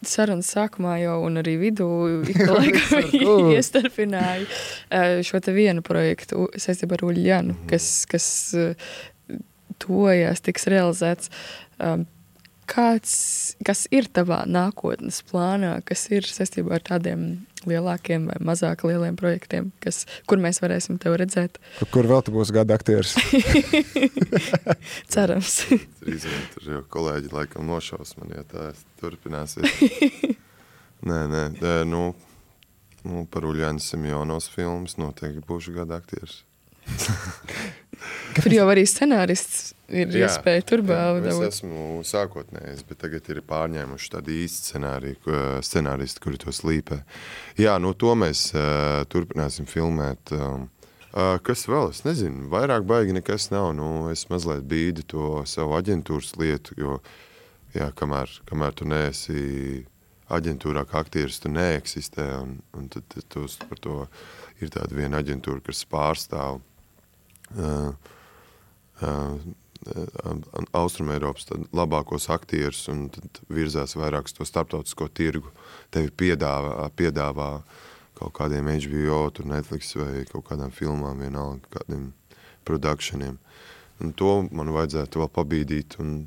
[SPEAKER 2] Sarunas sākumā jau un arī vidū iestarpināja šo te vienu projektu saistībā ar Uļļanu, kas tojās, tiks realizēts. Kas ir tavā nākotnes plānā, kas ir saistībā ar tādiem lielākiem vai mazāk lieliem projektiem, kur mēs varēsim tevi redzēt?
[SPEAKER 1] Kur vēl tu būsi gada aktieris?
[SPEAKER 2] Cerams.
[SPEAKER 12] Tur jau kolēģi laikam nošaus man, ja tā turpināsies. Nē, par Uļļaņas Simjonovas filmas noteikti būšu gada aktieris.
[SPEAKER 2] Tur jau arī scenārists ir iespēja tur baudīt.
[SPEAKER 12] Es esmu sākotnējs, bet tagad ir pārņēmuši tādu īstu scenāristu, kuri to slīpē. Jā, to mēs turpināsim filmēt. Kas vēl? Es nezinu, vairāk baigi nekas nav. Es mazliet bīdu to savu aģentūras lietu, jo, kamēr tu neesi aģentūrā kā aktieris, tu neeksistē, un tad par to ir tāda viena aģentūra, kas pārstāv Austrumeiropas labākos aktierus un tad virzās vairāk uz to starptautisko tirgu. Tevi piedāvā kaut kādiem HBO, tur Netflix vai kaut kādām filmām, vienalga kādiem productioniem. Un to man vajadzētu vēl pabīdīt, un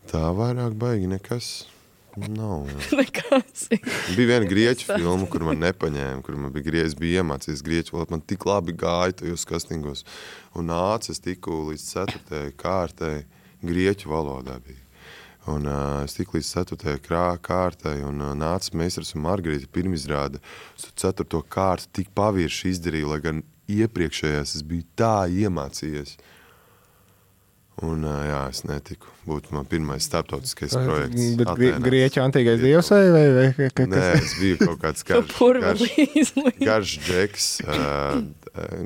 [SPEAKER 12] tā vairāk baigi nekas nav.
[SPEAKER 2] Nekas.
[SPEAKER 12] Bija viena grieķu filma, kur man nepaņēma, kur man bija iemācījies grieķu valodu. Man tik labi gāja tajos kastingos. Un nāca, es tiku līdz 4. kārtai grieķu valodā bija. Un es tiku līdz 4. kārtai un nāca meistars un Margarita pirmizrāda. Es 4. kārtu tik pavirši izdarīju, lai gan iepriekšējās es biju tā iemācījies. Un es netiku. Būtu man pirmais starptautiskais projekts.
[SPEAKER 1] Bet grieķu antīgais dievs vai kas?
[SPEAKER 12] Nē, es biju kaut kāds garš džeks,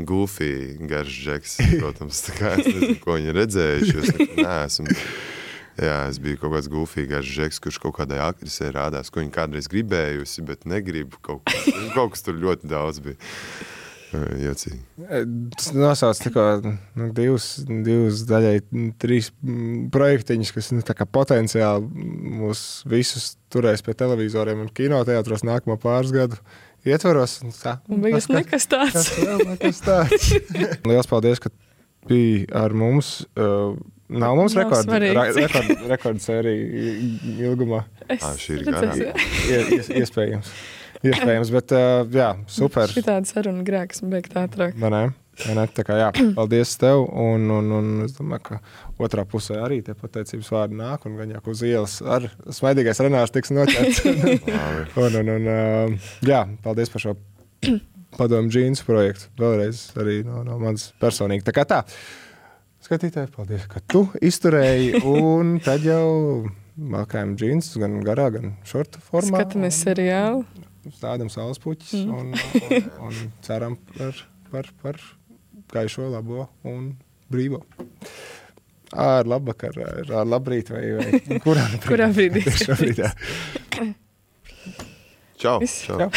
[SPEAKER 12] goofy garš džeks, protams, tā kā es nezinu, ko viņi redzējuši, es neesmu. Jā, es biju kaut kāds goofy garš džeks, kurš kaut kādai aktrisē rādās, ko viņi kādreiz gribējusi, bet negribu kaut kas tur ļoti daudz bija. Jocīgi.
[SPEAKER 1] Tas nosauc tikko divus daļai 3 projektiņus, kas tā kā potenciāli mūs visus turēs pie televizoriem un kinoteātros nākamo pāris gadu ietvaros.
[SPEAKER 2] Un beigas nekas tāds.
[SPEAKER 1] Liels paldies, ka biji ar mums. Nav mums rekordsērija ilgumā.
[SPEAKER 12] Šī ir garā.
[SPEAKER 1] Iespējams, bet super.
[SPEAKER 2] Šitāda saruna grēks un beigt ātrāk.
[SPEAKER 1] Nē, tā kā paldies tev, un es domāju, ka otrā pusē arī tie pateicības vārdi nāk, un gan jau uz ielas ar smaidīgais Renārs tiks noķerts. Paldies par šo padomu džīnsu projektu. Vēlreiz arī no manas personīgi. Tā kā tā, skatītāji, paldies, ka tu izturēji, un tad jau malkājam džīnsus gan garā, gan šorta formā.
[SPEAKER 2] Skatāmies seriālu.
[SPEAKER 1] Stādam saules puķis un ceram par gaišo, labo un brīvo. Ar labvakar, ar labrīt vai
[SPEAKER 2] kurā brīdī?
[SPEAKER 1] Šobrīd, jā.
[SPEAKER 12] Čau. Čau.